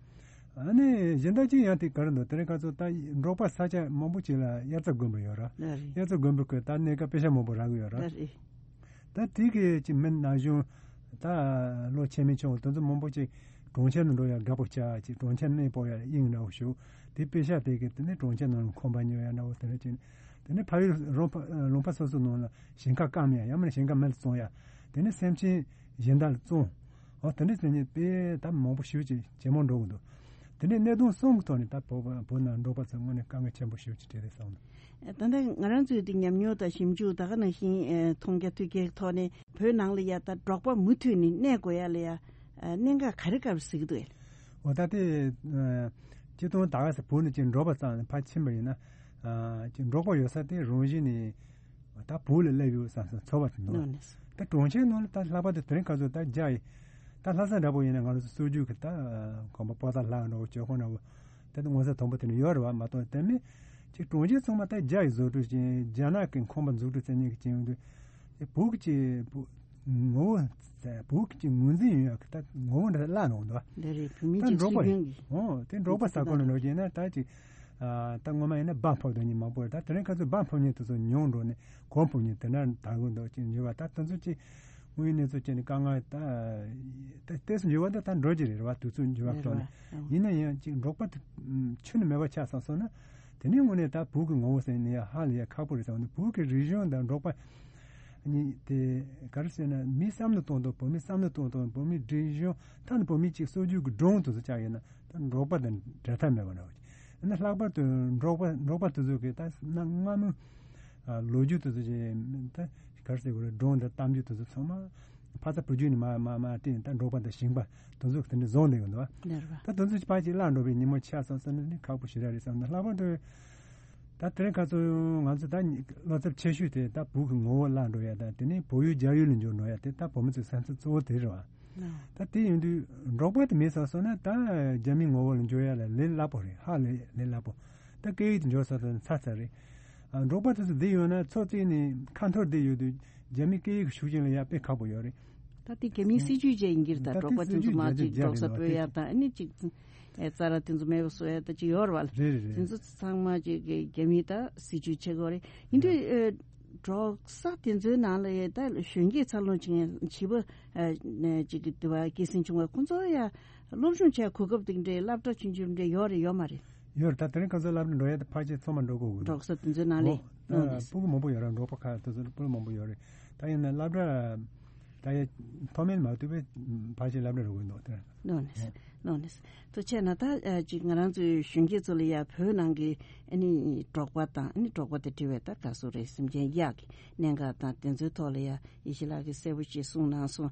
ཨ་ནི་གཞན་དག་ཅིག་ཡང་དེ་ག་རེ་འདུག་དེ་རིང་ཁ་སང་ད་འབྲོག་པ་ས་ཆ་མང་པོ་ཅིག་ལ་དབྱར་རྩྭ་དགུན་འབུ་ཡོད་ར། ལགས་རེད། དབྱར་རྩྭ་དགུན་འབུ་ཁོས་ད་གནས་སྐབས་པེ་ཤ་མང་པོ་རག་གི་ཡོད་ར། ལགས་རེད། ད་དེ་གི་ཅིག་མི་ན་གཞོན་ད་ལོ་ཆེ་མི་ཆུང་དེ་ཚོ་མང་པོ་ཅིག་གྲོང་ཁྱེར་ནང་འགྲོ་ཡ་དགའ་པོ་ཆགས། ཅིག་གྲོང་ཁྱེར་གནས་སྤོ་ཡ་དབྱིངས་འདྲ་བོ་ཞུགས། དེ་པེ་ཤ་དེ་གི་དེ་ནས་གྲོང་ཁྱེར་ནང་ཁང་པ་ཉོ་ཡ་འདྲ་བོ་དེ་འདྲ་ཅིག་དེ་ནས་ཕ་ཡུལ་རོང་ཕ་ལུང་པ་སོ་སོའི་ནང་ལ་ཞིང་ཁ་བསྐམ་ཡ་ཡང་མིན་ན་ཞིང་ཁ་མེད་ལ་བཙོང་ཡ། དེ་ནས་སེམས་ཅན་གཞན་དག་ལ་བཙོང་། འོ་དེ་འདྲ་ཟེར་མཁན་དཔེ་ད་མང་པོ་ཞེ་པོ་ཅིག་ཇེ་མང་འགྲོ་གི་འདུག་དེ་ནས་གནད་དོན་གསུམ་གྱི་ཐོག་ནས་ད་བོད་བོད་ནང་འབྲོག་པ་ཚོ་དངོས་གནས་དཀའ་ངལ་ཆེན་པོ་ཞེ་པོ་ཅིག་འཕྲད་རེད་བསམ་གི་འདུག་ད་ལྟ་ང་རང་ཚོའི་དེ་ཉམས་མྱོང་དང་ཞིབ་འཇུག་ད་ག་ནང་བཞིན་ཨེ་མཐོང་རྒྱ་ཐོས་རྒྱའི་ཐོག་ནས་བོད་ནང་ལ་ཡ་ད་འབྲོག་པ་མུ་མཐུད་ནས་གནས་དགོས་ཡ་ལ་ཡ་ཨེ་གནད་འགག་ག་རེ་ག་རེ་གཟིགས་ཀྱི་འདུག་འོ་ད་དེ་ཨེ་སྤྱིར་བཏང་ད་ག་ས་བོད་ནས་ཅིག་འབྲོག་པ་ཙམ་ཕར་ཕྱིན་པ་ཡིན་ན་ཨེ་ཅིག་འབྲོག་པ་ཡོད་ས་དེ་རང་བཞིན་ནས་ད་བོད་ལ་སླེབས་ཡོད་བསམ་བསམ་ཚོར་བ་དེ་འདུག་ནོ་ནེ། ད་གྲོང་ཁྱེར་ནང་ལ་ད་ལྷག་པར་དུ་དེ་རིང་ཁ་སང་ད་རྒྱ་ཡི་ད་ལྷ་ས་འདྲ་པོ་ཡིན་ན་ང་རང་ཚོ་སྲོལ་རྒྱུན་གྱི་ད་ཁང་པ་པོ་ཏ་ལ་འདྲ་བོ་ཇོ་ཁང་འདྲ་བོ་ད་ད་ངོ་ཚ་དང་པོ་དེ་ནས་ཡོད་རེད་བ། མ་གཏོགས་དེ་མིན་ཅིག་གྲོང་ཁྱེར་ཚང་མ་ད་རྒྱ་ཡི་བཟོ་སྐྲུན་བྱས། རྒྱ་ནག་གི་ཁང་པ་འཛུགས་སྐྲུན་བྱེད་མཁན་གྱི་ཅིག་ཡོང་དུས་བོད་ཀྱི་ཅིག་བོད་ངོ་བོ་བོད་ཀྱི་ཅིག་ངོས་འཛིན་ཡོད་ཡག་གི་ད་ངོ་བོ་འདྲ་བརླག་འགྲོ་འདུག་བ། འདི་རེད། བོད་མི་ད་ཅིག་འབྲོག་པ་སྲིད་དོན་གྱི་ཨོ་དེ་འབྲོག་པ་ས་ཁོངས་ནས་འགྲོ་རྒྱུ་ཡིན་ན་ད་ཅིག་ཨ་ད་སྔོན་མ་ཡིན་ན་འབའ་ཕབ་དོན་གཉིས་མང་པོ་རེད། ད་དེ་རིང་ཁ་སང་འབའ་ཕབ་མཁན་དེ་ཚོ་ཉུང་འགྲོ་ནས་གོང་ཕབ་མཁན་དེ་འདྲ་དར་གི་འདུག་ཅིག་འགྱུར་བ་ད་དེ་ཚོ་ཅིག་དངོས་ཡོད་གནས་ཚུལ་བྱས་ནས་དཀའ་ངལ་ད་ད་ཏོག་ཙམ་འགྱུར་བ་ད་ད་འགྲོ་གི་རེད་བ། དུས་ཚོད་འགྱུར་བ་རེད་ཐོག་ནས་བ། ཡིན་ན་ཡང་ཅིག་འབྲོག་པ་དེ་ཁྱོན་ནས་མེད་པ་ཆགས་སོང་སོང་ན་དེ་ནས་དངོས་གནས་ད་བོད་ཀྱི་ངོ་བོ་ཟེར་ནས་ཡ་ཧ་ལས་ཡ་ཁག་པོ་རེད་བསམ་འདུག་བོད་ཀྱི་རིག་གཞུང་དང་འབྲོག་པ་གཉིས་དེ་ག་རེ་ཟེར་ན་མིའི་བསམ་བློ་གཏོང་སྟངས་བོད་མིའི་བསམ་བློ་གཏོང་སྟངས་བོད་མིའི་རིག་གཞུང་ད་ནི་བོད་མིའི་ཅིག་སྲོལ་རྒྱུན་གྱི་སྒྲུང་དེ་ཚོ་ཆགས་ཡོད་ན། ད་འབྲོག་པ་དང་འབྲལ་ཐབས་མེད་པ་འདྲ་བོ་ཅིག་ཡིན་ན་ལྷག་པར་དུ་འབྲོག་པ་འབྲོག་པ་དེ་ཚོ་གིས་ད་གནའ་སྔ་མོའི་ཨ་ལོ་རྒྱུས་དེ་ཚོ་ཅིག་ད་ག་རེ་ཟེར་དགོས་རེད། སྒྲུང་དང་གཏམ་རྒྱུད་དེ་ཚོ་ཚང་མ་ཕ་ཚ་བུ་རྒྱུད་ནས་མར་མར་མར་བསྲེས་ནས་ད་འབྲོག་པ་དང་ཞིང་པ་དེ་ཚོ་གིས་དེ་འདྲ་བཟུང་བསྡད་ཀྱི་འདུག་བ། ལེར་བ། ད་དེ་ཚོ་ཅིག་ཕར་ཅིག་བརླག་འགྲོ་བའི་ཉིན་མོ་ཆགས་སོང་ཟེར་ན་ནི་ཁག་པོ་ཞེ་དྲག་རེད་བསམ་ན། ལྷག་པར་དུ་ད་དེ་རིང་ཁ་སང་ང་ཚོ་ད་བློ་འཚབ་ཆེ་ཤོས་དེ་ད་བོད་ཀྱི་ངོ་བོ་བརླག་འགྲོ་ཡ་དང་དེ་ནས་བོད་ཡུལ་རྒྱ་ཡུལ་ལ་འགྱུར་འགྲོ་ཡ་དེ་ད་བོད་མི་ཚོའི་སེམས་ཚབས་གཙོ་བོ་དེ་རེད་བ། ད་དེ་ཡིན་དུས་འབྲོག་པ་དེ་མེད་ཚར་སོང་ན་ད་རྒྱ་མིའི་ངོ་བོ་ལ་འགྱུར་ཡ་ལ་ལས་སླ་པོ་རེད། ཧ་ལས་ལས་སླ་པོ། ད་སྐད་ཡིག་དེ་འགྱུར་ཚར་སོང་ན་ཚར་ཚར་རེད། ཨ་འབྲོག་པ་དེ་ཚོ་བསྡད་ཡོད་ན་ཚོགས་བཙུགས་ནས་ཁ་འཐོར་བསྡད་ཡོད་དུས་རྒྱ་མིའི་སྐད་ཡིག་གི་ཤུགས་རྐྱེན་ལ་ཡ་དཔེ་ཁག་པོ་ཡོད་རེད། ད་དེ་རྒྱ་མིའི་སྲིད་ཇུས་བཅས་ཡིན་གྱི་རེད། ད་ད་འབྲོག་པ་དེ་ཚོ་མར་ཅིག་འབྲོག་ས་སྤོ་ཡ་དང་ཨ་ནི་ཅིག་ཨེ་རྩྭ་ར་དེ་ཚོ་མེད་པ་བཟོ་ཡ་ད་ཅིག་ཡོད་རེད་བ། རེད་རེད་རེད། དེ་ཚོ་ཚང་མ་ཅིག་གི་རྒྱ་མིའི་ད་སྲིད་ཇུས་བྱེད་དགོས་རེད། ཡིན་དུས་ཨེ་འབྲོག་ས་དེ་ཚོའི་ནང་ལ་ཡ་ད་གཞོན་སྐྱེས་འཚར་ལོངས་བྱེད་མཁན་བྱིས་པ་ཨ་ཅིག་གི་དུ་བ་སྐྱེད་སྲིང་བྱུང་བ་ཁོང་ཚོ་ཡ་སློབ་སྦྱོང་བྱས་གོ་སྐབས་དེ་འདྲའི་སློབ་གྲྭ་ཆུང་ཆུང་འདྲ་ཡོད་རེད་ཡོད་མ་རེད། ཡོད་རེད། ད་དེ་རིང་ཁ་སང་སློབ་གྲྭ་འགྲོ་ཡ་དེ་ཕལ་ཆེར་ཚང་མ་འགྲོ་དགོས་ཀྱི་འདུག་འབྲོག་ས་དེ་ཚོའི་ནང་ལ་ཨོ་ཡིན་ནོ་ནས་ད་སྤུ་གུ་མང་པོ་ཡོད་རེད། འབྲོག་པ་ཁག་དེ་ཚོ་སྤུ་གུ་མང་པོ་ཡོད་རེད། ད་ཡིན་ན་སློབ་གྲྭ་ ད་ཡ་མཐོ་དམན་མ་གཏོགས་པའི་ཕལ་ཆེར་སློབ་གྲྭ་རུ་དགོས་འདུག་དེ། ལོ་ནས་ལོ་ནས་དུ་བྱས་ན་ད་ཅིག་ང་རང་ཚོའི་གཞོན་སྐྱེས་ཚོ་ལ་ཡ་བོད་ནང་གི་ཨ་ནི་འབྲོག་པ་དང་ཨ་ནི་འབྲོག་པ་དང་འབྲེལ་བའི་ད་ག་སོ་རེད། སེམས་ཅན་གཡག་གི་གནད་འགག་དང་དེ་ཚོའི་ཐོག་ལ་ཡ་ཡེ་ཤེས་ལགས་ཀྱིས་གསལ་པོ་ཞིག་གསུངས་གནང་སོང་།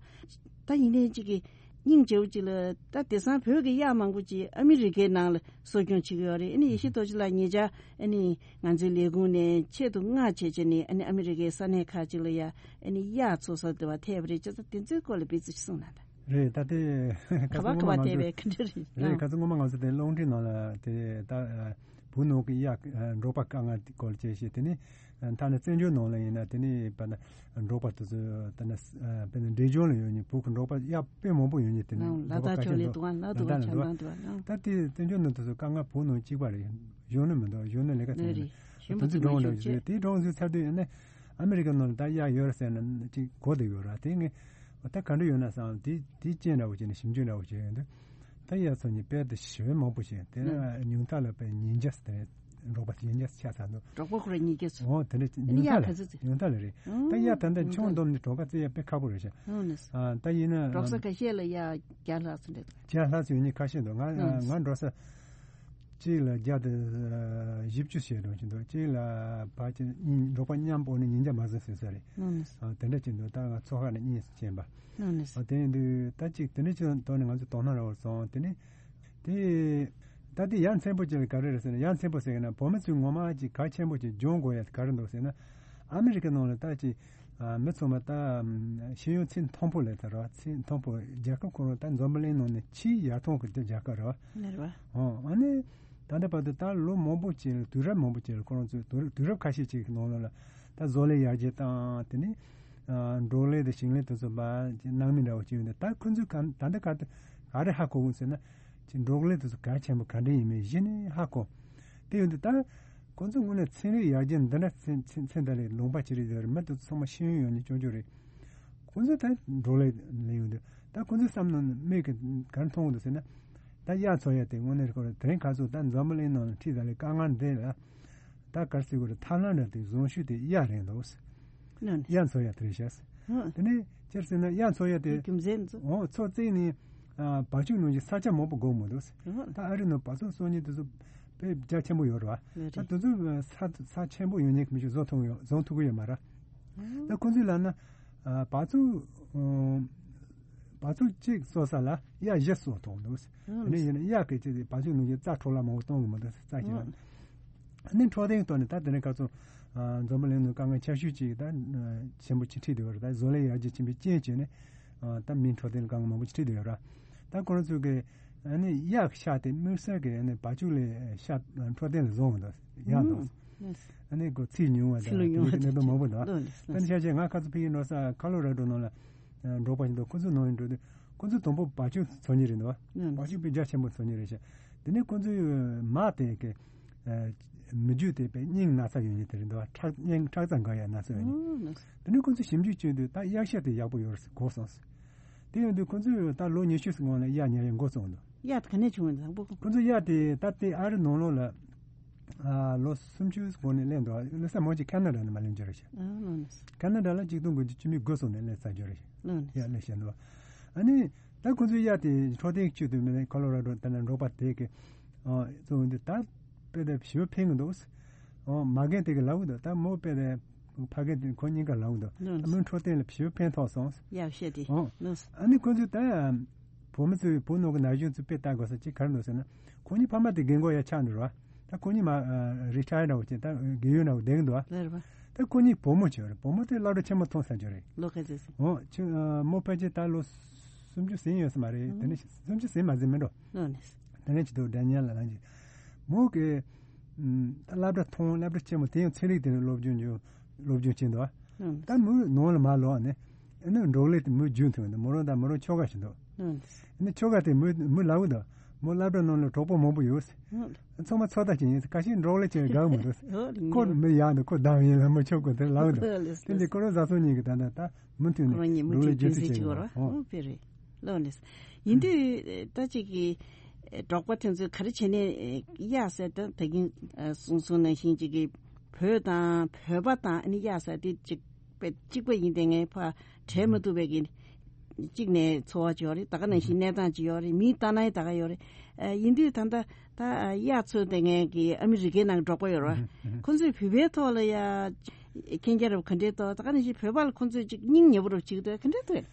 ད་ཡིན་ནའི་ཅིག་གི་སྙིང་རྗེ་བོ་ཅིག་ལ་ད་དེང་སང་བོད་ཀྱི་གཡག་མང་པོ་ཅིག་ཨ་མི་རི་ཀའི་ནང་ལ་གསོ་སྐྱོང་བྱེད་ཀྱི་ཡོད་རེད། ཨ་ནི་ཡེ་ཤེས་རྡོ་རྗེ་ལགས་ཉེ་ཆར་ཨ་ནི་ང་ཚོའི་ལས་ཁུངས་ནས་ཆེད་དུ་མངགས་བྱས་བྱས་ནས་ཨ་ནི་ཨ་མི་རི་ཀའི་ས་གནས་ཁག་ཅིག་ལ་ཡ་ཨ་ནི་གཡག་འཚོ་ས་དེ་བ་ཐེབས་རེད་ཅེས་དེ་ཚོའི་སྐོར་ལ་དཔེ་ཚོ་གསུངས་གནང་དང་། རེད། ད་དེ་ག་བ་ག་བ་ཐེབས་པའི་ག་འདྲ་རེད། རེད། ཁ་སང་སྔོན་མ་ང་ཚོ་དེ་རླུང་འཕྲིན་ནང་ལ་དེ་ད་བོད་ནང་གི་གཡག་འབྲོག་པ་དཀའ་ངལ་སྐོར་བཅས་བཤད། དེ་ནི་ཐ་ན་བཙན་བྱོལ་ནང་ལ་ཡིན་ན་དེ་ནི་བ་ན་འབྲོག་པ་དེ་ཚོ་ད་ན་དཔེར་ན་འབྲས་ལྗོངས་ལ་ཡོད་ནི་བོད་ཀྱི་འབྲོག་པ་གཡག་དཔེ་མང་པོ་ཡོད་ནི་དེ་ནི་ལ་འབྲོག་པ་དྭགས་ཁ་ཤས་ཕྱོགས་ལས་འདུག་ལ་འདུག་ལ་ཆ་ཚང་འདུག་ལ། ད་དེ་བཙན་བྱོལ་ནང་དུ་དཀའ་ངལ་བོད་ནང་གཅིག་པ་རེད། གཞོན་ནུ་མི་འདུག་གཞོན་ནུ་ལས་ཀ་བྱེད་ནི་དེ་འདྲ་འོང་འདྲ་བྱེད། དེ་གྲོང་ཚོའི་ཚར་དུས་ཡིན་ན་ཨ་མི་རི་ཀ་ནང་ལ་ད་གཡག་ཡོད་རེད་ཟེར་ན་གཅིག་གོ་བསྡད་ཡོད་ར། དེ་ངས་ད་ག་འདྲ་ཡོད་ན་བསམ། དེ་དེ་རྐྱེན་འདྲ་བོ་བྱས་ནས་ཞིབ་འཇུག་འདྲ་བོ་བྱས་ཡོང་དུས་ད་གཡག་ཚོ་ནི་དཔལ་དུ་ཞེ་བའི་མང་པོ་ཞིག་དེ་ནས་ཉུང་མཐའ་ལ་དཔལ་ཉིས་བརྒྱ་ཟེར་རེད། འབྲོག་པ་ཉིས་བརྒྱ་ཆགས་ཚར་འདུག་གྲོགས་པོ་ཁོ་ར་ཉིས་བརྒྱ་ཚོ། འོ་དེ་འདྲ་ཉུང་མཐའ་ལ་ཉུང་མཐའ་ལ་རེད། ད་གཡག་ད་ལྟ་ཆུང་འདོམས་ནས་གྲོགས་ཁ་རྩེ་ཡ་དཔེ་ཁག་པོ་རེད་ཤག་ཨ་ད་ཡིན་ན་གྲོགས་ས་ཁ་ཤས་ལ་གཡག་བརྒྱ་ལྷག་ཙམ་རེད། བརྒྱ་ལྷག་ཙམ་ཡོད་ནི་ཁ་ཤས་འདུག་ང་ང་འགྲོ་ས་གཅིག་ལ་བརྒྱ་དང་བཞི་བཅུ་ཞེ་གྲངས་ཅིག་འདུག་གཅིག་ལ་ཕལ་ཆེར་གཉིས་འབྲོག་པ་མཉམ་པོ་ནི་ཉིས་བརྒྱ་མ་ཟིན་ཟིན་ས་རེད། ཨ་དེ་འདྲ་ཅིག་འདུག་ད་ང་ཚོ་ཁ་ནས་གཉིས་སུ་ཕྱིན་པ། ཨ་དེ་ཡིན་དུས་ད་ཅིག་དེ་འདྲ་ཅིག་ཐོག་ནས་ང་ཚོ་དོ་སྣང་རག་པར་སོང་། དེ་ནི་དེ་ད་དེ་ཡ་མཚན་པོ་ཅིག་ལ་ག་རེ་རེད་ཟེར་ན། ཡ་མཚན་པོ་ཟེར་གི་ན་བོད་མི་ཚོས་ངོ་མ་ཅིག་གལ་ཆེན་པོ་ཅིག་སྦྱོང་དགོས་ཡ་ག་རེ་འདུག་ཟེར་ན། ཨ་མི་རི་ཀ་ནང་ལ་ད་ཅིག་ཨ་མི་ཚང་མ་ད་ཤེས་ཡོན་ཚད་མཐོན་པོ་ལས་ད་ར་ཚད་མཐོན་པོ། རྒྱལ་ཁབ་ཁོ་རང་ད་འཛམ་བུ་གླིང་ནང་ནས་ཆེས་ཡར་ཐོན་གྱི་རྒྱལ་ཁབ་རེད་བ། ལེར་བ། ཨོ་ཨ་ནི་ད་ལྟ་བར་དུ་ད་ལོ་མང་པོ་ཅིག་ལ་དུས་རབས་མང་པོ་ཅིག་ལ་ཁོ་རང་ཚོས་དུས་དུས་རབས་ཁ་ཤས་ཅིག་གི་ནང་ལོགས་ལ་ད་བཟོ་ལས་ཡར་རྒྱས་བཏང་། དེ་ནས་ཨ་འབྲོག་ལས་དང་ཞིང་ལས་དེ་ཚོ་མ་ནང་མི་འདྲ་བོ་ཅིག་ཡོད་འདུག་ད་ཁོ་ཚོས་ག་ད་ལྟ་ག་ག་རེ་ཧ་གོ་གི་ཟེར་ན། ཅིག་འབྲོག་ལས་དེ་ཚོ་གལ་ཆེན་པོ་ག་འདྲ་ཡིན་མིན་གཞི་ནས་ཧ་གོ། དེ་ཡོད་འདུག་ད་ཁོ་ཚོ་དངོས་གནས་ཚན་རིག་ཡར་རྒྱས་འདི་འདྲ་ཚན་ཚན་ཚན་ད་ལས་ལུང་པ་ཅི་རིགས་ཡོད་རེད། མི་དེ་ཚོ་ཚང་མ་ཤེས་ཡོན་ཡོད་ནི་ཅོ་ཅོ་རེད། ཁོ་ཚོ་ད་འབྲོག་ལས་ལས་ཡོད་འདུག་ད་ཁོ་ཚོའི་བསམ་མནོ་ནི་མིག་གིས་ག་རེ་མཐོང་གི་འདུག་ཟེར་ན། ད་གཡག་འཚོ་ཡ་དེ་དངོས་གནས་ཁོ་རང་དེ་རིང་ཁ་སང་ད་འཛམ་བུ་གླིང་ནང་ལ་འཁྲིས་ད་ལས་དཀའ་ངལ་འདི་ལ་ད་ག་རེ་ཟེར་དགོས་རེད། ཐབས་ལམ་འདྲ་དེ་བཟང་ཤོས་དེ་གཡག་རེད་འདུག་ནོ་ནི། གཡག་འཚོ་ཡ་དེ་རེད་ཤག་ཧུ། དེ་ནས་སྤྱིར་ཟེར་ན་གཡག་འཚོ་ཡ་དེ་རྒྱུ་མཚན་ཚོ། འོ་མཚོ་བརྩིགས་ནས་ཨ་བ་ཕྱུགས་ནང་བཞིན་ས་ཆ་མང་པོ་དགོས་མི་འདུག་ཧུ། ད་ཨ་རི་ནང་བ་ཕྱུགས་གསོ་མཁན་དེ་ཚོ་དཔེ་རྒྱ་ཆེན་པོ་ཡོད་རེད་བ། ད་དེ་ཚོ་ས་ས་ཆེན་པོ་ཡོད་མཁན་གྱི་མི་ཞིག་བཟོ་ཐུབ་ཡོད་བཟོ་ཐུབ་ཀྱི་ཡོད་མ་རེད། ད་ཁོ་ཚོས་ལབ་ན་ཨ་བ་ཕྱུགས་ཨ་བ་ཕྱུགས་གཅིག་གསོ་ས་ལ་གཡག་བཞི་གསོ་ཐུབ་འདུག་དེ་ནས་ཡིན་ན་གཡག་གི་ཆེད་དུ་བ་ཕྱུགས་ནང་བཞིན་རྩྭ་འཕྲོ་བརླག་མང་པོ་གཏོང་གི་མི་འདུག་རྩྭ་ཞིག་ལ། ཨ་ནི་འཕྲོད་བསྟེན་ཐོག་ནས་ད་དེ་ནས་ག་ཚོད་ཨ་འཛམ་བུ་གླིང་ནང་དཀའ་ངལ་ཆེ་ཤོས་ཅིག་ད་ཆེན་པོ་ཅིག་འཕྲད་བསྡད་ཡོད་རེད། ད་བཟོ་ལས་ཡར་རྒྱས་ཕྱིན་པའི་རྐྱེན་བྱས་ནས་ཨ་ད་མིའི་འཕྲོད་བསྟེན་ལ་དཀའ་ངལ་མང་པོ་ཅིག་འཕྲད་བསྡད་ཡོད་རེད། ད་ཁོ་རང་ཚོ་གི་ཨ་ནི་གཡག་གི་ཤ་དེ་དམིགས་བསལ་གྱི་ཨ་ནི་བ་ཕྱུགས་ལས་ཤ་འཕྲོད་བསྟེན་ལ་བཟང་བ་འདུག་ཡག་འདུག་ཨ་ནི་ཁོ་ཚིལ་ཉུང་བ་དང་ཚིལ་ཉུང་བ་དེ་གནད་དོན་མང་པོ་འདུག་ད་ནི་ཤ་ཆེ་ང་ཁ་ཚོ་ཕ་གིར་འགྲོ་ས་ཁ་ལོ་ར་ཌོ་ནང་ལ་འབྲོག་པ་ཞིག་འདུག་ཁོ་ཚོ་ནང་ཡིན་འགྲོ་དུས་ཁོ་ཚོ་དང་པོ་བ་ཕྱུགས་འཚོ་མཁན་རེད་འདུག་བ་ཕྱུགས་དཔེ་རྒྱ་ཆེན་པོ་འཚོ་མཁན་རེད་ཤག་དེ་ནས་ཁོ་ཚོའི་མ་དེ་གི་མི་རྒྱུད་དེ་དཔེ་སྙིང་ན་ཚ་ཡོད་མཁན་དེ་རེད་འདུག་བ། ཁྲག་སྙིང་ཁྲག་རྩ་འགག་ཡ་ན་ཚ་ཡོད་མཁན། དེ་ནས་ཁོ་ཚོས་ཞིབ་འཇུག་བྱས་དུས་ད་གཡག་ཤ་དེ་ཡག་པོ་ཡོད་རེད་གོ་སོང་། དེ་ཡིན་དུས་ཁོ་ཚོས་ད་ལོ་ཉི་ཤུ་སྔོན་ལ་གཡག་ཉར་ཡ་འགོ་བཙུགས་འདུག་གཡག་དེ་ག་ནས་བྱུང་བ་དང་པོ། ཁོ་ཚོ་གཡག་དེ་ད་ལྟའི་ཨ་རི་ནང་ལོགས་ལ་ཨ་ལོ་སུམ་ཅུ་གོང་ནས་སླེབས་འདུག་ལོ་གསར་མོ་ཅིག་ཁ་ན་ཌ་ནས་མ་སླེབས་རྒྱུ་རེད་ཤག་ཨ་ལོ་ནས། ཁ་ན་ཌ་ལ་ཆིག་སྟོང་དགུ་བརྒྱ་བཅུ་མེད་དགུ་སོང་ནས་སླེབས་ཚར་རྒྱུ་རེད་ཤག་ལོ་ནས། གཡག་སླེབས་བཞིན་འདུག་ཨ་ནི་ད་ཁོ་ཚོའི་གཡག་དེ་འཕྲོད་བསྟེན་བྱེད་དུས་མིན་ན་ཁོ་ལོ་ར་ཌོ་ད་ནི་འབྲོག་པ་དེ་གི་ཨ་གཙོ་བོ་འདི་ད་དཔེ་དེ་ཞེ་པོ་ཕན་གི་འདུག་ཨོ་མ་རྒན་དེ་གི་ལབ་གི་འདུག་ད་མོ་དཔེ་དེ་ཕ་རྒན་དེ་ཁོ་གཉིས་ཀ་ལབ་གི་འདུག་ལོ་ནས། མོའི་འཕྲོད་བསྟེན་ལ་ཞེ་པོ་ཕན་ཐོགས་སོང་། གཡག་ཤ་དེ་ཨོ་ལོ་ནས། ཨ་ནི་ཁོ་ཚོས་ད་བོད་མི་ཚོས་བོད་ནང་གི་ན་གཞོན་ཚོས་དཔེ་ལྟ་དགོས་ས་ཅིག་ག་རེ་འདུག་ཟེར་ན། ཁོ་གཉིས་ཕ་མ་དེ་རྒན་གོག་ཡ་ཆགས་འདུག་ར། ད་ཁོ་གཉིས་མ་རི་ཊ་ཡར་འདྲ་བོ་བྱས་ད་རྒས་ཡོལ་འདྲ་བོ་བསྡད་ཀྱི་འདུག་ཨ། ལེར་བ། ད་ཁོ་གཉིས་བུ་མོ་བྱས་རེད། བུ་མོ་དེ་སློབ་གྲྭ་ཆེན་མོ་ཐོན་ཚར་རྒྱུ་རེད། ལོ་ག་ཚོད་སོང་། འོ་ཁྱོད་མོ་ཕལ་ཆེར་ད་ལོ་སུམ་ཅུ་ཟིན་ཡོད་ས་མ་རེད། དེ་ནས་སུམ་ཅུ་ཟིན་མ་ཟིན་མི་འགྲོ། ལོ་ནས། དེ་ནས་ཅི་ཐུབ་འདྲ་མཉམ་ལ་ལངས་ཀྱི། མོ་གི་ད་སློབ་གྲྭ་ཐོན་སློབ་གྲྭ་ཆེན་མོ་དེ་ཡང་ཚན་རིག་དེ་ནས་སློབ་སྦྱོང་བྱས་སློབ་སྦྱོང་བྱས་འདུག་ཨ། ད་མོའི་ནང་ལ་མ་ལོག་ནས། ཨ་ནི་འབྲོག་ལས་དེ་མོའི་རྒྱུན་མཐུད་འདུག་མོ་རང་དང་མོ་རང་ཁྱོ་ག་ཞིག་འདུག་ཨ་ནི་ཁྱོ་ག་དེ་མོའི་མོའི་ལབ་འདུག་མོ་སློབ་གྲྭ་ནང་ལ་གྲོགས་པོ་མང་པོ་ཡོད། ཚང་མ་ཚོད་ལྟ་བྱེད་ཡིན། ཁ་ཤས་འབྲོག་ལས་བྱེད་དགའ་མི་འདུག་ཁོ་མི་ཡག་འདུག་ཁོ་བདམས་ཡིན་ལ་མོ་ཁྱོ་ག་དེ་ལབ་འདུག་དེ་འདི་ཁོ་རང་བཟའ་ཚང་གཉིས་ཀྱི་ད་ལྟ་ད་མུ་མཐུད་ནས་འབྲོག་ལས་རྒྱུན་མཐུད་བྱེད་ཀྱི་ཡོད་རེད། ཨོ་དཔེ་རེད། ལོ་ནས། ཡིན་དུས་ད་ཅིག་གི་འབྲོག་པ་དེ་ཚོས་ག་རེ་བྱས་ནས་གཡག་ཟེར་ད་ད་གིན་གསུངས་སོང་ནང་བཞིན་ཅིག་གི་བོད་དང་བོད་པ་དང་ཨ་ནི་གཡག་ཟེར་དེ་ཅིག་ པའི་གཅིག་པ་ཡིན་དེ་ངས་ཕ་བྲལ་མི་ཐུབ་པའི་གི་གཅིག་ནས་འཚོ་བ་ཅིག་ཡོད་རེད། ད་ག་ནང་བཞིན་གནས་སྟངས་ཅིག་ཡོད་རེད། མིའི་ལྟ་སྣང་ད་ག་ཡོད་རེད། ཨ་ཡིན་དུས་ད་ལྟ་ད་གཡག་ཚོ་དེ་ངས་གི་ཨ་མི་རི་ཀའི་ནང་འབྲོག་པ་ཡོད་རེད་བ། ཁོ་ཚོས་བོད་པའི་ཐོག་ལ་ཡ་མཁྱེན་རྒྱ་རབ་ག་འདྲས་ཐོག་ད་ག་ནང་བཞིན་བོད་པ་ལ་ཁོ་ཚོས་ཅིག་སྙིང་ཉེ་པོ་རུ་བྱེད་ཀྱི་འདུག་ག་འདྲས་འདུག་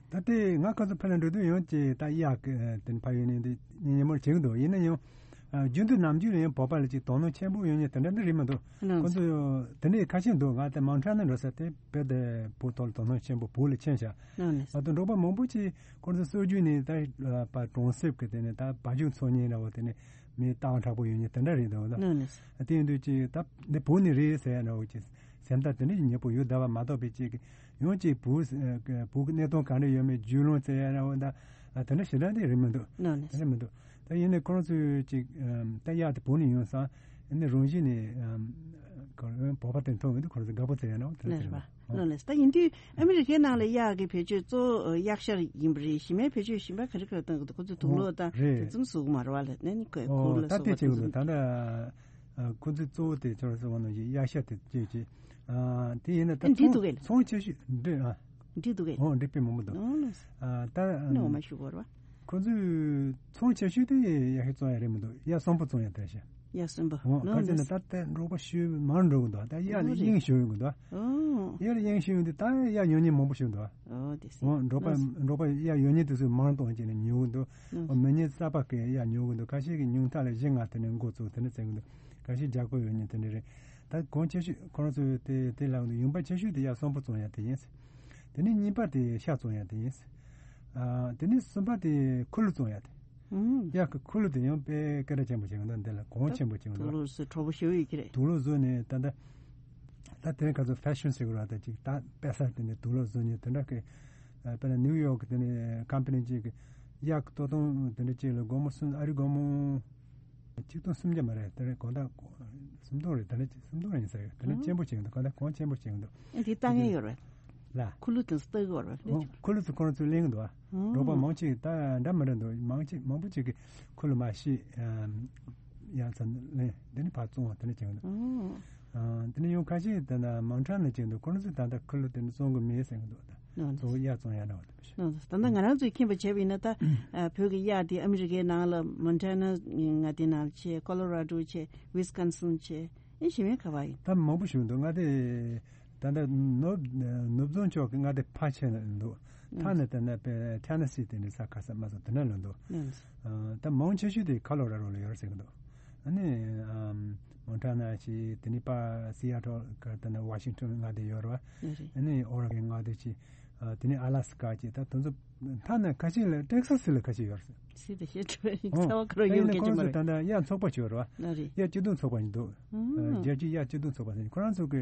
ད་ལྟའི་ང་ཁོ་ཚོ་ཕ་ལ་འགྲོ་དུས་ཡོང་ཅེས་ད་གཡག་གི་དེ་ཕ་ཡུལ་ནས་འདི་ཉིན་ཉིན་མོར་བྱེད་ཀྱི་འདུག་ཡིན་ན་ཡང་རྒྱུན་དུ་ནམ་རྒྱུན་ལ་ཡང་བོད་པ་ལ་ཅིག་དོ་སྣང་ཆེན་པོ་ཡོད་མཁན་དེ་འདྲ་འདི་རེད་མི་འདུག་ཁོ་ཚོ་དེ་འདྲའི་ཁ་ཤས་འདུག་ང་དེ་མོན་ཊ་ན་འགྲོ་ས་དེ་བོད་དེ་བོད་ཐོག་ལ་དོ་སྣང་ཆེན་པོ་བོད་ལ་ཆེན་ཤག་ད་དུང་འབྲོག་པ་མང་པོ་ཅིག་ཁོ་ཚོ་སྲོལ་རྒྱུན་ནས་ད་པ་གྲོང་གསེབ་ཀྱི་དེ་ནས་ད་བ་ཕྱུགས་འཚོ་མཁན་འདྲ་བོ་དེ་ནས་མི་སྟག་མཁྲེགས་པོ་ཡོད་མཁན་དེ་འདྲ་རེད་འདུག་ད་དེ་ཡིན་དུས་ཅིག་ད་འདི་བོད་ནས་རེད་ཟེར་ཡ་འདྲ་བོ་ཅིག་སེམས་ཐག་དེ་འདྲ་ཞིག་ཉེ་པོ་ཡོད་བསྡད་པ་མ་གཏོགས་པའི་ཅིག་ཡང་ཅིག་བོད་བོད་ཀྱི་གནས་སྟངས་ག་འདྲ་ཡོད་མེད་རྒྱུས་ལོན་བཙལ་ཡ་ར་བ་ད་དེ་འདྲ་ཞེ་དྲག་དེ་རེད་མི་འདུག་ནོ་ནི། དེ་འདྲ་མི་འདུག་ད་ཡིན་ནའི་ཁོ་རང་ཚོས་ཅིག་ད་གཡག་དེ་བོད་ནས་ཡོང་སང་ཨ་ནི་རང་བཞིན་ནས་བོད་པ་དེ་མཐོང་ཡོང་དུས་ཁོ་རང་ཚོ་དགའ་པོ་བཙལ་ཡ་ར་བ་དེ་འདྲ་ནི་དེ་རེད་རེད་མ། པ་ནོ་ནི། ད་ཡིན་དུས་ཨ་མི་རི་ཀའི་ནང་ལ་གཡག་གི་བེད་སྤྱོད་གཙོ་བོ་གཡག་ཤར་ཡིན་པ་རེད། གཞན་མའི་བེད་སྤྱོད་གཞན་པ་ག་རེ་ག་རེ་གཏོང་གི་འདུག་ཁོ་ཚོས་དུག་ལོག་དང་རེད། དེ་ཙམ་བཟོ་གི་མ་རེད་བ་ལ་ནི་ཁོས་ཁུར་ལ་ད་བཟོ་དེ་བ་བྱེད་ཚོ་གི་འདུག་ད་ལྟ། ཨ་ཁོ་ཚོའི་གཙོ་བོ་དེ་ཁྱོད་ཚོ་བ་ནང་བཞིན་གཡག་ཤར་དེ་སྐྱེས་ཀྱི། ཨ་དེ་ཡིན་ན་ད་ཨ་འབྲི་འདུག་གས། ཚོང་ཆེ་ཤོས་འདི་ཨ། འབྲི་འདུག་གས། འོ་འབྲི་དཔེ་མང་པོ་འདུག་ཨོ་ལགས་སོ། ཨ་ད་ནི་འོ་མ་ཞུ་གོ་ར་བ། ཁོ་ཚོའི་ཚོང་ཆེ་ཤོས་དེ་གཡག་ཤར་བཙོང་ཡ་རེད་མི་འདུག་གཡག་གསོན་པོ་བཙོང་ཡ་དེ་ཤ། གཡག་གསོན་པོ་འོ་ནོ་ག་ཚོད་ནི་ལགས་སོ། ད་ལྟ་འབྲོག་པ་ཤུལ་མང་འགྲོ་གི་འདུག་ད་གཡག་ལ་ཨོ་རེད། དབྱིངས་ཞུགས་ཡོང་གི་འདུག་ཨོ། གཡག་ལ་དབྱིངས་ཞུགས་ཡོང་དུས་ད་གཡག་ཉོ་མཁན་མང་པོ་ཞིག་འདུག་ཨོ་དེ་སེ། འོ་འབྲོག་པ་ལགས་སོ། འབྲོག་པ་གཡག་ཉོ་མཁན་དེ་ཚོས་མང་གཏོང་བྱས་ནས་ཉོ་གི་འདུག་ཨོ་ལགས་སོ། མི་ཉིས་རྩ་བ་གི་གཡག་ཉོ་གི་འདུག་ཁ་ཤས་ཀྱིས་ཉུང་མཐའ་ལ་བཞི་ལྔ་དེ་ནས་འགོ་བཙུགས་དེ་ནས་བཙལ་གི་འདུག་ཁ་ཤས་རྒྱ་སྒོར་ཡོད་མཁན་དེ་འདྲ་རེད། ད་གོང་ཆེ་ཤོས་ཁོ་རང་ཚོས་དེ་དེ་ལབ་གི་འདུག་ཡོང་འབབ་ཆེ་ཤོས་དེ་གཡག་གསོན་པོ་བཙོང་ཡ་དེ་ཡིན། དེ་ནས་གཉིས་པ་དེ་ཤ་བཙོང་ཡ་དེ་ཡིན། ཨ་དེ་ནས་གསུམ་པ་དེ་ཁུ་ལུ་བཙོང་ཡ་དེ། ཨུམ། གཡག་གི་ཁུ་ལུ་དེ་ཡང་དཔེ་སྐད་གྲགས་ཆེན་པོ་བྱེད་གི་འདུག་འདི་ལ་གོང་ཆེན་པོ་བྱེད་གི་འདུག་དུག་ལོག་བཟོས་གྲོགས་པོ་ཞེ་པོ་ཡོད་ཀྱི་རེད། དུག་ལོག་བཟོས་ནས་ད་ལྟ་ད་དེ་ག་ཚོད་ཕེ་ཤོན་ཟེར་གི་རེད་ད་ཅིག་ད་དཔེ་ས་དེ་ནས་དུག་ལོག་བཟོས་ནས་དེ་འདྲ་གི་ཨ་དཔེར་ན་ནིའུ་ཡོག་གི་དེ་ནས་ཀམ་པ་ནི་ཅིག་གི་གཡག་གི་ལྟོ་སྟངས་དེ་འདྲ་ཅིག་ལ་སྒོར་མོ་གསུམ་ཨ་རི་སྒོར་མོ་ཆིག་སྟོང་སུམ་བརྒྱ་མ་རེད། དེ་རེད་གོང་ད་སུམ་སྟོང་རེད། དེ་ནས་སུམ་སྟོང་རེད་ཡིན་ས་རེད། དེ་ནས་ཆེན་པོ་བྱེད་གི་འདུག་གོང་ད་གོང་ཆེན་པོ་བྱེད་གི་འདུག་ཨ་འདི་ལྟ་མཁན་ཡོད་རེད། ལ། ཁུ་ལུ་དེ་ཚོ་ལྟ་གི་ཡོད་རེད། ཁུ་ལུ་ཚོ་ཁོ་རང་ཚོས་ལེན་གི་འདུག་ཨ། འབྲོག་པ་མང་ཆེ་ད་འདྲ་མི་འདྲ་འདུག་མང་ཆེ་མང་པོ་ཅིག་གིས་ཁུ་ལུ་མ་ཤེས་ཡང་ཚ་ལེན་དེ་ནས་ཕར་བཙོང་བ་དེ་འདྲ་བྱེད་གི་འདུག་དེ་ནས་ཡང་ཁ་ཤས་དེ་ན་མོན་ཊ་ན་བྱེད་གི་འདུག་ཁོ་རང་ཚོས་ད་ལྟ་ཁུ་ལུ་དེ་འདྲ་བཙོང་གི་མེད་ཟེར་གི་འདུག་ད་གཙོ་བོ་གཡག་བཙོང་ཡ་འདྲ་བ་དེ་མི་ཤེས། ད་ལྟ་ང་རང་ཚོས་མཁྱེན་པ་བྱས་པ་ཡིན་ན་ད་བོད་ཀྱི་གཡག་དེ་ཨ་མི་རི་ཀའི་ནང་ལ་མོན་ཊ་ན་མངའ་སྡེ་ནང་ལ་བྱས། ཀོ་ལོ་ར་ཌོ་བྱས། ཝི་སི་ཀོན་སིན་བྱས། ཨེ་གཞན་མའི་ག་བ་ཡིན། ད་མང་པོ་ཞིག་འདུག་མངའ་སྡེ་ད་ལྟ་ནུབ་ནུབ་བྱང་ཕྱོགས་ཀྱི་མངའ་སྡེ་ཕལ་ཆེར་འདུག་ཐ་ན་དེ་ན་པའི་ཐེ་ན་སི་དེ་འདྲའི་ས་ཁ་ས་མ་སོགས་དེ་ན་ལ་འདུག་ཨ་ད་མང་ཆེ་ཤོས་དེ་ཁ་ལོ་ར་རོ་ལ་ཡོད་རེད་ཟེར་གི་འདུག་ཨ་ནི་ཨམ་མོན་ཊ་ན་ཞིག་དེ་ནི་པ་སི་ཡ་ཊལ་ག་དེ་ན་ཝ་ཤིང་ཊོན་མངའ་སྡེ་ཡོད་རེད་བ། ཨ་ནི་ཨོ་རེ་གོན་མངའ་སྡེ་ཞིག་ཨ་དེ་ནི་ཨ་ལ་སི་ཀ་ཅིག་ད་དེ་ཚོ་ཐ་ན་ཁ་ཤས་ལ་ཊེག་སཱ་སི་ལ་ཁ་ཤས་ཡོད་རེད། སི་དེ་ཤེས་ཐུབ་ཨོ་ཚ་བ་ཁ་རོ་ད་ཡོད་ཡིན་ན་སྐད་ཆ་ཁོང་མ་ཚོ་རེད། ད་ལྟ་གཡག་ཚོགས་པ་ཅིག་ཡོད་རེད་བ། ན་རེད། གཡག་སྐྱིད་སྡུག་ཚོགས་པ་ཡིན་འདུག་ཨ་རྒྱལ་སྤྱིའི་གཡག་སྐྱིད་སྡུག་ཚོགས་པ་ཟེར་ཁོ་རང་ཚོ་གི་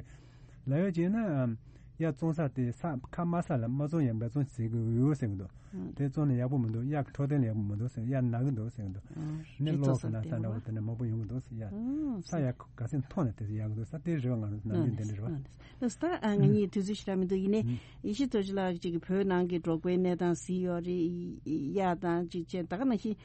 ལབ་ཡ་བྱས་ན་གཡག་བཙོང་ས་དེ་ས་ཁ་དམའ་ས་ལ་མ་བཙོང་ཡ་འབད་བརྩོན་བྱེད་དགོས་ཡོད་ཟེར་གི་འདུག་དེ་བཙོང་ན་ཡག་པོ་མི་འདུག་གཡག་གི་འཕྲོད་བསྟེན་ལ་ཡག་པོ་མི་འདུག་ཟེར། གཡག་ན་གི་འདུག་ཟེར་གི་འདུག་ནི་གློག་གི་ན་ད་འདྲ་བོ་དེ་འདྲ་མང་པོ་ཡོང་གི་འདུག་ཟེར། གཡག་ས་ཡ་ག་ཚད་མཐོང་ན་དེ་ཚོ་ཡག་གི་འདུག་ས་དེ་རེད་བ། ང་རང་ཚོ་ནམ་རྒྱུན་དེ་འདྲ་རེད་བ། ལགས་སོ། ད་ཨ་ང་གཉིས་དུས་ཚོད་ཞེ་དྲག་མི་འདུག་ཡིན་ནའི་ཡེ་ཤེས་རྡོ་རྗེ་ལགས་ཅིག་གིས་བོད་ནང་གི་འབྲོག་པའི་གནས་སྟངས་གཟིགས་ཡོད་རེད། གཡག་དང་ཅིག་བྱས་ད་ག་ནང་བཞིན་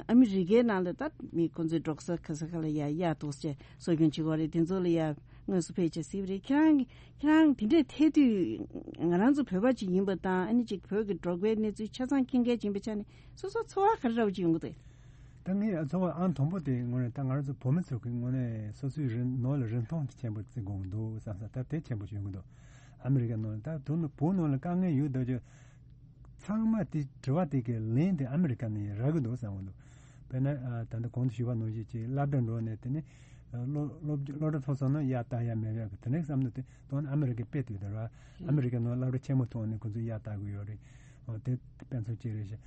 ཨ་མི་རི་ཀའི་ནང་ལ་ད་མི་ཁོང་ཚོའི་འབྲོག་ས་ག་ས་ག་ལ་ཡ་གཡག་འདུག་ཟེར་གསོ་སྐྱོང་བྱེད་ཀྱི་ཡོད་རེད། དེ་ཚོ་ལ་ཡ་དངོས་སུ་ཕེབས་བྱས་གཟིགས་པ་རེད། ཁྱེད་རང་ཁྱེད་རང་དེ་འདྲས་ཐད་དུས་ང་རང་ཚོ་བོད་པ་ཅིག་ཡིན་པ་དང་ཨ་ནི་ཅིག་བོད་ཀྱི་འབྲོག་པའི་གནས་ཚུལ་ཆ་ཚང་མཁྱེན་མཁན་ཅིག་ཡིན་པའི་ཆ་ནས་སོ་སོ་ཚོར་བ་ག་རེ་འདྲ་བོ་ཅིག་ཡོང་གི་འདུག་ད་ངས་ཚོར་བ་ཨང་དང་པོ་དེ་དངོས་གནས་ད་ང་རང་ཚོ་བོད་མི་ཚོ་གི་དངོས་གནས་སོ་སོའི་རིན་ནོར་ལ་རིན་ཐང་ཆེན་པོ་བརྩི་དགོས་འདུག་བསམ་ས་ད་དེ་ཆེན་པོ་ཞིག་ཡོང་གི་འདུག་ཨ་མི་རི་ཀ་ནང་ལ་ད་དུང་བོད་ནང་ལ་དཀའ་ངལ་ཡོད་འདུག་ཅེས་ཚང་མ་དེ་དྲི་བ་དེ་གའི་ལན་དེ་ཨ་མི་རི་ཀ་ནས་རག་གི་འདུག་བསམ་གི་འདུག་དཔེར་ན་ད་ལྟ་གོང་དུ་ཞུས་པ་ནང་བཞིན་ཅིག་སློབ་གྲྭ་འགྲོ་ནས་དེ་ནས་སློབ་སློབ་སློབ་གྲྭ་ཐོན་སོང་ན་གཡག་བལྟ་ཡ་མེད་པའི་དེ་འདྲའི་བསམ་བློ་དེ་དོན་ཨ་མི་རི་ཀའི་དཔེ་དེ་ལྟར་བ་ཨ་མི་རི་ཀའི་ནང་སློབ་གྲྭ་ཆེན་མོ་ཐོན་ནས་ཁོ་ཚོས་གཡག་བལྟ་གི་ཡོད་རེད། འོ་དེ་དཔེ་མཚོན་གཅིག་རེད་ཤག་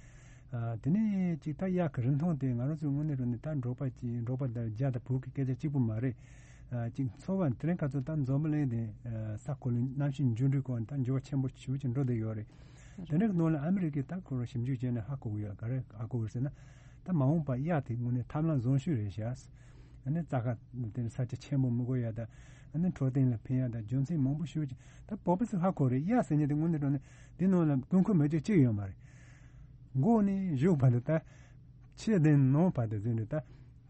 ཨ་དེ་ནས་ཅིག་ད་གཡག་གི་རིན་ཐང་དེ་ང་རང་ཚོའི་དངོས་གནས་དྲང་གནས་ད་འབྲོག་པ་ཅིག་འབྲོག་པ་དང་རྒྱ་དང་བོད་ཀྱི་སྐད་ཆ་གཅིག་པུ་མ་རེད། ཨ་ཅིག་འཚོ་བ་དེ་རིང་ཁ་ཚོ་ད་འཛམ་བུ་གླིང་དེ་ཨ་ས་གོ་ལའི་གནམ་གཤིས་འགྱུར་འགྲོས་སྐོར་ད་འགྱུར་བ་ཆེན་པོ་ཞེ་པོ་ཅིག་འགྲོ་བསྡད་ཡོད་རེད། དེ་འདྲའི་ནང་ལ་ཨ་མི་རི་ཀས་ད་ཁོ་རང་ཞིབ་འཇུག་བྱས་ནས་ཧ་གོ་གི་ཡོད། ག་རེ་ཧ་གོ་གི་ཟེར་ན་ད་མ་འོངས་པ་གཡག་དེ་དངོས་གནས་ཐབས་ལམ་བཟང་ཤོས་རེད་ཤག་ཨ་ནི་རྩྭ་ཁ་དེ་ནི་ས་ཆ་ཆེན་པོ་མི་དགོས་ཡ་ད་ཨ་ནི་འཕྲོད་བསྟེན་ལ་ཕན་ཡ་ད་རྒྱུ་མཚན་མང་པོ་ཞེ་པོ་ཅིག་ད་བོད་པ་ཚོས་ཧ་གོ་རེད། གཡག་ཟེར་མཁན་དེ་དངོས་གནས་དྲང་གནས་དེ་ནང་ལ་དགོས་མཁོ་མེད་རྒྱུ་གཅིག་ཡོད་མ་རེད། མགོ་ནས་གཞུག་བར་དུ་ད་ཕྱི་དང་ནང་བར་དུ་ཟེར་ནས་ད་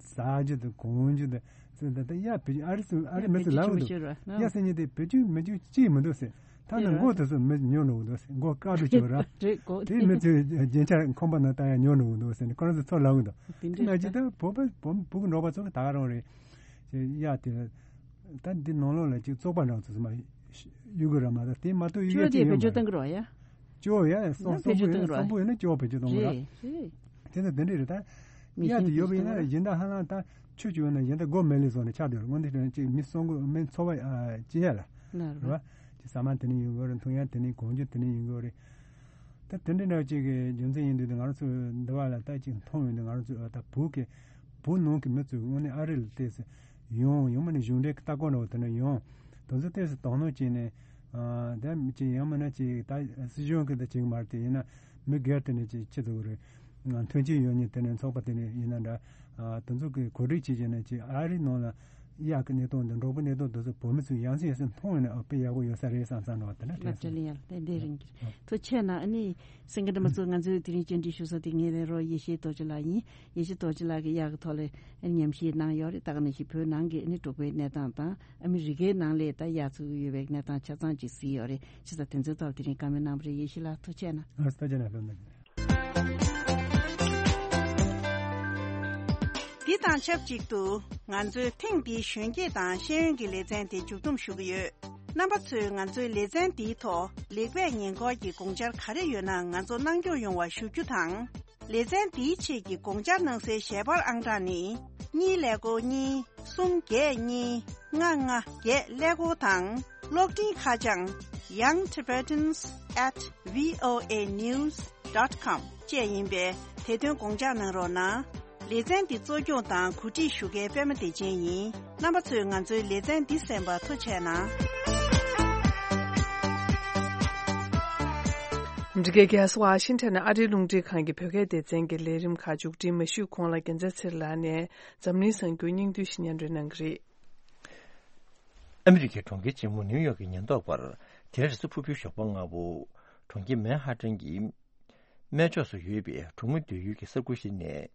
ཟ་རྒྱུ་དང་གོན་རྒྱུ་དང་ ཟེར། ད་ལྟ་ཡ་བེད་སྤྱོད། ཨ་རི་སུ་ཨ་རི་མི་ཚོས་ལབ་འདུག། ཡ་ཟེར་མཁན་དེ་བེད་སྤྱོད་མི་སྤྱོད་ཅིག་མི་འདུག་ཟེར། ཐ་ན་མགོ་དེ་ཚོ་མི་ཉོ་འགྲོ་གི་འདུག་ཟེར། མགོ་དཀར་པོ་བྱས་པ་ར། རེད་གོ། དེ་མི་ཚོས་རྒྱན་ཆ་ཁང་པ་ནང་བཏང་ཡ་ཉོ་འགྲོ་གི་འདུག་ཟེར་ནས་ཁོ་རང་ཚོས་ཚུར་ལབ་གི་འདུག། དེ་འདྲ་ཅིག་ད་བོད་པ་བོད་བོད་ཀྱི་འབྲོག་པ་ཚོ་གི་ད་ག་རང་རེད། ཅེས་ཡ་དེ་ད་འདི་ནང་ལོགས་ལ་ཅིག་བཙོག་པ་འདྲ་ཚོ་ཚོ་མ་གཡུག་གི་ར་མ་གཏོགས། དེ་མ་གཏོགས་གཡུག་ཅོ་ཡ་དེ་ཅིག་བེད་ཡོད་སྤྱོད་མ་གཏོང་གི་རེད་བ་ཡ། ཅོ་ཡ་སོང་སོང་པོ་ཡོད་ན་སོང་པོ་ཡོད་ན་ཅོ་བེད་སྤྱོད་གཏོང་གི་ར། རེད་རེད། དེ་ཚོ་དེ་འདྲ་རེད་ད། མི་ཡ་དེ་ཤེས་ཡོད་པ་ཡིན་ན་གཞན་དག་ཧ་ལམ་ད་ཆོས་བྱུང་ན་གཞན་དག་མགོ་མེ་ལི་བཟོ་ནས་ཆགས་བསྡད་རེད། དངོས་འདི་དྲན་ཅིག་མི་སོང་གི་མི་འཚོ་བ་ཨ་སྐྱེལ་ཡ་ལ་ན་རེད་བ། རེད། ཅིག་ཟ་མ་དེ་ནས་ཡོང་གི་རེད། འཐུང་ཡ་དེ་ནས་གོན་རྒྱུ་དེ་ནས་ཡོང་གི་རེད། ད་དེ་འདྲ་འདྲ་ཅིག་གི་རྒྱུ་མཚན་ཡིན་དུས་ང་རང་ཚོ་འདི་བ་ལ་ད་ཅིག་མཐོང་ཡོང་དུས་ང་རང་ཚོ་ད་བོད་ཀྱི་བོད་ནང་གི་མི་ཚོས་དངོས་གནས་ཨ་རི་ལ་བལྟས་ཚེ་ཡོང་ཡོང་མ་ནས་གཞུང་འབྲེལ་གྱི་ལྟ་སྐོར་འདྲ་བོ་དེ་འདྲ་ཡོང་། དེ་ཚོ་བལྟས་ཚེ་དོ་སྣང་བྱས་ནས་ཨ་ད་ཅིག་ཡང་མིན་ན་ཅིག་ད་སྲིད་གཞུང་གི་ད་ཅིག་མ་རེད། དེ་ཡིན་ན་མི་སྒེར་དེ་འདྲ་ཅིག་ཁྱེད་ཚོ་གི་རེད། མཐུན་རྐྱེན་ཡོད་མཁན་དེ་འདྲ་ཚོགས་པ་དེ་འདྲ་ཡིན་ན་འདྲ། ཨ་དེ་ཚོ་གི་གོ་སྒྲིག་བྱས་བྱས་ནས་ཅིག་ཨ་རི་ནང་ལ་གཡག་གི་གནས་སྟངས་དང་འབྲོག་པའི་གནས་སྟངས་དེ་ཚོ་བོད་མི་ཚོས་ཡང་སེ་ཡང་སེ་མཐོང་ཡོང་ན་ཨ་དཔེ་ཡག་པོ་ཡོད་ས་རེད་བསམ་བསམ་འདྲ་བ་དེ་འདྲ་དྲན་སོང་། ལགས་ལགས། ཡ་ལགས། བདེ་རིང་གི་ཐུགས་རྗེ་ཆེ་གནང་། ཨ་ནི་སེང་གེ་སྒྲོལ་མ་མཚོ་ང་ཚོའི་དེ་རིང་བཅར་འདྲི་ཞུ་ས་དེ་ངའི་ལས་རོགས་ཡེ་ཤེས་རྡོ་རྗེ་ལགས་ཡིན། ཡེ་ཤེས་རྡོ་རྗེ་ལགས་ཀྱིས་གཡག་གི་ཐོག་ལ་ཨ་ནི་ཉམས་ཞིབ་གནང་ཡོད་རེད། ད་ག་ནང་བཞིན་བོད་ནང་གི་ཨ་ནི་འབྲོག་པའི་གནས་སྟངས་དང་ཨ་མི་རི་ཀའི་ནང་ལ་ད་གཡག་ཚུགས་ཀྱི་ཡོད་པའི་གནས་སྟངས་ཆ་ཚང་ཅིག་གཟིགས་ཡོད་རེད། བྱས་ཙང་དེ་ཚོའི་ཐོག་ལ་དེ་རིང་བཀའ་མོལ་གནང་བ་རེད། ཡེ་ཤེས་ལགས་ཐུགས་རྗེ་ཆེ་གནང་། ཨ་ཐུགས་རྗེ་གནང་། ལགས་སོ། འདི་དང་ཆབས་ཅིག་ཏུ་ང་ཚོའི་ཐེངས་འདིའི་གཞོན་སྐྱེས་དང་ཤེས་ཡོན་གྱི་ལེ་ཚན་དེ་མཇུག་བསྡོམས་ཞུ་གི་ཡོད། རྣམ་པ་ཚོས་ང་ཚོའི་ལེ་ཚན་འདིའི་ཐོག་ལེགས་སྤེལ་ཉེས་འགོག་གི་དགོངས་འཆར་ག་རེ་ཡོད་ན་ང་ཚོ་གནང་སྐྱོང་ཡོང་བ་ཞུ་རྒྱུ་དང་། ལེ་ཚན་འདིའི་ཆེད་ཀྱི་དགོངས་འཆར་གནང་སའི་ཞལ་པར་ཨང་གྲངས་ནི། གཉིས་ཀླད་ཀོར་གཉིས། གསུམ་བརྒྱད་གཉིས། ལྔ་ལྔ་བརྒྱད་ཀླད་ཀོར་དང་། གློག་འཕྲིན་ཁ་བྱང་young tibetans at voa news dot com བཅས་ཡིན་པས་དེ་དོན་དགོངས་འཇགས་གནང་རོགས་གནང་། ལེ་ཚན་འདི་གཙོ་སྐྱོང་དང་གོ་སྒྲིག་ཞུ་མཁན་པད་མ་བདེ་ཆེན་ཡིན། རྣམ་པ་ཚོས་ང་ཚོའི་ལེ་ཚན་འདི་གསན་པར་ཐུགས་རྗེ་གནང་། འདི་གའི་རྒྱལ་ས་ཝ་ཤིང་ཊོན་ནས་ཨ་རིའི་རླུང་འཕྲིན་ཁང་གི་བོད་སྐད་སྡེ་ཚན་གྱི་ལས་རིམ་ཁག་མཇུག་སྒྲིལ་མ་ཞུས་གོང་ལ་རྒྱལ་མཚན་ཚེ་རིང་ལགས་ནས་འཛམ་གླིང་གསར་འགྱུར་སྙིང་བསྡུས་ཤིག་སྙན་སྒྲོན་གནང་གི་རེད། ཨ་མི་རི་ཀའི་གྲོང་ཁྱེར་ཆེན་མོ་ནིའུ་ཡོག་གི་ཉེན་རྟོག་པར་དེ་རིང་རེས་གཟའ་ཕུར་བུའི་ཞོགས་པ་སྔ་པོ། གྲོང་ཁྱེར་མན་ཧ་ཏན་གྱི་སྨད་ཕྱོགས་སུ་ཡོད་པའི་གྲོང་མི་སྡོད་ཡུལ་གྱི་ས་ཁུལ་ཞིག་ནས་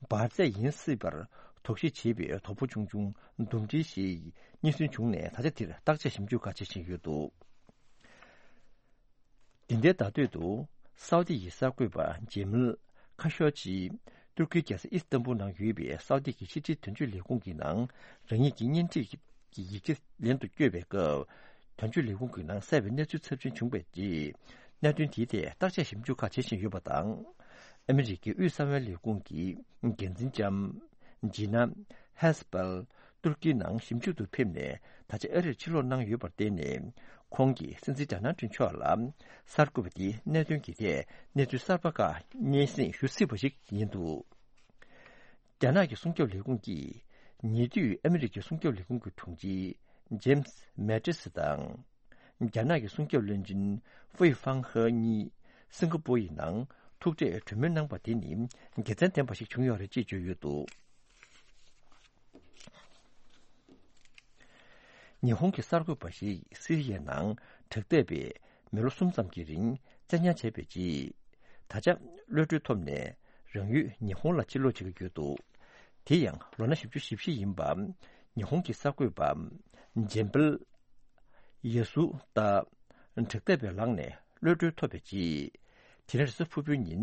འབར་རྫས་ཡིན་སྲིད་པར་དོགས་གཞི་བྱེད་པའི་དོ་པོ་ཆུང་ཆུང་འདུམ་འགྲིལ་ཞིག་རྙེད་སོན་བྱུང་ནས་ད་ཆ་དེར་བརྟག་དཔྱད་ཞིབ་འཇུག་ཁག་བྱེད་བཞིན་ཡོད་འདུག། འདི་ཟླའི་ཟླ་སྟོད་དུ་སའུ་ཏི་ཡི་གསར་འགོད་པ་ཇེ་མལ་ཁ་ཤོ་ཇི་ཏུར་ཀིའི་རྒྱལ་ས་ཨི་སི་ཏན་བུལ་ནང་ཡོད་པའི་སའུ་ཏི་གི་ཕྱི་འབྲེལ་དོན་གཅོད་ལས་ཁུངས་ཀྱི་ནང་རང་ཉིད་ཀྱི་གཉེན་སྒྲིག་གི་ཡིག་ཆ་ལེན་དུ་བསྐྱོད་པའི་སྐབས། དོན་གཅོད་ལས་ཁུངས་ཀྱི་ནང་གསལ་བའི་གནས་ཚུལ་ཚབས་ཆེན་བྱུང་བའི་རྗེས། གནད་དོན་དེའི་ཐད་བརྟག་དཔྱད་ཞིབ་འཇུག་ཁག་བྱེད་བཞིན་ཡོད་པ་དང་། ཨ་མི་རི་ཀའི་དབུས་གསང་བའི་ལས་ཁུངས་ཀྱི་འགན་འཛིན་ལྕམ་ཇི་ན་ཧེ་སི་པལ་ཏུར་ཀིའི་ནང་ཞིབ་འཇུག་ཏུ་ཕེབས་ནས་ད་ཆ་ཨ་རིར་ཕྱིར་ལོག་གནང་ཡོད་པར་བརྟེན་ནས། ཁོང་གིས་སྲིད་འཛིན་ཌོ་ནལ་ཏྲམ་མཆོག་ལ་གསར་འགོད་པ་དེའི་གནད་དོན་གྱི་ཐད་གནས་ཚུལ་གསར་པ་ཁག་སྙན་སེང་ཞུ་སྲིད་པ་ཞིག་ཡིན་འདུག། རྒྱ་ནག་གི་སྲུང་སྐྱོབ་ལས་ཁུངས་ཀྱིས་ཉེ་དུས་ཨ་མི་རི་ཀའི་སྲུང་སྐྱོབ་ལས་ཁུངས་ཀྱི་དྲུང་ཆེ་ཇེམ་སི་མེ་ཏི་སི་དང་། རྒྱ་ནག་གི་སྲུང་སྐྱོབ་བློན་ཆེན་ཧྥུའེ་ཧྥང་ཧེ་གཉིས་སིང་ག་པོར་ཡི་ནང་ཐུག་འཕྲད་གྲོས་མོལ་གནང་པ་དེ་ནི་དགེ་མཚན་ལྡན་པ་ཞིག་བྱུང་ཡོད་རེད་ཅེས་བརྗོད་ཡོད་འདུག། ཉི་ཧོང་གི་གསར་འགོད་པ་ཞིག་སི་རི་ཡའི་ནང་དྲག་འཐབ་པས་མི་ལོ་གསུམ་ཙམ་གྱི་རིང་བཙན་ཉར་བྱས་པའི་རྗེས། ད་ཆ་གློད་གྲོལ་ཐོབ་ནས་རང་ཡུལ་ཉི་ཧོང་ལ་ཕྱིར་ལོག་བྱེད་ཀྱི་ཡོད་འདུག། དེ་ཡང་ལོ་ན་བཞི་བཅུ་ཞེ་བཞི་ཡིན་པ་ཉི་ཧོང་གི་གསར་འགོད་པ་ཇེམ་པལ་ཡ་སུ་ཏཱ་དྲག་འཐབ་པའི་ལག་ནས་གློད་གྲོལ་ཐོབ་པའི་རྗེས། དེ་རིང་རེས་གཟའ་ཕུར་བུའི་ཉིན་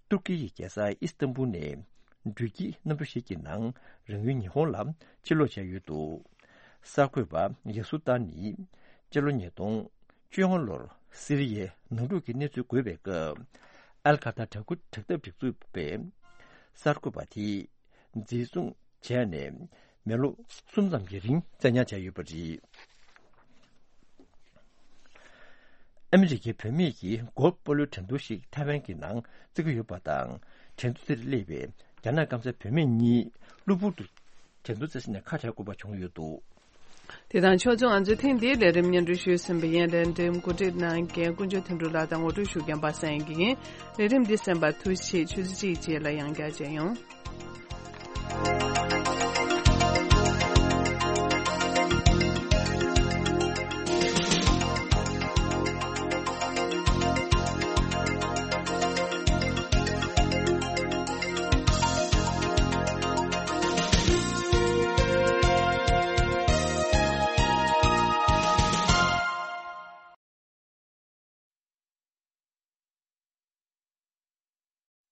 ཏུར་ཀི་ཡི་རྒྱལ་ས་ཨི་སི་ཏན་བུལ་ནས་འགྲུལ་སྐྱེལ་གནམ་གྲུ་ཞིག་གི་ནང་རང་ཡུལ་ཉི་ཧོང་ལ་ཕྱིར་ལོག་བྱས་ཡོད་འདུག། གསར་འགོད་པ་ཡ་སུ་ཏཱ་ནི་སྤྱི་ལོ་ཉིས་སྟོང་བཅོ་ལྔ་ལོར་སི་རི་ཡའི་ནང་འཁྲུག་གི་གནས་ཚུལ་འགོས་པའི་སྐབས། ཨལ་ཁ་ད་དྲག་འཐབ་སྒྲིག་འཛུགས་པས་གསར་འགོད་པ་དེ་འཛིན་བཟུང་བྱས་ནས་མི་ལོ་གསུམ་ཙམ་གྱི་རིང་བཙན་ཉར་བྱས་ཡོད་པ་རེད། ཨ་མི་རི་ཀའི་བུད་མེད་ཀྱིས་གོལ་ཕ་སྤོ་ལོའི་འགྲན་བསྡུར་ཞིག་ཐའེ་ཝན་གྱི་ནང་བརྩི་གི་ཡོད་པ་དང་། འགྲན་བསྡུར་དེར་སླེབས་པའི་རྒྱ་ནག་སྐམ་སའི་བུད་མེད་གཉིས་གློ་བུར་དུ་འགྲན་བསྡུར་རྩེ་ས་ནས་ཁ་བྲལ་དགོས་པ་བྱུང་ཡོད་འདུག། དེ་དང་ཕྱོགས་མཚུངས་ང་ཚོའི་ཐེངས་འདིའི་ལས་རིམ་སྙན་སྒྲོན་ཞུས་ཟིན་པ་ཡིན། ལས་རིམ་འགོ་ཁྲིད་གནང་མཁན་དཀོན་མཆོག་དོན་གྲུབ་ལགས་དང་ངོ་སྤྲོད་ཞུ་མཁན་པ་སངས་དགེ་ཡིན། ལས་རིམ་འདི་གསན་པར་ཐུགས་རྗེ་ཆེ། ཆུ་ཚོད་གཅིག་རྗེས་ལ་ཡང་བསྐྱར་མཇལ་ཡོང་།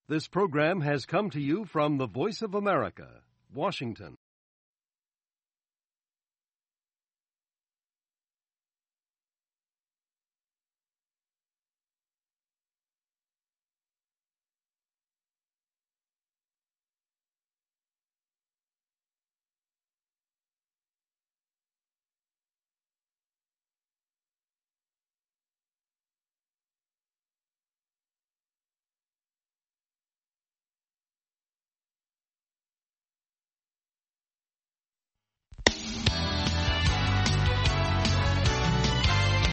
This program has come to you from the Voice of America, Washington.